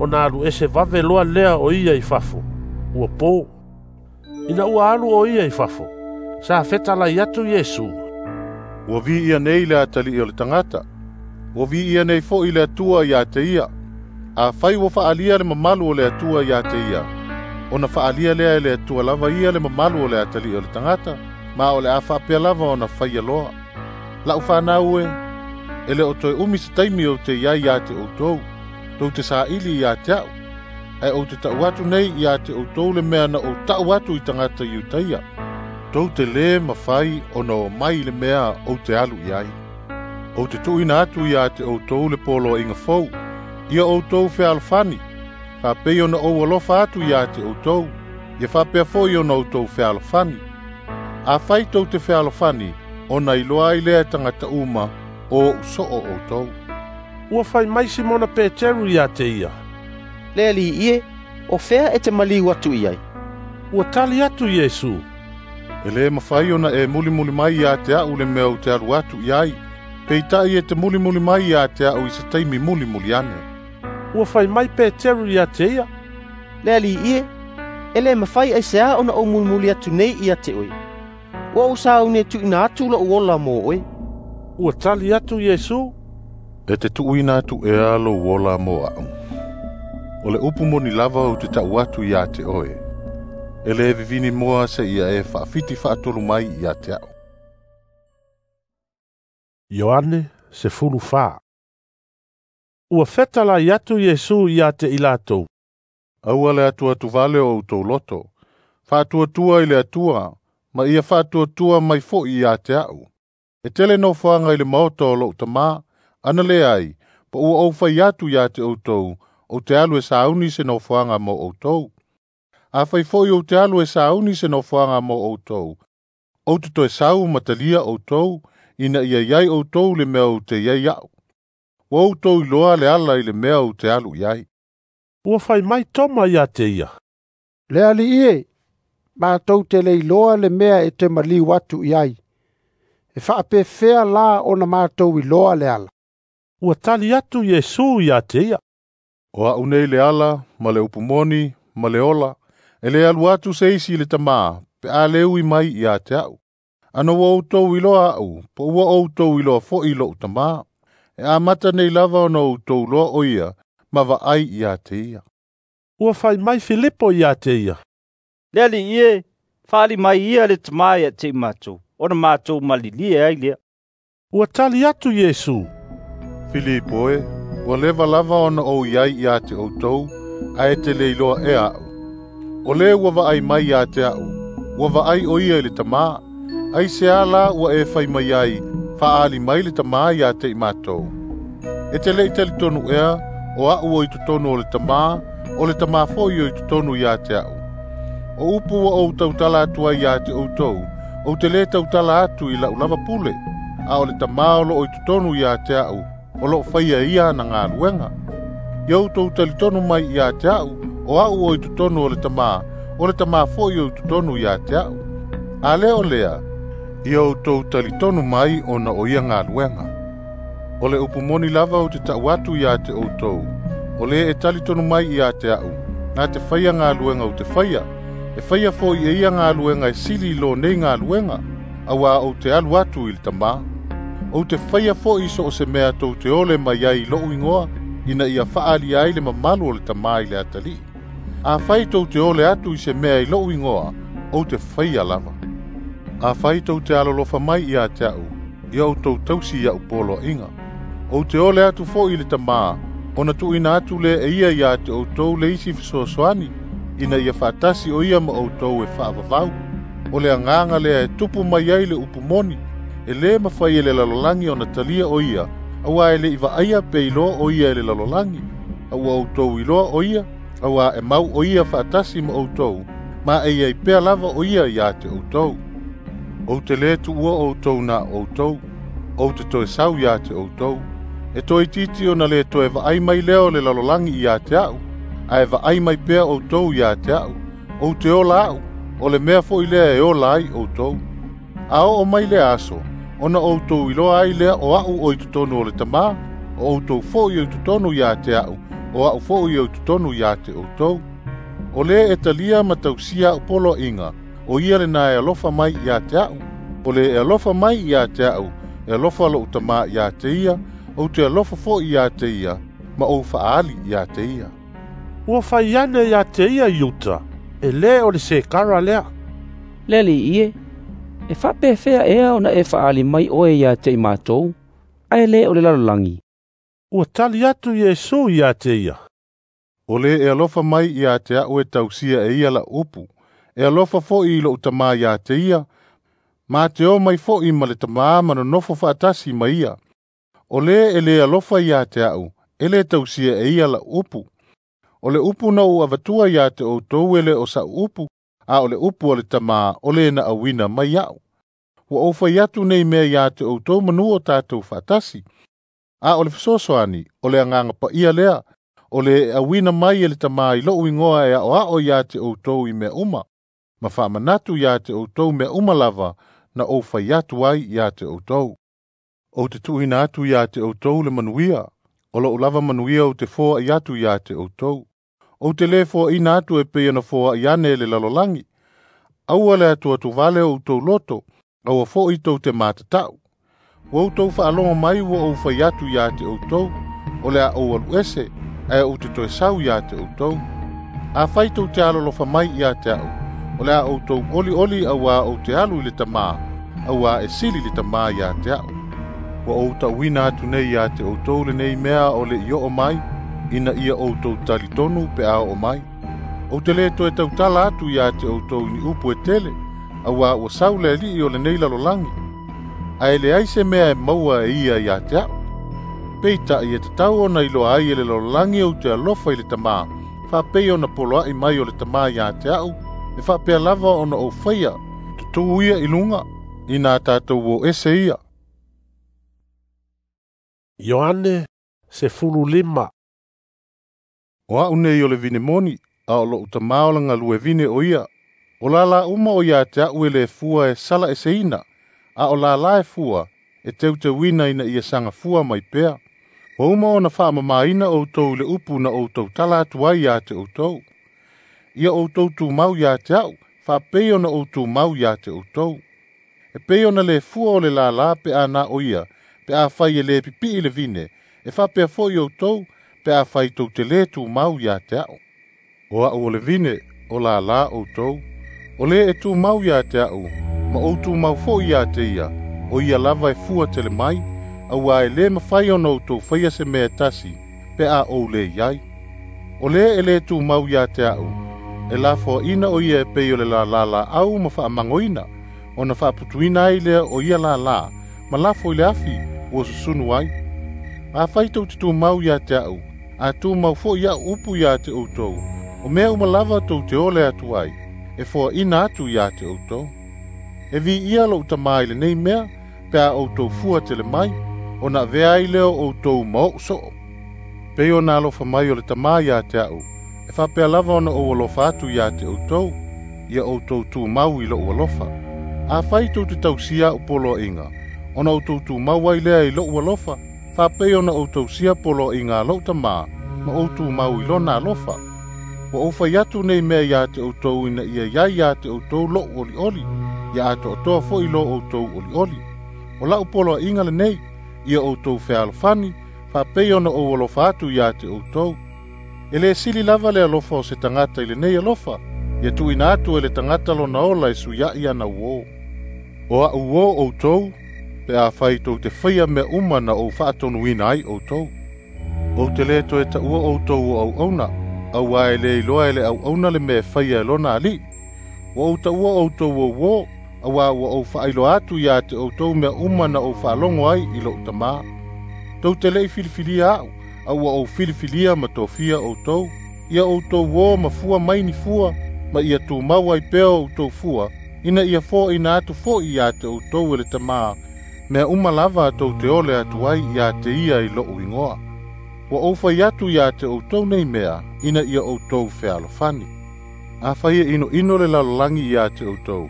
ona alu ese vave loa lea o ia i fafo, ua pō. Ina ua alu o ia i fafo, sa fetalai atu Iesu, Ua viia nei le atalii o le tagata, ua viia nei fo'i le Atua iā te ia. Afai ua fa'alia le mamalu o le Atua iā te ia, ona fa'alia lea e le Atua lava ia le mamalu o le atalii o le tagata, ma o le a fa'apea lava ona faia loa. La'u fanau e, e le o toe umi se taimi ou te iai iā te outou, tou te sāili iā te a'u, ae ou te ta'u atu nei iā te outou le mea na ou ta'u atu i tagata Iutaia. Tou te lē mafai ona o mai i le mea ou te alu i ai. Ou te tuuina atu iā te outou le poloaiga fou, ia outou fealofani, fa'apei ona ou alofa atu iā te outou, ia fa'apea fo'i ona outou fealofani. Afai tou te fealofani, ona iloa ai lea e tagata uma o o'u so'o outou. Ua fai mai Simona Peteru iā te ia, Le Ali'i e, o fea e te maliu atu i ai? Ua tali atu Iesu, E lē mafai ona e mulimuli mai iā te a'u le mea ou te alu atu i ai, peita'i e te mulimuli mai iā te a'u i se taimi mulimuli ane. Ua fai mai Peteru iā te ia, Le Ali'i e, e lē mafai aiseā ona ou mulimuli atu nei iā te oe. Ua ou sauni e tuuina atu lo'u ola mo oe. Ua tali atu Iesu, E te tuuina atu ea lou ola mo a'u. O le upu moni lava ou te ta'u atu iā te oe, e lē vivini moa seia e fa'afiti fa'atolu mai iā te a'u. Ioane sefulu fā. Ua fetalai atu Iesu iā te i latou, Aua le atuatuvale o outou loto, fa'atuatua i le Atua, ma ia fa'atuatua mai fo'i iā te a'u. E tele nofoaga i le maota o lo'u tamā, ana leai, po ua ou fai atu iā te outou, ou te alu e sauni se nofoaga mo outou. Afai fo'i ou te alu e sauni se nofoaga mo outou, ou te toe sau ma talia outou, ina ia iai outou le mea ou te iai a'u. Ua outou iloa le ala i le mea ou te alu i ai. Ua fai mai Toma iā te ia, Le Ali'i e, matou te le iloa le mea e te maliu atu i ai. E faapefea la ona matou iloa le ala?" Ua tali atu Iesu ia te ia, "O a'u nei le ala ma le upu moni ma le ola, e le alu atu se isi i le Tamā pe a le ui mai ia te a'u. Ana ua outou iloa a'u, po ua outou iloa fo'i lo'u Tamā. E amata nei lava ona outou iloa o ia, ma vaai ia te ia." Ua fai mai Filipo ia te ia, "Le Alii e, faaali mai ia le Tamā ia te i matou, ona matou malilie ai lea." Ua tali atu Iesu, "Filipo e, ua leva lava ona ou iai ia te outou, ae e te le iloa ea a'u. O le ua vaai mai ia te a'u, ua vaai o ia i le Tamā. Ai se ala ua e fai mai ai, faaali mai le Tamā ia te i matou. E te le i talitonu ea, o a'u o i totonu o le Tamā, o le Tamā fo'i o i totonu ia te a'u. O upu ua ou tautala atu ai ia te outou, ou te lē tautala atu i la'u lava pule, a o le Tamā o lo'o i totonu ia te a'u, o lo'o faia ia ana galuega. Ia outou talitonu mai ia te a'u, o a'u o i totonu o le Tamā, o le Tamā fo'i o i totonu ia te a'u. A lea o lea, ia outou talitonu mai ona o ia galuega. O le upu moni lava ou te ta'u atu ia te outou, o le e talitonu mai ia te a'u, na te faia galuega ou te faia, e faia fo'i e ia galuega e sili i lo nei galuega, auā ou te alu atu i le Tamā. Ou te faia fo'i so o se mea tou te ole mai ai i lo'u igoa, ina ia fa'aalia ai le mamalu o le Tamā i le atalii. Afai tou te ole atu i se mea i lo'u igoa, ou te faia lava. Afai tou te alolofa mai ia te a'u, ia outou tausi ia'u poloa'iga. Ou te ole atu fo'i i le Tamā, ona tu'uina atu lea e ia ia te outou le isi fesoasoani, ina ia fa'atasi o ia ma outou e fa'avavau. O le agaga lea e tupu mai ai le upu moni, e lē mafai e le lalolagi ona talia o ia, auā e le'i va'aia pe iloa o ia e le lalolagi. A ua outou iloa o ia, auā e mau o ia fa'atasi ma outou, ma e iai pea lava o ia ia te outou. Ou te lē tu'ua outou na outou, ou te toe sau ia te outou. E toeitiiti ona lē toe va'ai mai lea o le lalolagi ia te a'u, ae va'ai mai pea outou ia te a'u. Ou te ola a'u, o le mea fo'i lea e ola ai outou. A o'o mai le aso, ona outou iloa ai lea o a'u o i totonu o le Tamā, o outou fo'i o i totonu ia te a'u, o a'u fo'i o i totonu ia te outou. O le e talia ma tausia a'u poloa'iga, o ia lenā e alofa mai ia te a'u. O le e alofa mai ia te a'u, e alofa lo'u Tamā ia te ia, ou te alofa fo'i ia te ia, ma ou fa'aali ia te ia." Ua fai ane ia te ia Iuta, e lē o le sekara lea, "Le Alii e, e faapefea ea ona e fa'aali mai oe ia te i matou, ae lē o le lalolagi?" Ua tali atu Iesu ia te ia, "O le e alofa mai ia te a'u e tausia e ia la'u upu, e alofa fo'i i lo'u Tamā ia te ia, ma te o mai fo'i ma le Tamā ma nonofo fa'atasi ma ia. O le e lē alofa ia te a'u, e lē tausia e ia la'u upu. O le upu na ou avatua ia te outou e lē o sa'u upu, a o le upu a le Tamā o le na auina mai a'u. Ua ou fai atu nei mea ia te outou manū o tatou fa'atasi. A o le fesoasoani, o le agaga pa'ia lea, o le e auina mai e le Tamā i lo'u igoa e a'oa'o ia te outou i mea uma, ma fa'amanatu ia te outou mea uma lava na ou fai atu ai ia te outou. Ou te tu'uina atu ia te outou le manuia, o lo'u lava manuia ou te foa'i atu ia te outou. Ou te lē foa'ina atu e pei ona foa'i ane e le lalolagi. Aua le atuatuvale o outou loto, aua fo'i tou te matata'u. Ua outou fa'alogo mai ua ou fai atu ia te outou, o le a ou alu ese, ae ou te toe sau ia te outou. Afai tou te alolofa mai ia te a'u, o le a outou olioli auā ou te alu i le Tamā, auā e sili le Tamā ia te a'u. Ua ou ta'uina atu nei ia te outou lenei mea o le i o'o mai, ina ia outou talitonu pe a o'o mai. Ou te lē toe tautala atu ia te outou i ni upu e tele, auā ua sau le ali'i o lenei lalolagi, ae leai se mea e maua e ia ia te a'u. Peita'i e tatau ona iloa ai e le lalolagi ou te alofa i le Tamā, fa'apei ona poloa'i mai o le Tamā ia te a'u, e fa'apea lava ona ou faia, tutū ia i luga, ina tatou o ese ia." Ioane sefulu lima. O a'u nei o le vine moni, a o lo'u Tamā o le galue vine o ia. O lala uma o ia te a'u e le fua e sala eseina, A o lālā e fua, e teuteuina ina ia sagafua mai pea. Ua uma ona faamamāina outou i le upu na outou tala atu ai iā te outou. Ia outou tumau iā te a'u, faapei ona ou tumau iā te outou. E pei ona le fua o le lālā pe a na o ia, pe afai e lē pipi'i le vine, e faapea fo'i outou, pe afai tou te lē tumau iā te a'u. O a'u o le vine, o lālā outou. O lē e tumau iā te a'u, ma ou tumau fo'i iā te ia, o ia lava e fua tele mai, auā e lē mafai ona outou faia se mea e tasi, pe a ou lē iai. O lē e lē tumau iā te a'u, e lafoaʻina o ia e pei o le lālā laau ma faamagoina, ona faaputuina ai lea o ia lālā, ma lafo i le afi ua susunu ai. Afai tou te tumau iā te a'u, a tumau fo'i a'u upu iā te outou, o mea uma lava tou te ole atu ai, e foaʻina atu iā te outou. E viia lo'u Tamā i lenei mea, pe a outou fua tele mai, ona avea ai lea o outou ma o'u so'o. Pei ona alofa mai o le Tamā iā te a'u, e faapea lava ona ou alofa atu iā te outou, ia outou tumau i lo'u alofa. Afai tou te tausia a'u poloa'iga, ona outou tumau ai lea i lo'u alofa, faapei ona ou tausia poloa'iga a lo'u Tamā, ma ou tumau i lona alofa. Ua ou fai atu nei mea iā te outou ina ia iai iā te outou lo'u oli'oli, ia ato'atoa fo'i lo outou oli'oli. O la'u poloa'iga lenei, ia outou fealofani, faapei ona ou alofa atu iā te outou. E lē sili lava le alofa o se tagata i lenei alofa, ia tu'uina atu e le tagata lona ola e suia'i ana uō. O a'u uō outou, pe afai tou te faia mea uma na ou faatonuina ai outou. Ou te lē toe ta'ua outou o auauna, auā e lē iloa e le auauna le mea e faia e lona ali'i. Ua ou ta'ua outou o uō, auā ua ou faailoa atu iā te outou mea uma na ou faalogo ai i lo'u Tamā. Tou te le'i filifilia a'u, a ua ou filifilia ma tofia outou, ia outou uō ma fua mai ni fua, ma ia tumau ai pea o outou fua, ina ia foaʻina atu fo'i iā te outou e le Tamā, mea uma lava tou te ole atu ai iā te ia i lo'u igoa. Ua ou fai atu iā te outou nei mea, ina ia outou fealofani. Afai e inoino le lalolagi iā te outou,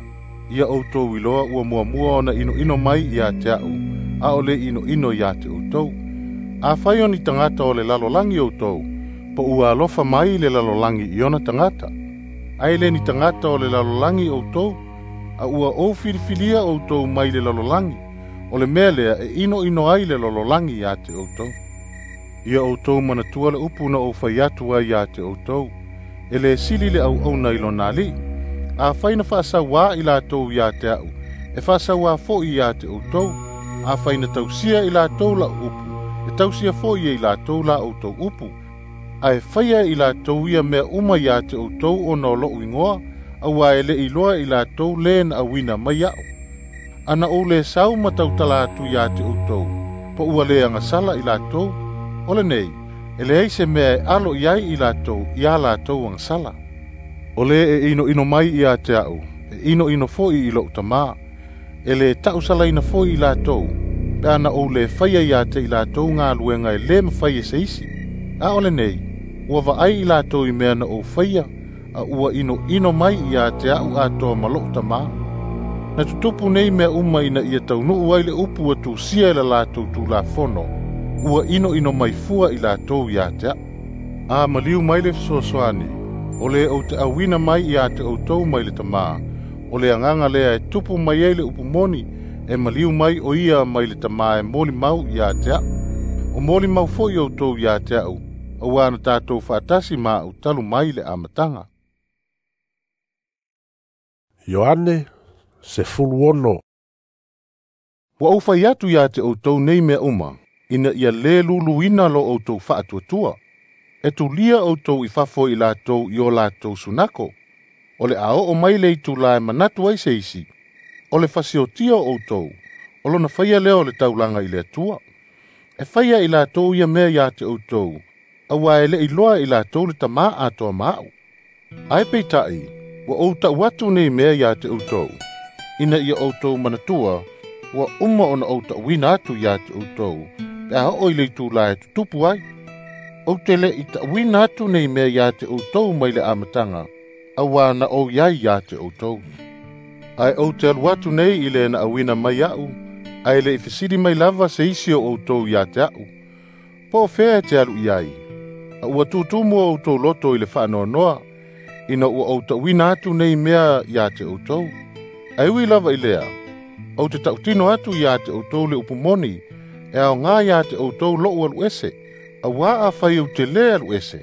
ia outou iloa ua muamua ona inoino mai iā te a'u, a o le inoino iā te outou. Afai o ni tagata o le lalolagi outou, po ua alofa mai le lalolagi i ona tagata. Ae le ni tagata o le lalolagi outou, a ua ou filifilia outou mai le lalolagi, o le mea lea e inoino ai le lalolagi iā te outou. Ia outou manatua le upu na ou fai atu ai iā te outou, e lē sili le auauna i lona ali'i. Afai na faasauā i latou iā te a'u, e faasauā fo'i iā te outou. Afai na tausia i latou la'u upu, e tausia fo'i e i latou la outou upu. Ae faia i latou ia mea uma iā te outou ona o lo'u igoa, auā e le'i iloa i latou lē na auina mai a'u. Ana ou lē sau ma tautala atu iā te outou, po ua lē agasala i latou. O lenei, e leai se mea e alo i ai i latou iā latou agasala. O lē e inoino mai iā te a'u, e inoino fo'i i lo'u Tamā. E lē ta'usalaina fo'i i latou, pe ana ou lē faia iā te i latou galuega e lē mafai e se isi. A o lenei, ua va'ai i latou i mea na ou faia, a ua inoino mai iā te a'u atoa ma lo'u Tamā. Na tutupu nei mea uma ina ia taunu'u ai le upu ua tusia e la latou Tulafono, ua inoino mai fua i latou iā te a'u. A maliu mai le fesoasoani, o lē ou te auina mai iā te outou mai le Tamā, o le Agaga lea e tupu mai ai le upu moni, e maliu mai o ia mai le Tamā e molimau iā te a'u. O molimau fo'i outou iā te a'u, auā na tatou fa'atasi ma a'u talu mai le amataga. Ioane sefulu ono. Ua ou fai atu iā te outou nei mea uma, ina ia lē luluina lo outou fa'atuatua. E tulia outou i fafo i latou i o latou sunako. O le a o'o mai le itulā e manatu ai se isi, o le fasiotia o outou, o lona faia lea o le taulaga i le Atua. E faia i latou ia mea iā te outou, auā e le'i iloa i latou le Tamā atoa ma a'u. Ae peita'i, ua ou ta'u atu nei mea iā te outou, ina ia outou manatua, ua uma ona ou ta'uina atu iā te outou, pe a o'o i le itulā e tutupu ai. Ou te le'i ta'uina atu nei mea iā te outou mai le amataga, auā na ou iai iā te outou. Ae ou te alu atu nei i le na auina mai a'u, ae le'i fesili mai lava se isi o outou ia te a'u, po o fea e te alu i ai. A ua tutumu o outou loto i le faanoanoa, ina ua ou ta'uina atu nei mea ia te outou. Ae ui lava i lea, ou te ta'utino atu ia te outou le upu moni, e aogā ia te outou lo'u alu ese, auā afai ou te lē alu ese,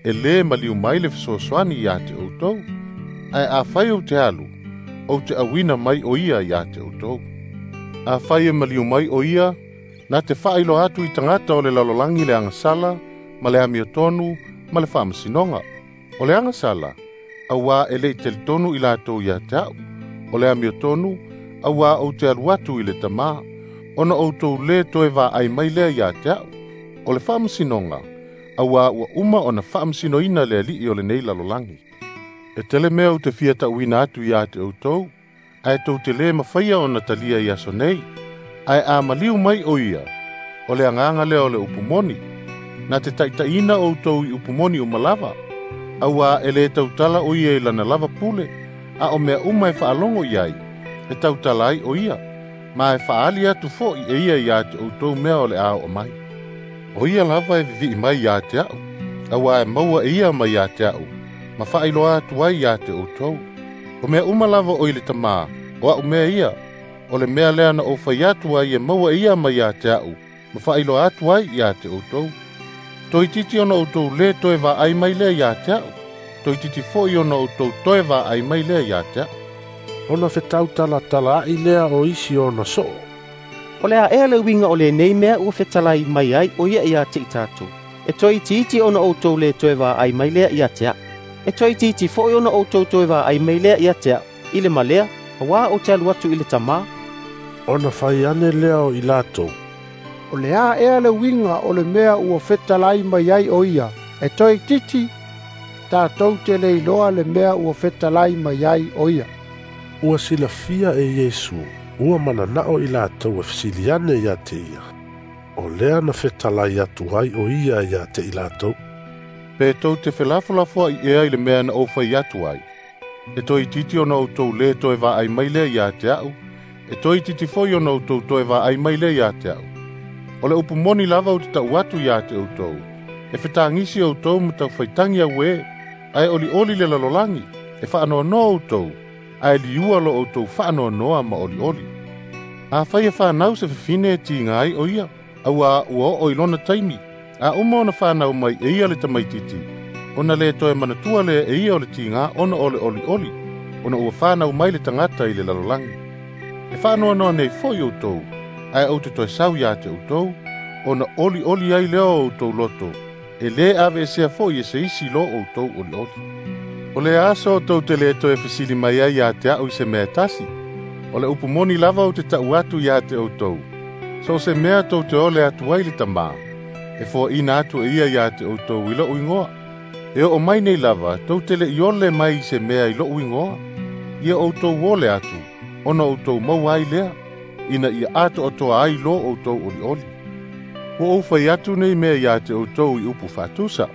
e lē maliu mai le fesoasoani ia te outou. Ae afai ou te alu, ou te auina mai o ia ia te outou. Afai e maliu mai o ia, na te faailoa atu i tagata o le lalolagi le agasala, ma le amiotonu, ma le faamasinoga. O le agasala, auā e le'i talitonu i latou ia te a'u. O le amiotonu, auā ou te alu atu i le Tamā, ona outou lē toe vaai mai lea ia te a'u. O le faamasinoga, auā ua uma ona faamasinoina le ali'i o lenei lalolagi. E tele mea ou te fia ta'uina atu ia te outou, ae tou te lē mafaia ona talia i aso nei. Ae a maliu mai o ia, o le agaga lea o le upu moni, na te ta'itaʻina outou i upu moni uma lava, auā e lē tautala o ia i lana lava pule, a o mea uma e faalogo i ai, e tautala ai o ia, ma e faaali atu fo'i e ia iā te outou mea o le a oo mai. O ia lava e vivi'i mai iā te a'u, auā e maua e ia mai iā te a'u, ma faailoa atu ai iā te outou. O mea uma lava o i le Tamā, o a'u mea ia, o le mea lea na ou fai atu ai e maua e ia mai iā te a'u, ma faailoa atu ai iā te outou. Toeitiiti ona outou lē toe vaai mai lea iā te a'u, toeitiiti fo'i ona outou toe vaai mai lea iā te a'u. Ona fetautalatala'i lea o isi ona so'o. O le a ea le uiga o lenei mea ua fetalai mai ai o ia ia te i tatou. E toeitiiti ona outou lē toe vaai mai lea ia te a'u. E toeitiiti fo'i ona outou toe vaai mai lea ia te a'u, i le malea, auā ou te alu atu i le Tamā. Ona fai ane lea o i latou. O le a ea le uiga o le mea ua fetalai mai ai o ia, e toeitiiti, tatou te le iloa le mea ua fetalai mai ai o ia. Ua silafia e Iesu, ua manana'o i latou e fesili ane ia te ia. O lea na fetalai atu ai o ia ia te i latou. Pe tou te felafolafoa'i ea i le mea na ou fai atu ai. E toeitiiti ona outou lē toe vaai mai lea ia te a'u, e toeitiiti foi ona outou toe vaai mai lea ia te a'u. O le upu moni lava ou te ta'u atu ia te outou, e fetagisi outou ma taufaitagi auē, ae olioli le lalolagi, e faanoanoa outou, ae liua lo outou faanoanoa ma olioli. Afai e fanau se fafine e tiga ai o ia, auā ua oo i lona taimi, a uma ona fanau mai e ia le tamaititi, ona lē toe manatua lea e ia o le tigā ona o le olioli, ona ua fanau mai le tagata i le lalolagi. E faanoanoa nei fo'i outou, ae ou te toe sau iā te outou, ona olioli ai lea o outou loto, e lē aveesea fo'i e se isi lo outou olioli. O le aso o tou te lē toe fesili mai ai iā te a'u i se mea e tasi, o le upu moni lava ou te ta'u atu iā te outou, so o se mea tou te ole atu ai le Tamā, e foaʻina atu e ia iā te outou i lo'u igoa. E oo mai nei lava, tou te le'i ole mai i se mea i lo'u igoa. Ia outou ole atu, ona outou maua ai lea, ina ia atoatoa ai lo outou olioli. Ua ou fai atu nei mea iā te outou i upu faatusa.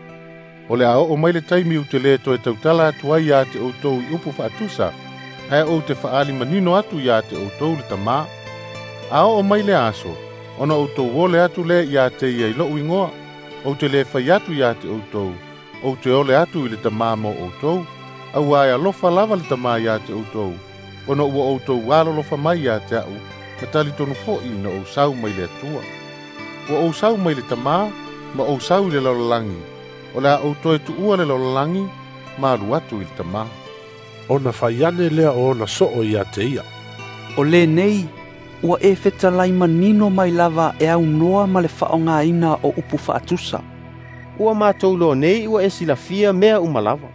O le a oo mai le taimi ou te lē toe tautala atu ai iā te outou i upu faatusa, ae ou te faaali manino atu iā te outou le Tamā. A oo mai le aso, ona outou ole atu lea ia te ia i lo'u igoa, ou te lē fai atu ia te outou, ou te ole atu i le Tamā mo outou, auā e alofa lava le Tamā ia te outou, ona ua outou alolofa mai ia te a'u, ma talitonu fo'i na ou sau mai le Atua. Ua ou sau mai le Tamā, ma ou sau i le lalolagi, o le a ou toe tu'ua le lalolagi, ma alu atu i le Tamā. Ona fai ane lea o ona so'o ia te ia. O lenei, ua e fetalai manino mai lava e aunoa ma le faaaogāina o upu faatusa. Ua matou iloa nei ua e silafia mea uma lava.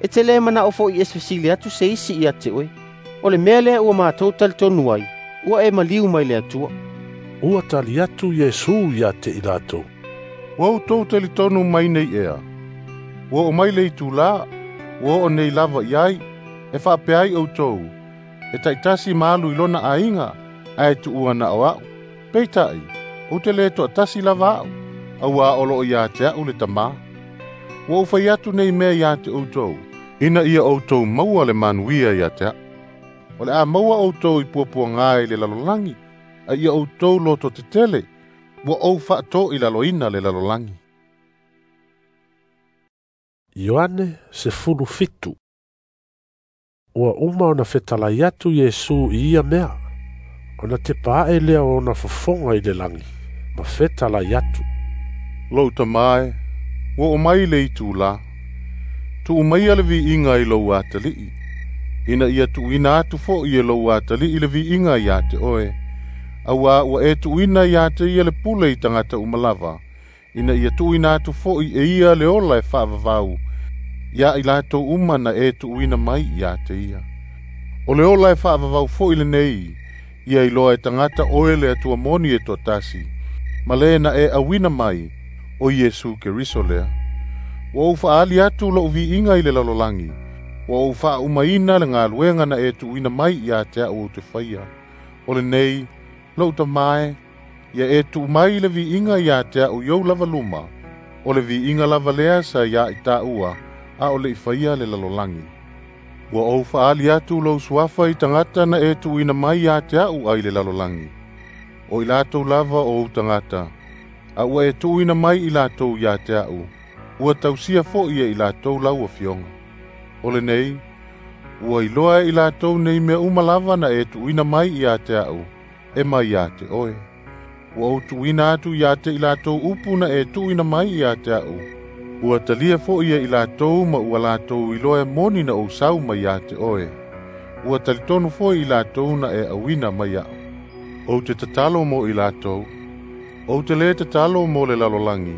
E te lē mana'o fo'i e fesili atu se isi ia te oe. O le mea lea ua matou talitonu ai, ua e maliu mai le Atua. Ua tali atu Iesu ia te i latou. Ua outou talitonu mai nei ea. Ua oo mai le itulā, ua oo nei lava i ai, e faapea ai outou, e ta'itasi ma alu i lona aiga, ae tu'ua na o a'u. Peita'i, ou te lē to'atasi lava a'u, auā o lo'o iā te a'u le Tamā. Ua ou fai atu nei mea iā te outou, ina ia outou maua le manuia ia te a'u. O O le a maua outou i puapuaga i le lalolagi, a ia outou loto tetele, ua ou faatoilaloina le lalolagi. Ioane sefulu fitu. Ua uma ona fetalai atu Iesu i ia mea, ona tepa ae lea o ona fofoga i le lagi, ma fetalai atu. Lou Tamā e, ua oo mai le itulā, tuu maia le viiga i lou atalii, ina ia tuuina atu fo'i e lou atalii le viiga ia te oe, auā ua e tuuina ia te ia le pule i tagata uma lava, ina ia tuuina atu fo'i e ia le ola e faavavau, ia i latou uma na e tuuina mai ia te ia. O le ola e faavavau fo'i lenei, ia iloa e tagata oe le Atua moni e toatasi, ma le na e auina mai, o Iesu Keriso lea. Ua ou faaali atu lou viiga i le lalolagi, ua ou faaumaina le galuega na e tuuina mai ia te a'u ou te faia. O lenei, lou Tamā e, ia e tuu mai le viiga ia te a'u i ou lava luma, o le viiga lava lea sa ia i tāua, a o le i faia le lalolagi. Ua ou faaali atu lou suafa i tagata na e tuuina mai ia te a'u ai le lalolagi. O i latou lava o ou tagata, a ua e tuuina mai i latou ia te a'u, ua tausia fo'i e i latou lau afioga. O lenei, ua iloa e i latou nei mea uma lava na e tuuina mai ia te a'u, e mai ia te oe. Ua ou tuuina atu ia te i latou upu na e tuuina mai ia te a'u, ua talia fo'i e i latou ma ua latou iloa e moni na ou sau mai ia te oe. Ua talitonu fo'i i latou na e auina mai a'u. Ou te tatalo mo i latou, ou te lē tatalo mo le lalolagi,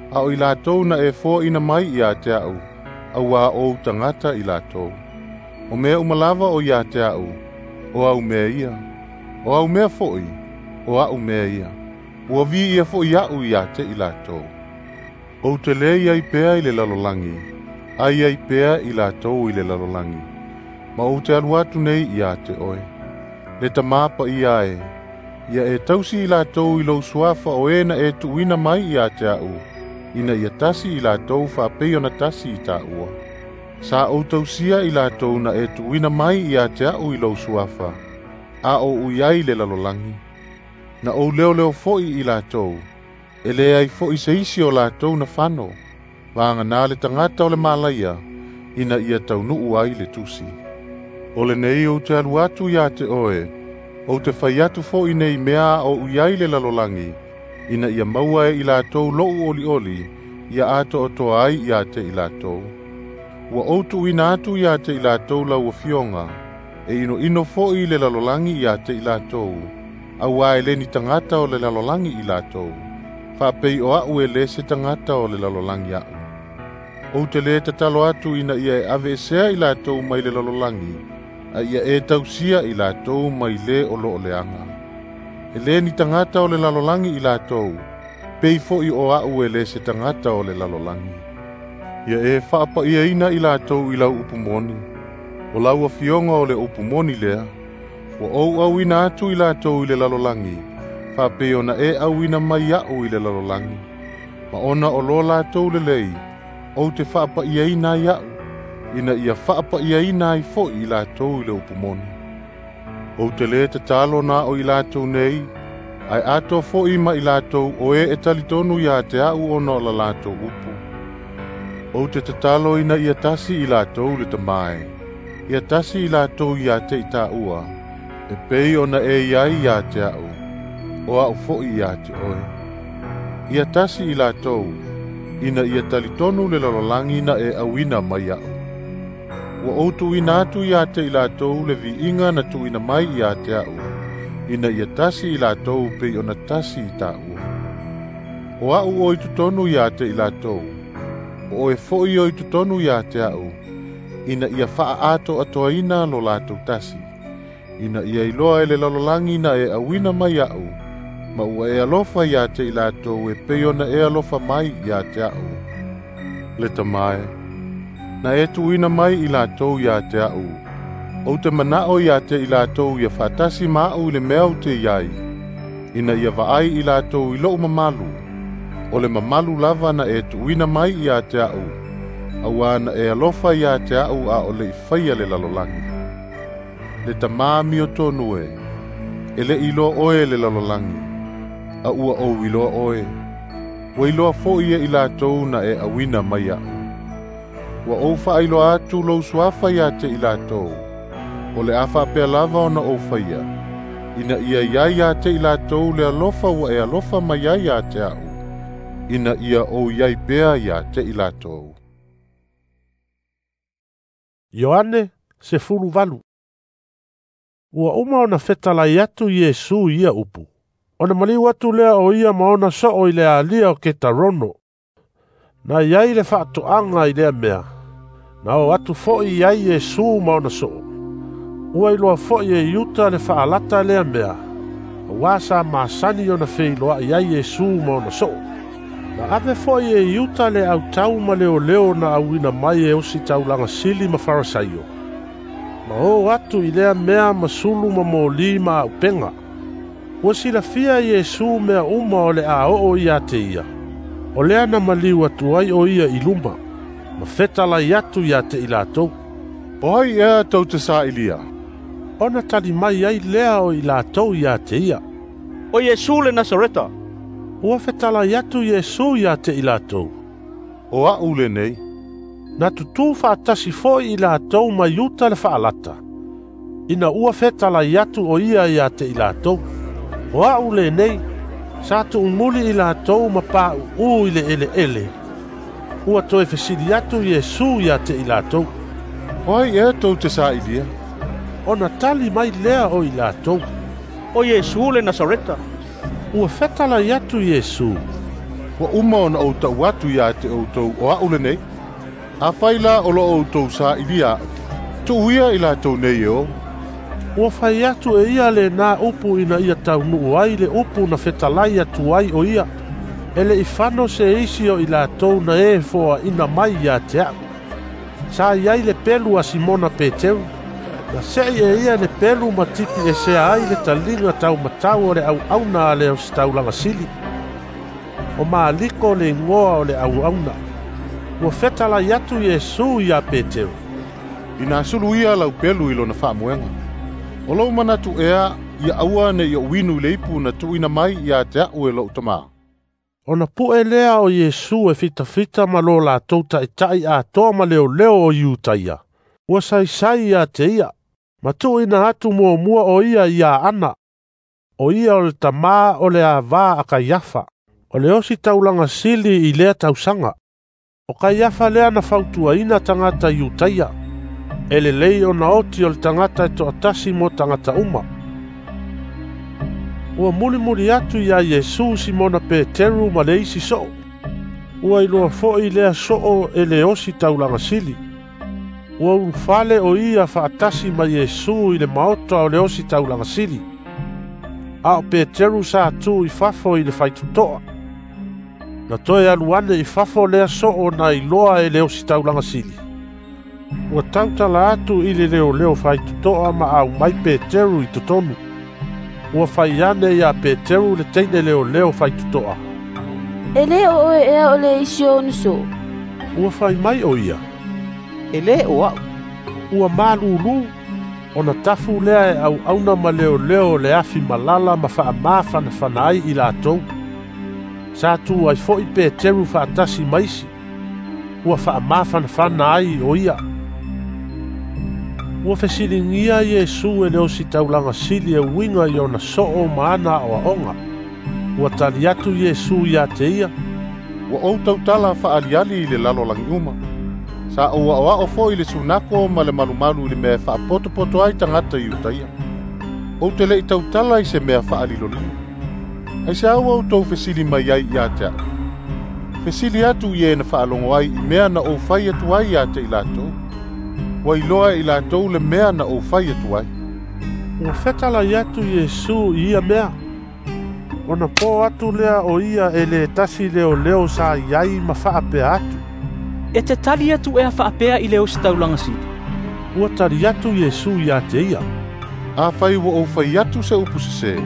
a o i latou na e foaina mai ia te a'u, auā ou tagata i latou. O mea uma lava o ia te a'u, o au mea ia. O au mea fo'i, o a'u mea ia. Ua viia fo'i a'u ia te i latou. Ou te lē iai pea i le lalolagi, ai ai pea i latou i le lalolagi, ma ou te alu atu nei ia te oe. Le Tamā paia e, ia e tausi i latou i lou suafa o e na e tuuina mai ia te a'u, ina ia tasi i latou faapei ona tasi i tāua. Sa ou tausia i latou na e tuuina mai ia te a'u i lou suafa, a o ui ai le lalolagi. Na ou leoleo fo'i i latou, e leai fo'i se isi o latou na fano, vaganā le tagata o le malaia, ina ia taunuu ai le tusi. O lenei ou te alu atu ia te oe, ou te fai atu fo'i nei mea a o ui ai le lalolagi, ina ia maua e i latou lo'u olioli, ia atoatoa ai ia te i latou. Ua ou tuuina atu ia te i latou lau afioga, e inoino fo'i le lalolagi ia te i latou, auā e le ni tagata o le lalolagi i latou, faapei o a'u e lē se tagata o le lalolagi a'u. Ou te lē tatalo atu ina ia e aveesea i latou mai le lalolagi, a ia e tausia i latou mai lē o loo leaga. E lē ni tagata o le lalolagi i latou, pei fo'i o a'u e lē se tagata o le lalolagi. Ia e faapaiaina i latou i lau upu moni, o lau afioga o le upu moni lea, ua ou auina atu i latou i le lalolagi, faapei ona e auina mai a'u i le lalolagi. Ma ona o lo latou lelei, ou te faapaiaina ai a'u, ina ia faapaiaina ai fo'i i latou i le upu moni. Ou te lē tatalo na o i latou nei, ae atoa fo'i ma i latou o e e talitonu ia te a'u ona o la latou upu. Ou te tatalo ina ia tasi i latou le Tamā e, ia tasi i latou ia te i tāua, e pei ona e iai ia te a'u, o a'u fo'i ia te oe. Ia tasi i latou, ina ia talitonu le lalolagi na e auina mai a'u. Ua ou tuuina atu ia te i latou le viiga na tuuina mai ia te a'u, ina ia tasi i latou pei ona tasi i tāua. O a'u o i totonu ia te i latou, o oe fo'i o i totonu ia te a'u, ina ia faaatoatoaina lo latou tasi, ina ia iloa e le lalolagi na e auina mai a'u, ma ua e alofa ia te i latou e pei ona e alofa mai ia te a'u. Le Tamā e, na e tuuina mai i latou ia te a'u, ou te mana'o ia te i latou ia faatasi ma a'u i le mea ou te iai, ina ia vaai i latou i lo'u mamalu, o le mamalu lava na e tuuina mai ia te a'u, auā na e alofa ia te a'u a o le i faia le lalolagi. Le tamā amiotonu e, e le'i iloa oe e le lalolagi, a ua ou iloa oe. Ua iloa fo'i e i latou na e auina mai a'u. Ua ou faailoa atu lou suafa iā te i latou, o le a faapea lava ona ou faia, ina ia iai iā te i latou le alofa ua e alofa mai ai iā te a'u, ina ia ou iai pea iā te i latou. Ioane sefulu valu. Ua uma ona fetalai atu Iesu i ia upu. Ona maliu atu lea o ia ma ona soo i le alia o Ketarono. Na iai le faatoaga i lea mea. Na o atu fo'i iai Iesu ma ona soo. Ua iloa fo'i e Iuta le faalata lea mea. Auā sa masani ona feiloa'i ai Iesu ma ona soo. Na ave fo'i e Iuta le autau ma leoleo na auina mai e ositaulaga sili ma Farasaio. Ma o atu i lea mea ma sulu ma moli ma aupenga. Ua silafia Iesu mea uma o le a oo ia te ia. O lea na maliu atu ai o ia i luma, ma fetalai atu ia te i latou. O ai ea tou te sa'ilia? Ona tali mai ai lea o i latou ia te ia. O Iesu le Nasareta. Ua fetalai atu Iesu ia te i latou. O a'u lenei. Na tutū faatasi fo'i i latou ma Iuta le faalata. Ina ua fetalai atu o ia ia te i latou. O a'u lenei, sa tu'umuli i latou ma pa'u'ū i le eleele. Ua toe fesili atu Iesu ia te i latou. O ai ea tou te sa'ilia? Ona tali mai lea o i latou. O Iesu le Nasareta. Ua fetalai atu Iesu. Ua uma ona ou ta'u atu iā te outou o a'u lenei. Afai la o lo'o outou sa'ilia a'u, tu'uia i latou nei e o. Ua fai atu e ia lenā upu ina ia taunu'u ai le upu na fetalai atu ai o ia. E le'i fano se isi o i latou na e foa'ina mai iā te a'u. Sa iai le pelu a Simona Peteru. Na se'i e ia le pelu ma tipi esea ai le taliga taumatau o le auauna a le ositaulaga sili. O Maliko le igoa o le auauna. Ua fetalai atu Iesu iā Peteru. Ina sulu ia lau pelu i lona faamoega. O lou manatu ea ia aua ne'i o'u inu i le ipu na tu'uina mai iā te a'u e lo'u tamā. Ona pu'e lea o Iesu e fitafita ma lo latou ta'ita'i atoa ma leoleo o Iutaia. Ua saisai ia te ia, ma tu'uina atu muamua o ia iā Ana. O ia o le tamā o le avā a Kaiafa, o le ositaulaga sili i lea tausaga. O Kaiafa lea na fautuaina tagata Iutaia. E lelei ona oti o le tagata e to'atasi mo tagata uma. Ua mulimuli atu iā Iesu Simona Peteru ma le isi so'o. Ua iloa fo'i lea so'o e le ositaulaga sili. Ua ulufale o ia fa'atasi ma Iesu i le maota o le ositaulaga sili. A o Peteru sa tū i fafo i le faitoto'a. Na toe alu ane i fafo lea so'o na iloa e le ositaulaga sili. Ua tautala atu i le leoleo faitoto'a ma aumai Peteru i totonu. Ua fai ane iā Peteru le teine leoleo faitoto'a. E lē o oe ea o le isi o ona so'o? Ua fai mai o ia. E lē o a'u. Ua malūlū, ona tafu lea e auauna ma leoleo o le afi malala ma fa'amafanafana ai i latou. Sa tū ai fo'i Peteru fa'atasi ma isi. Ua fa'amafanafana ai o ia. Ua fesiligia Iesu e le ositaulaga sili e uiga i ona so'o ma ana a'oa'oga. Ua tali atu Iesu iā te ia. Ua ou tautala fa'aliali i le lalolagi uma. Sa ou a'oa'o fo'i le sunako ma le malumalu i le mea e fa'apotopoto ai tagata Iutaia. Ou te le'i tautala i se mea fa'alilolilo. Aiseā ua outou fesili mai ai iā te a'u? Fesili atu i e na fa'alogo ai i mea na ou fai atu ai iā te i latou. Ua iloa e i latou le mea na ou fai atu ai. Ua fetalai atu Iesu i ia mea. Ona pō atu lea o ia e lē tasi leoleo sa iai ma fa'apea atu. E te tali atu ea fa'apea i le ositaulaga sili? Ua tali atu Iesu iā te ia. Afai ua ou fai atu se upu sesē,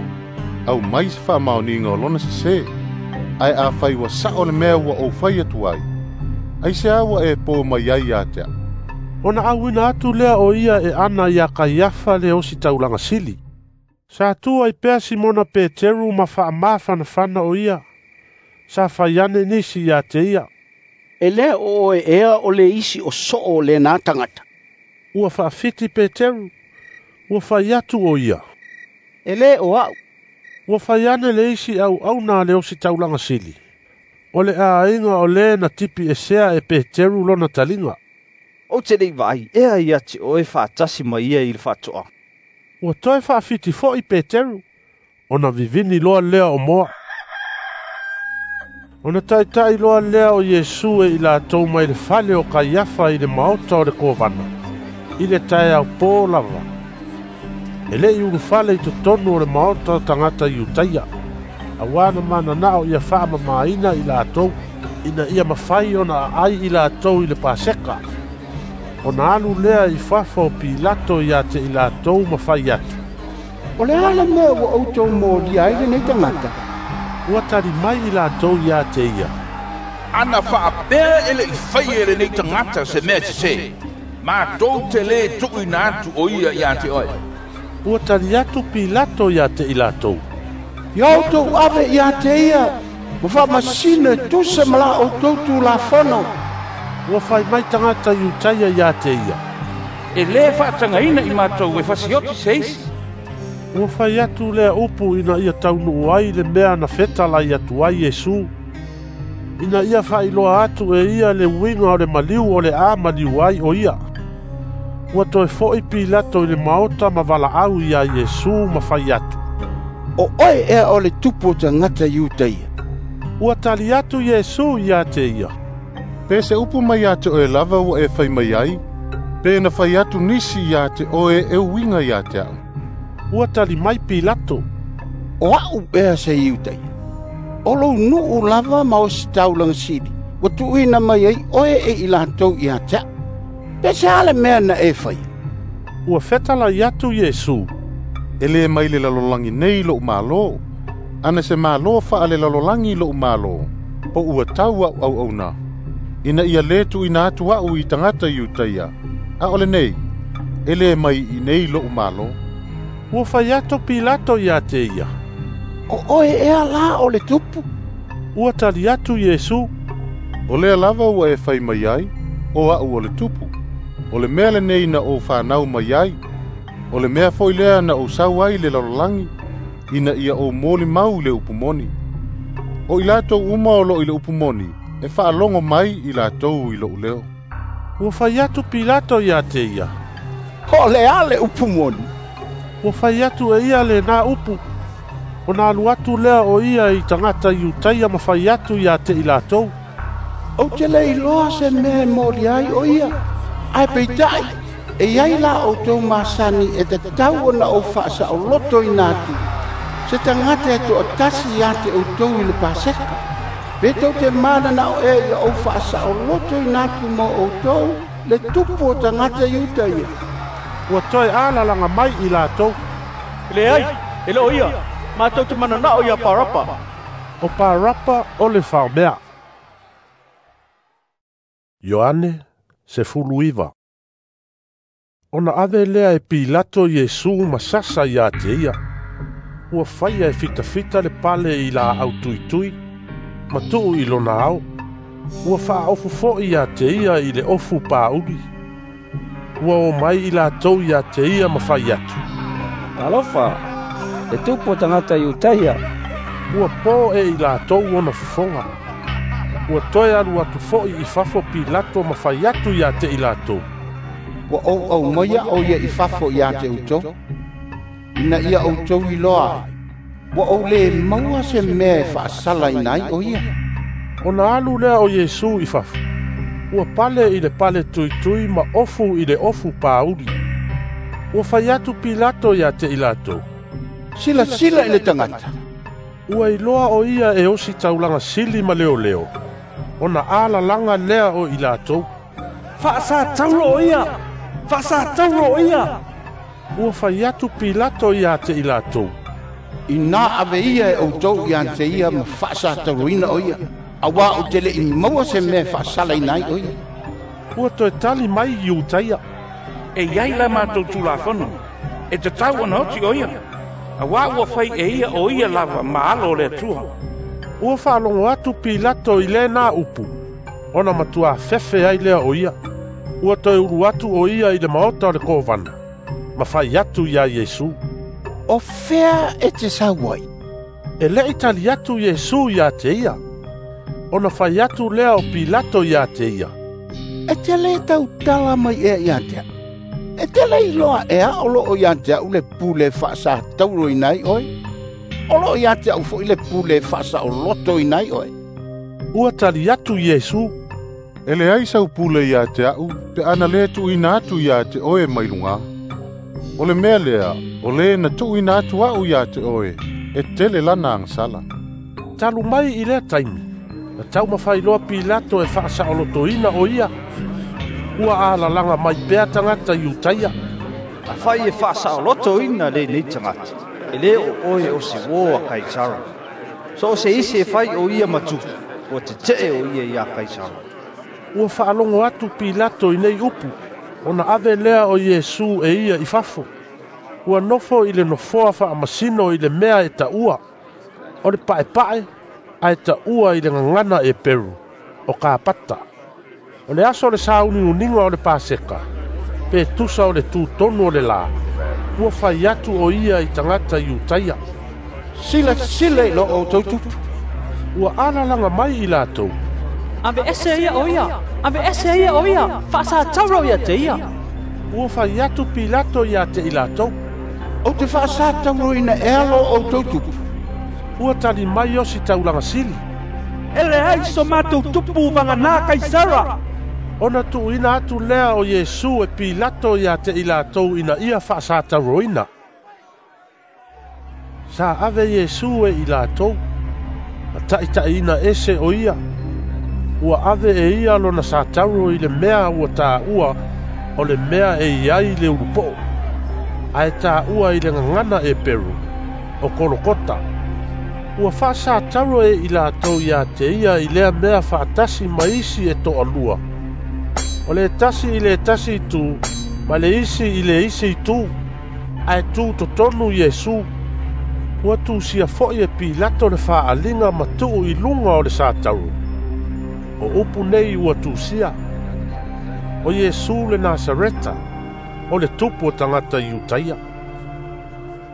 aumai se fa'amaoniga o lona sesē. Ae afai ua sa'o le mea ua ou fai atu ai, aiseā ua e pō mai ai iā te a'u? Ona auina atu lea o ia e Ana ia Kaiafa le ositaulaga sili. Sa tu ai pea Simona Peteru ma faamafanafana o ia. Sa fai ane nisi ia te ia. E le o oe ea o le isi o soo o lena tagata. Ua faafiti Peteru. Ua fai atu o ia. E le o au. Ua fai ane le isi auauna a le ositaulaga sili. O le aiga o le na tipi esea e Peteru lona taliga. Ou te le i vaai ea ia te oe faatasi ma ia i le faatoaga. Ua toe faafiti foi Peteru, ona vivini loa lea o moa. Ona taitai loa lea o Iesu e i latou mai le fale o Kaiafa i le maota o le kovana, i le taeao pō lava. E le i ulufale i totonu o le maota o tagata Iutaia, auā na mananao ia faamamaina i latou, ina ia mafai ona aai i latou i le Paseka. Ona alu lea i fafo o Pilato ia te i latou ma fai atu. O le a le mea ua outou molia ai lenei tagata? Ua tali mai i latou ia te ia. Ana faapea e le i faia e lenei tagata se mea sesē, matou te lē tuuina atu o ia ia te oe. Ua tali atu Pilato ia te i latou. Ia outou ave ia te ia, ma faamasino e tusa ma la outou tulafono. Ua fai mai tagata Iutaia ia te ia. E lē faatagaina i matou e fasioti se isi. Ua fai atu lea upu ina ia taunuu ai le mea na fetalai atu ai Iesu. Ina ia faailoa atu e ia le uiga o le maliu o le a maliu ai o ia. Ua toe fo'i Pilato i le maota ma valaau ia Iesu ma fai atu. O oe ea o le tupu o tagata Iutaia. Ua tali atu Iesu ia te ia. Pe se upu mai ia te oe lava ua e fai mai ai, pe na fai atu nisi ia te oe e uiga ia te au. Ua tali mai Pilato. O au ea se Iutaia. O lou nuu lava ma ositaulaga sili, ua tuuina mai ai oe e i latou ia te au. Pe se a le mea na e faia? Ua fetalai atu Iesu. E le mai le lalolagi nei lou malo, ana se malo faalelalolagi lou malo, po ua tau au auauna. Ina ia lē tuuina atu a'u i tagata Iutaia, a o lenei, e lē mai i nei lo'u malo. Ua fai atu Pilato ia te ia. O oe ea la o le tupu? Ua tali atu Iesu. O lea lava ua e fai mai ai, o a'u o le tupu. O le mea lenei na ou fanau mai ai, o le mea foi lea na ou sau ai le lalolagi, ina ia ou molimau i le upu moni. O i latou uma o loo i le upu moni, e faalogo mai i latou i lou leo. Ua fai atu Pilato ia te ia. O le a le upu moni? Ua fai atu e ia lenā upu. Ona alu atu lea o ia i tagata Iutaia ma fai atu ia te i latou. Ou te le iloa se mea e molia ai o ia. Ae peitai, e iai la outou masani e tatau ona ou faasaolotoina atu. Se tagata e toatasi ia te outou i le Paseka. Pe tou te mananao ea ia ou faasaolotoina atu mo outou le tupu o tagata Iutaia. Ua toe alalaga mai i latou. Leai, e le o ia, matou te mananao ia Parapa. O Parapa o le faomea. Ioane sefuluiva. Ona ave lea e Pilato Iesu ma sasa ia te ia. Ua faia e fitafita le pale i laau tuitui, ma tuu i lona ao. Ua faaofu foi ia te ia i le ofu pāuli. Ua o mai i latou ia te ia ma fai atu. Talofa, le tupu o tagata Iutaia. Ua po e i latou ona fofoga. Ua toe alu atu foi i fafo Pilato ma fai atu ia te i latou. Ua ou aumaia o ia i fafo ia te outou, ina ia outou iloa ai, ua ou lē maua se mea e faasalaina ai o ia. Ona alu lea o Iesu i fafo. Ua pale i le pale tuitui ma ofu i le ofu pāuli. Ua fai atu Pilato ia te i latou. Silasila i le tagata. Ua iloa o ia e ositaulaga sili ma leoleo. Ona alalaga lea o i latou. Faasataulo o ia! Faasataulo o ia! Ua fai atu Pilato ia te i latou. Ina ave ia e outou ia te ia ma faasatauloina o ia. Auā ou te le i maua se mea e faasalaina ai o ia. Ua toe tali mai Iutaia, E iai la matou Tulafono, e tatau ona oti o ia, auā ua fai e ia o ia lava ma Alo o le Atua. Ua faalogo atu Pilato i lenā upu, ona matuā fefe ai lea o ia. Ua toe ulu atu o ia i le maota o le kovana, ma fai atu iā Iesu, O fea e te sau ai? E le'i tali atu Iesu iā te ia. Ona fai atu lea o Pilato iā te ia, E te lē tautala mai ea ia te a'u? E te le iloa ea o loo ia te a'u le pule e faasatauroina ai oe? O loo ia te a'u fo'i le pule e faasaolotoina ai oe. Ua tali atu Iesu, E leai sau pule ia te a'u, pe ana lē tuuina atu ia te oe mai lugā. O le mea lea, o lē na tuuina atu a'u ia te oe, e tele lana agasala. Talu mai i lea taimi, na taumafai loa Pilato e faasaolotoina o ia. Ua alalaga mai pea tagata Iutaia, Afai e faasaolotoina lenei tagata, e lē o oe o se uō a Kaisara. So o se isi e fai o ia ma tupu, ua tete'e o ia iā Kaisara. Ua faalogo atu Pilato i nei upu, ona ave lea o Iesu e ia i fafo. Ua nofo i le nofoa faamasino i le mea e taua, o le pa'epa'e, ae taua i le gagana Eperu, o Kapata. O le aso o le sauniuniga o le Paseka, pe tusa o le tutonu o le lā, ua fai atu o ia i tagata Iutaia, Silasila i lo outou tupu. Ua alalaga mai i latou, Aveese ia o ia, aveese ia o ia, faasatauro ia te ia. Ua fai atu Pilato ia te i latou, Ou te faasatauroina ea lo outou tupu? Ua tali mai osi taulaga sili, E leai so matou tupu vaganā Kaisara. Ona tuuina atu lea o Iesu e Pilato ia te i latou ina ia faasatauroina. Sa ave Iesu e i latou, ma taʻitaʻiina ese o ia. Ua ave e ia lona satauro i le mea ua taua o le mea e iai le ulupo'o, ae taua i le gagana Eperu, o Kolokota. Ua faasatauro e i latou ia te ia i lea mea faatasi ma isi e toalua, o le tasi i le tasi itu, ma le isi i le isi itu, ae tu totonu Iesu. Ua tusia fo'i e Pilato le faaliga ma tuu i luga o le satauro. O upu nei ua tusia, o Iesu le Nasareta, o le tupu o tagata Iutaia.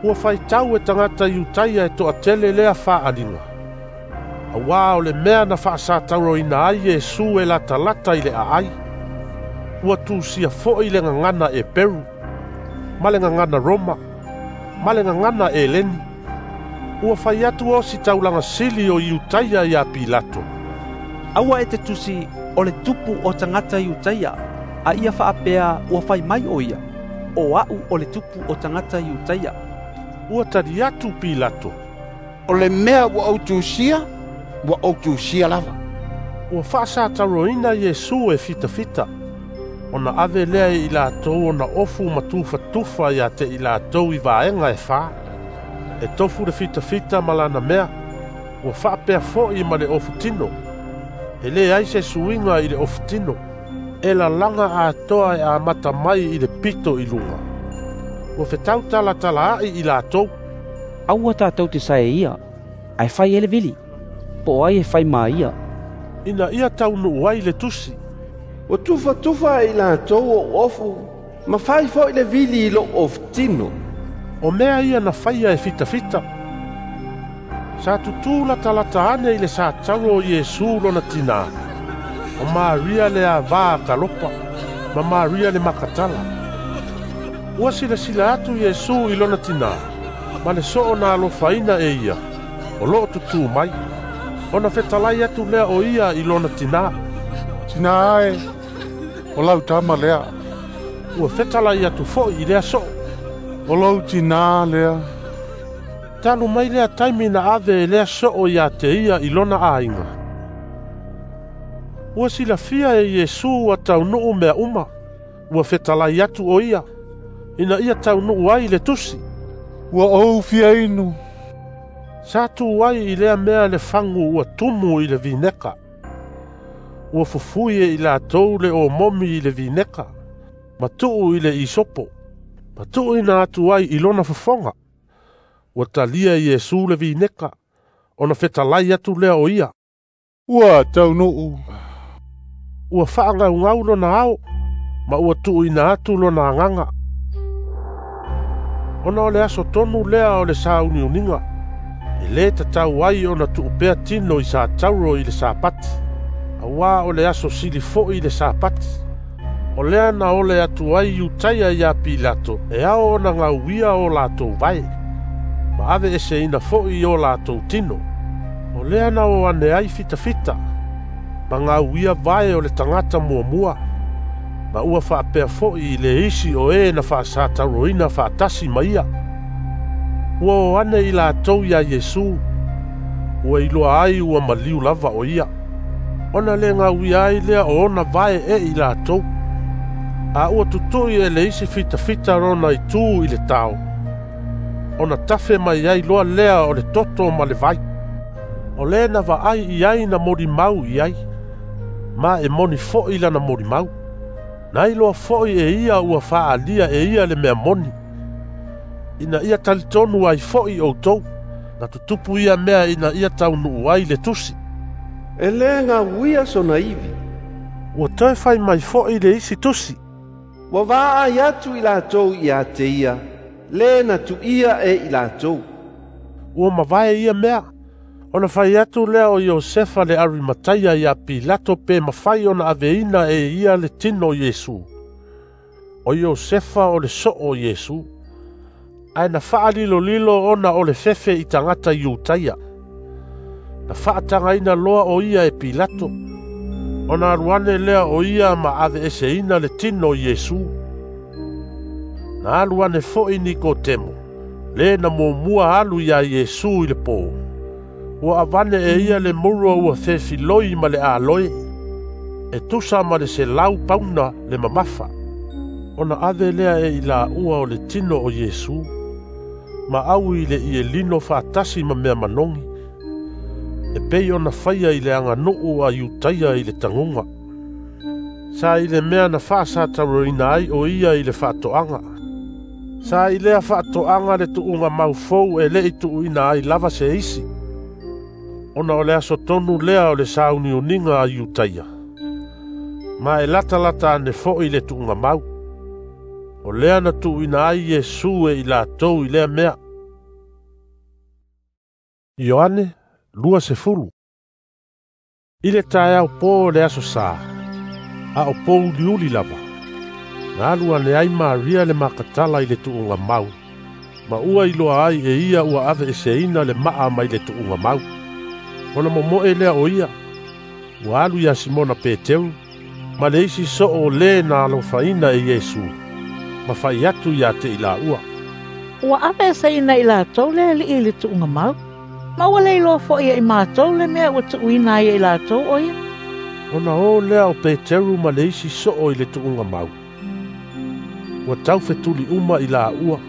Ua faitau e tagata Iutaia e toatele lea faaliga, auā o le mea na faasatauroina ai Iesu e latalata i le aai. Ua tusia fo'i le gagana Eperu, ma le gagana Roma, ma le gagana Eleni. Ua fai atu osi taulaga sili o Iutaia iā Pilato, Aua e te tusi o le tupu o tagata Iutaia, a ia faapea ua fai mai o ia, o a'u o le tupu o tagata Iutaia. Ua tali atu Pilato, O le mea ua ou tusia, ua ou tusia lava. Ua faasatauroina Iesu e fitafita, ona ave lea e i latou ona ofu ma tufatufa ia te i latou i vaega e fā. E tofu le fitafita ma lana mea, ua faapea fo'i ma le ofutino. E lē ai se suiga i le ofutino, e lalaga atoa e amata mai i le pito i luga. Ua fetautalatalaai i latou, Aua tatou te sae ia, ae fai e le vili, po o ai e fai ma ia. Ina ia taunuu ai le tusi, Ua tufatufa e i latou ou ofu, ma fai fo'i le vili i lo'u ofutino. O mea ia na faia e fitafita. Sa tutū latalata ane i le satauro o Iesu lona tinā, o Maria le avā a Kalopa, ma Maria le Makatala. Ua silasila atu Iesu i lona tinā, ma le soo na alofaina e ia, o loo tutū mai. Ona fetalai atu lea o ia i lona tinā, Tinā e, o lau tama lea. Ua fetalai atu fo'i i lea soo, O lou tinā lea. Talu mai lea taimi na ave e lea soo ia te ia i lona aiga. Ua silafia e Iesu ua taunuu mea uma, ua fetalai atu o ia, ina ia taunuu ai le tusi, Ua ou fia inu. Sa tu ai i lea mea le fagu ua tumu i le vineka. Ua fufui e i latou le omomi i le vineka, ma tuu i le isopo, ma tuuina atu ai i lona fofoga. Ua talia Iesu le vineka, ona fetalai atu lea o ia. Ua taunuu. Ua faagaugau lona ao, ma ua tuuina atu lona agaga. Ona o le aso tonu lea o le sauniuniga, e lē tatau ai ona tuupea tino i sa tauro i le Sapati, auā o le aso sili fo'i le Sapati. O lea na ole atu ai Iutaia iā Pilato e ao ona gauia o latou vae, ma aveeseina fo'i i o latou tino. O lea na o ane ai fitafita, ma gauia vae o le tagata muamua, ma ua faapea fo'i i le isi o e na faasatauroina faatasi ma ia. Ua o ane i latou iā Iesu, ua iloa ai ua maliu lava o ia, ona le gauia ai lea o ona vae e i latou. A ua tutui e le isi fitafita lona itu i le tao, ona tafe mai ai loa lea o le toto ma le vai. O le na vaai i ai na molimau i ai, ma e moni fo'i lana molimau. Na iloa fo'i e ia ua faaalia e ia le mea moni, ina ia talitonu ai fo'i outou, na tutupu ia mea ina ia taunuu ai le tusi. E lē gauia sona ivi. Ua toe fai mai fo'i le isi tusi. Ua vaai atu i latou ia te ia, lē na tu'ia e i latou. Ua mavae ia mea, ona fai atu lea o Iosefa le Arimataia iā Pilato pe mafai ona aveina e ia le tino o Iesu. O Iosefa o le soo o Iesu, ae na faalilolilo ona o le fefe i tagata Iutaia. Na faatagaina loa o ia e Pilato, ona alu ane lea o ia ma aveeseina le tino o Iesu. Na alu ane fo'i Nikotemo, le na muamua alu iā Iesu i le pō. Ua avane e ia le murua ua fefiloi ma le aloe, e tusa ma le selau pauna le mamafa. Ona ave lea e i laua o le tino o Iesu, ma au i le ielino faatasi ma mea manogi, e pei ona faia i le aganuu a Iutaia i le taguga. Sa i le mea na faasatauroina ai o ia i le faatoaga. Sa i lea faatoaga le tuuga maufou e le'i tuuina ai lava se isi, ona o le aso tonu lea o le sauniuniga a Iutaia, ma e latalata ane fo'i le tuuga mau. O lea na tuuina ai Iesu e i latou i lea mea. Ioane lua sefulu. I le taeao pō o le aso sā, a o pōuliuli lava, na alu ane ai Maria le Makatala i le tuuga mau, ma ua iloa ai e ia ua aveeseina le maa mai le tuuga mau. Ona momoe lea o ia, ua alu iā Simona Peteru, ma le isi soo o lē na alofaina e Iesu, ma fai atu iā te i laua. Ua aveeseina i latou le alii i le tuuga mau, ma ua le iloa fo'i e i matou le mea ua tuuina ai e i latou o ia. Ona o lea o Peteru ma le isi soo i le tuuga mau. Ua taufetuli uma i laua.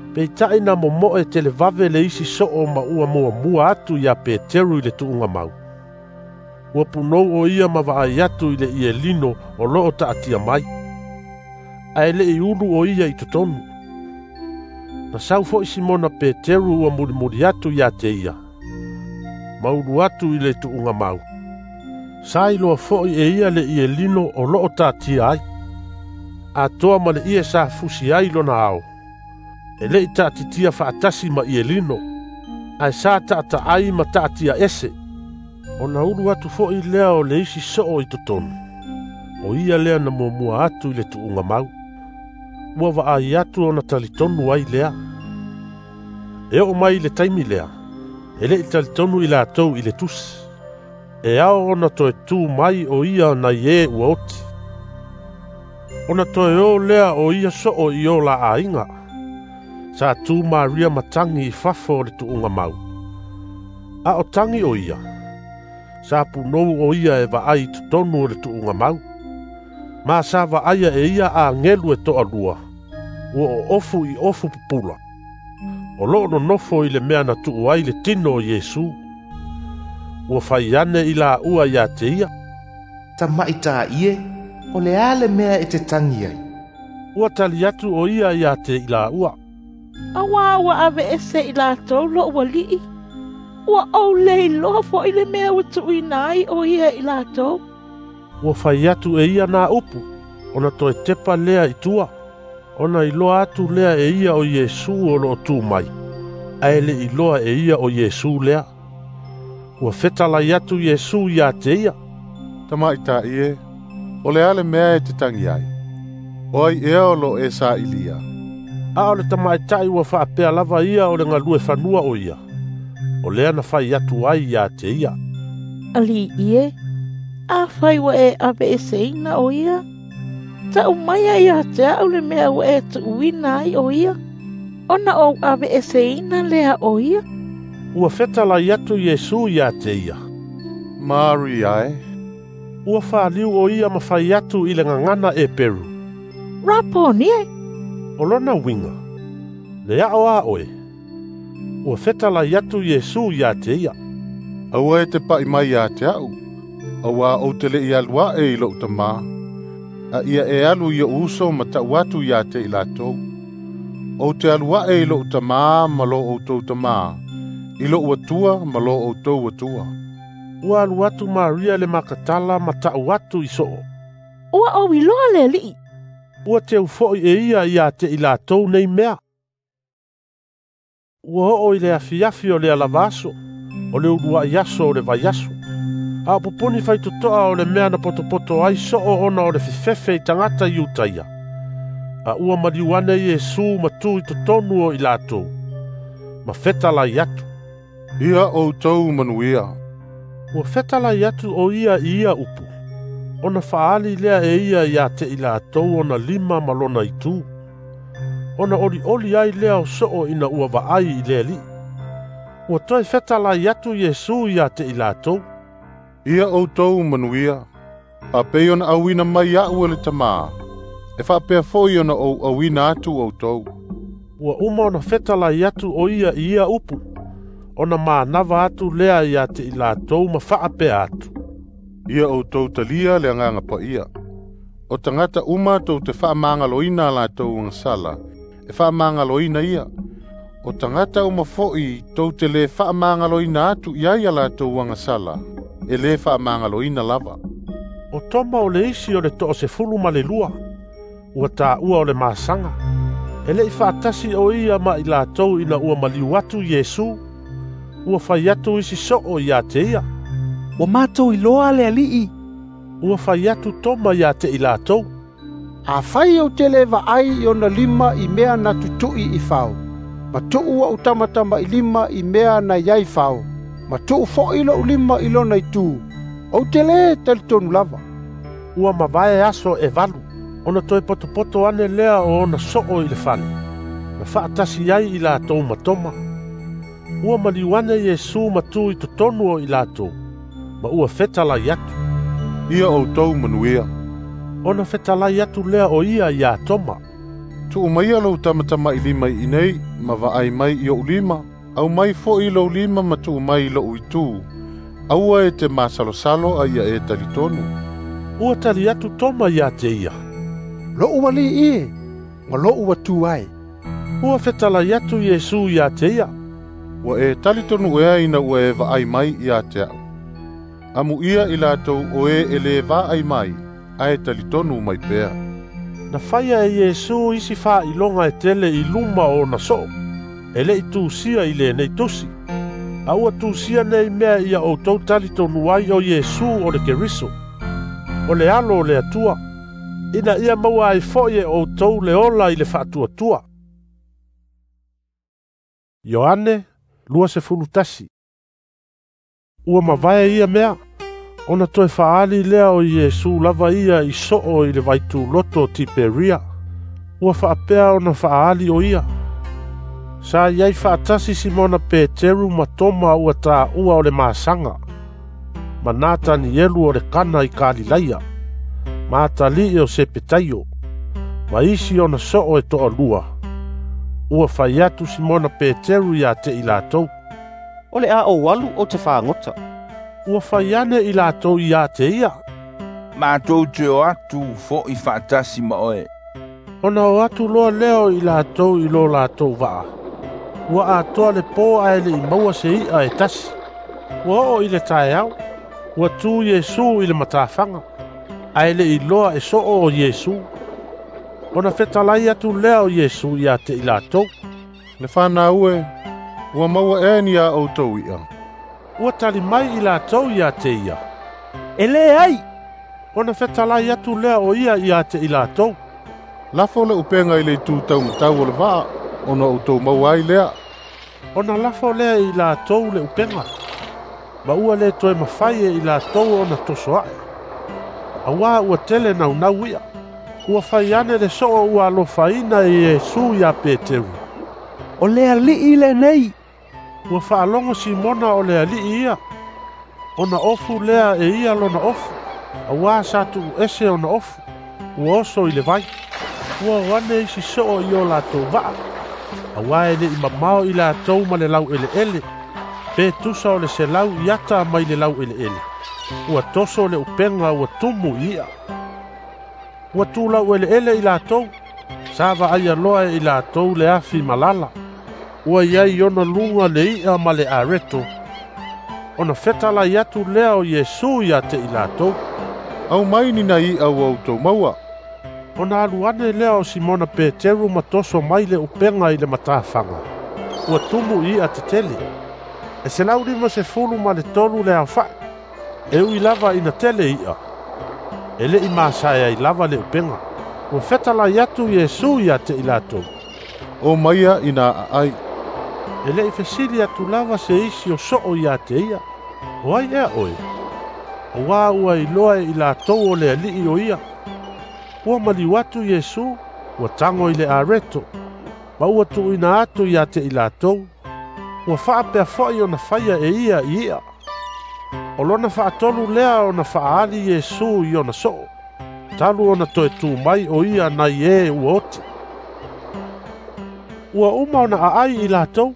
Peita'i na momoe televave le isi soo ma ua muamua atu iā Peteru i le tuuga mau. Ua punou o ia ma vaai atu i le ielino o loo taatia mai, ae le'i ulu o ia i totonu. Na sau fo'i Simona Peteru ua mulimuli atu iā te ia, ma ulu atu i le tuuga mau. Sa iloa fo'i e ia le ielino o loo taatia ai, atoa ma le ie sa fusi ai lona ao. E le'i taatitia faatasi ma ielino, ae sa taataai ma taatia ese. Ona ulu atu fo'i lea o le isi soo i totonu. O ia lea na muamua atu i le tuuga mau. Ua vaai atu ona talitonu ai lea. E oo mai i le taimi lea, e le'i talitonu i latou i le tusi. E ao ona toe tū mai o ia nai e ua oti. Ona toe o lea o ia soo i o la aiga. Sa tū Maria matangi i fafo o le tuuga mau. A o tangi o ia, sa punou o ia e vaai i totonu o le tuuga mau. Ma sa vaaia e ia a ngelu e toalua, ua o ofu i ofu pupula. O loo nonofo i le mea na tuu ai le tino o Iesu. Ua fai ane i la ua ia te ia. Tamaʻitaʻi e, o le a le mea e te tagi ai?" Ua tali atu o ia ia te i laua, "Auā ua aveese i latou loʻu Alii. Ua ou le iloa foʻi le mea ua tuuina ai o ia i latou." Ua fai atu e ia nā upu, ona toe tepa lea i tua, ona iloa atu lea e ia o Iesu o loo tu mai, ae le iloa e ia o Iesu lea. Ua fetalai atu Iesu ia te ia, "Tamaʻitaʻi e, o le a le mea e te tagi ai? O ai ea o loo e sailia?" A o le tamaʻitaʻi ua faapea lava ia o le galue fanua o ia, o lea na fai atu ai ia te ia, "Alii e, afai ua e aveeseina o ia, taʻu mai ia te aʻu le mea ua e tuuina ai o ia, ona ou aveeseina lea o ia." Ua fetalai atu Iesu ia te ia, "Maria e." Ua faaliu o ia ma fai atu i le gagana Eperu, "Raponi e." O lona uiga, le aʻo a oe. Ua fetalai atu Iesu ia te ia, "Aua e te paʻi mai ia te aʻu, auā ou te leʻi alu aʻe i loʻu Tamā, a ia e alu i oʻu uso ma taʻu atu ia te i latou. Ou te alu aʻe i loʻu Tamā ma lo outou Tamā, i loʻu Atua ma lo outou Atua." Ua alu atu Maria le Makatala ma taʻu atu i soo, "Ua ou iloa le Alii." Ua teu foʻi e ia ia te i latou nei mea. Ua oo i le afiafi o le alava aso, o le uluaʻi aso o le vaiaso. A o poponi faitotoa o le mea na potopoto ai soo ona o le fefefe i tagata Iutaia. A ua maliu ane Iesu ma tu i totonu o i latou, ma fetalai atu, "Ia outou manuia." Ua fetalai atu o ia i ia upu, ona faali lea e ia ia te i latou ona lima ma lona itu. Ona olioli ai lea o soo ina ua vaai i le Alii. Ua toe fetalai atu Iesu ia te i latou, "Ia outou manuia, faapei ona auina mai aʻu e le Tamā, e faapea foʻi ona ou auina atu outou." Ua uma ona fetalai atu o ia i ia upu, ona manava atu lea ia te i latou ma faapea atu, "Ia outou talia le Agaga Paia. O tagata uma tou te faamagaloina a latou agasala, e faamagaloina ia. O tagata uma foʻi tou te lē faamagaloina atu i ai a latou agasala, e lē faamagaloina lava." O Toma o le isi o le toasefulu ma le lua, ua taua o le masaga, e leʻi faatasi o ia ma i latou ina ua maliu atu Iesu. Ua fai atu isi soo ia te ia, "Ua matou iloa le Alii." Ua fai atu Toma ia te i latou, "Afai ou te le vaai i ona lima i mea na tutuʻi i fao, ma tuu aʻu tamatamailima i mea na iai fao, ma tuu foʻi loʻu lima i lona itu, ou te lē talitonu lava." Ua mavae aso e valu, ona toe potopoto ane lea o ona soo i le fale, na faatasi ai i latou ma Toma. Ua maliu ane Iesu ma tu i totonu o i latou, ma ua fetalai atu, "Ia outou manuia." Ona fetalai atu lea o ia ia Toma, "Tuu maia lou tamatamailima i inei, ma vaai mai i oʻu lima, aumai foʻi lou lima ma tuu mai i loʻu itu. Aua e te masalosalo a ia e talitonu." Ua tali atu Toma ia te ia, "Loʻu Alii e, ma loʻu Atua e." Ua fetalai atu Iesu ia te ia, "Ua e talitonu ea ina ua e vaai mai ia te aʻu. Amuia i latou o e e lē vaai mai, ae talitonu mai pea." Na faia e Iesu isi faailoga e tele i luma o ona soo, e leʻi tusia i lenei tusi. A ua tusia nei mea ia outou talitonu ai o Iesu o le Keriso, o le Alo o le Atua, ina ia maua ai foʻi e outou le ola i le faatuatua. Ioane luasefulu tasi. Ua mavae ia mea, ona toe faali lea o Iesu lava ia i soo i le vaituloto o Tiperia. Ua faapea ona faali o ia. Sa iai faatasi Simona Peteru ma Toma ua taua o le masaga, ma Natanielu o le Kana i Kalilaia, ma atalii o Sepetaio, ma isi ona soo e toalua. Ua fai atu Simona Peteru ia te i latou, "O le a ou alu ou te fagota." Ua fai ane i latou ia te ia, Matou te o atu fo'i fa'atasi ma oe. Ona o atu loa lea o i latou i lo latou va'a. Ua atoa le pō ae le'i maua se i'a e tasi. Ua oo i le taeao, ua tu Iesu i le matafaga, ae le'i iloa e so'o o Iesu. Ona fetalai atu lea o Iesu ia te i latou, Le fanau e, ua maua ea ni a outou i'a? Ua tali mai i latou ia te ia, E leai. Ona fetalai atu lea o ia ia te i latou, Lafo le upega i le itu taumatau o le va'a, ona outou maua ai lea. Ona lafo lea i latou le upega, ma ua le toe mafai e i latou ona toso a'e, auā ua tele naunau i'a. Ua fai ane le so'o ua alofaina e Iesu iā Peteru, O le Ali'i lenei. Ua faalogo Simona o le Ali'i ia, ona ofu lea e ia lona ofu, auā sa tu'uese ona ofu, ua oso i le vai. Ua o ane isi so'o i o latou va'a, auā e le'i mamao i latou ma le lau'ele'ele, pe tusa o le selau iata mai le lau'ele'ele. Ua toso le upega ua tumu i i'a. Ua tulau'ele'ele i latou, sa va'aia loa e i latou le afi malala. Ua iai i ona luga le i'a ma le areto. Ona fetalai atu lea o Iesu ia te i latou, Aumai ni nai i'a ua outou maua. Ona alu ane lea o Simona Peteru ma toso mai le upega i le matafaga. Ua tumu i i'a tetele. E selau lima sefulu ma le tolu le aofa'i. E ui lava ina tele i'a, e le'i masae ai lava le upega. Ua fetalai atu Iesu ia te i latou, O maia ina a'ai. E le'i fesili atu lava se isi o so'o ia te ia, O ai ea oe? Auā ua iloa e i latou o le Ali'i o ia. Ua maliu atu Iesu, ua tago i le areto, ma ua tu'uina atu ia te i latou. Ua fa'apea fo'i ona faia e ia i i'a. O lona fa'atolu lea ona fa'aali Iesu i ona so'o, talu ona toe tū mai o ia nai e ua oti. Ua uma ona a'ai i latou,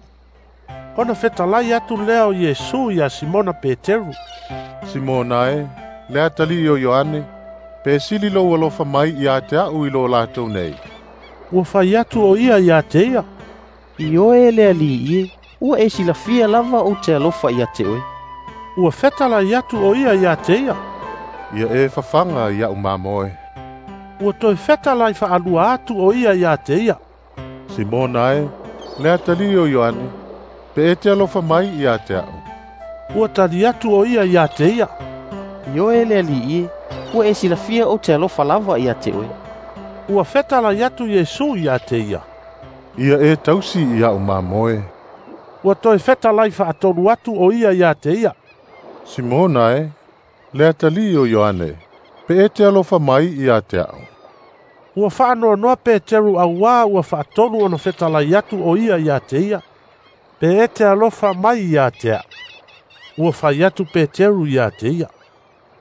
ona fetalai atu lea o Iesu iā Simona Peteru, Simona e, le atalii o Ioane, pe sili lou alofa mai ia te a'u i lo latou nei. Ua fai atu o ia ia te ia, Ioe le Alii e, ua e silafia lava ou te alofa ia te oe. Ua fetalai atu o ia ia te ia, Ia e fafaga i a'u mamoe. Ua toe fetalai fa'alua atu o ia ia te ia, Simona e, le atalii o Ioane, pe e te alofa mai ia te a'u. Ua tali atu o ia ia te ia, Ioe le Alii e, ua e silafia ou te alofa lava ia te oe. Ua fetalai atu Iesu ia te ia, Ia e tausi i a'u mamoe. Ua toe fetalai fa'atolu atu o ia ia te ia, Simona e, le atalii o Ioane, pe e te alofa mai ia te a'u. Ua fa'anoanoa Peteru auā ua fa'atolu ona fetalai atu o ia ia te ia, pe e te alofa mai ia te a'u. Ua fai atu Peteru ia te ia,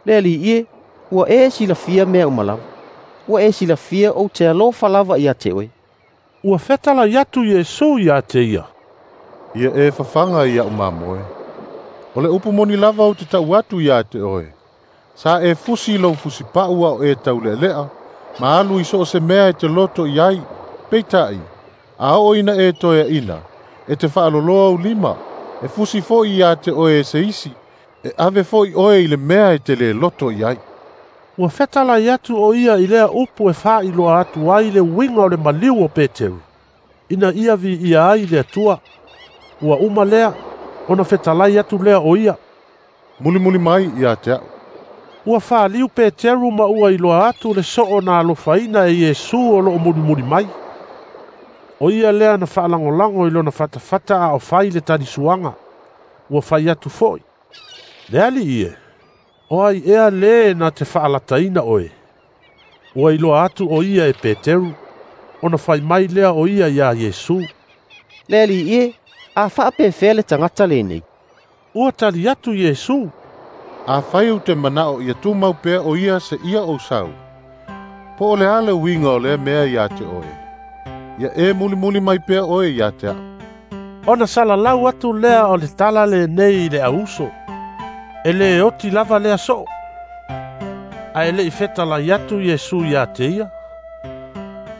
Le Alii e, ua e silafia mea uma lava. Ua e silafia ou te alofa lava ia te oe. Ua fetalai atu Iesu ia te ia, Ia e fafaga i a'u mamoe. O le upu moni lava ou te ta'u atu ia te oe. Sa e fusi lou fusipa'u a o e taule'ale'a, ma alu i so o se mea e te loto i ai, peita'i, a oo ina e toea'ina, e te fa'aloloa ou lima, e fusi fo'i ia te oe e se isi, e ave fo'i oe i le mea e te lē loto i ai. Ua fetalai atu o ia i lea upu e fā'iloa atu ai le uiga o le maliu o Peteru, ina ia vi'ia ai le Atua. Ua uma lea, ona fetalai atu lea o ia, Mulimuli mai ia te a'u. Ua faliu Peteru ma ua iloa atu le so'o na alofaina e Iesu o lo'o mulimuli mai. O ia lea na fa'alagolago i lona fatafata a o fai le talisuaga. Ua fai atu fo'i, Le Ali'i e, o ai ea lē na te fa'alataina oe? Ua iloa atu o ia e Peteru, ona fai mai lea o ia iā Iesu, Le Alii e, a fa'apefea le tagata lenei? Ua tali atu Iesu, Afai ou te mana'o ia tumau pea o ia se'ia ou sau, po o le a le uiga o lea mea iā te oe? Ia e mulimuli mai pea oe iā te a'u. Ona salalau atu lea o le tala lenei i le auuso, e lē oti lava lea so'o. Ae le'i fetalai atu Iesu ia te ia,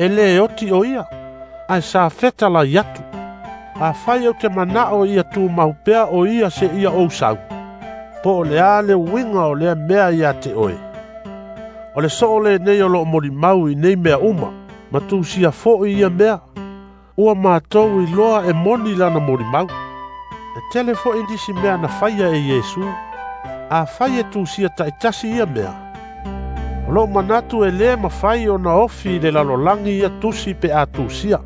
e lē oti o ia, ae sa fetalai atu. Afai ou te mana'o ia tumau pea o ia seia ou sau, po o le a le uiga o lea mea ia te oe? O le soo lenei o loo molimau i nei mea uma, ma tusia fo'i ia mea. Ua matou iloa e moni lana molimau. E tele fo'i nisi mea na faia e Iesu, afai e tusia ta'itasi ia mea, o lou manatu e lē mafai ona ofi i le lalolagi ia tusi pe a tusia.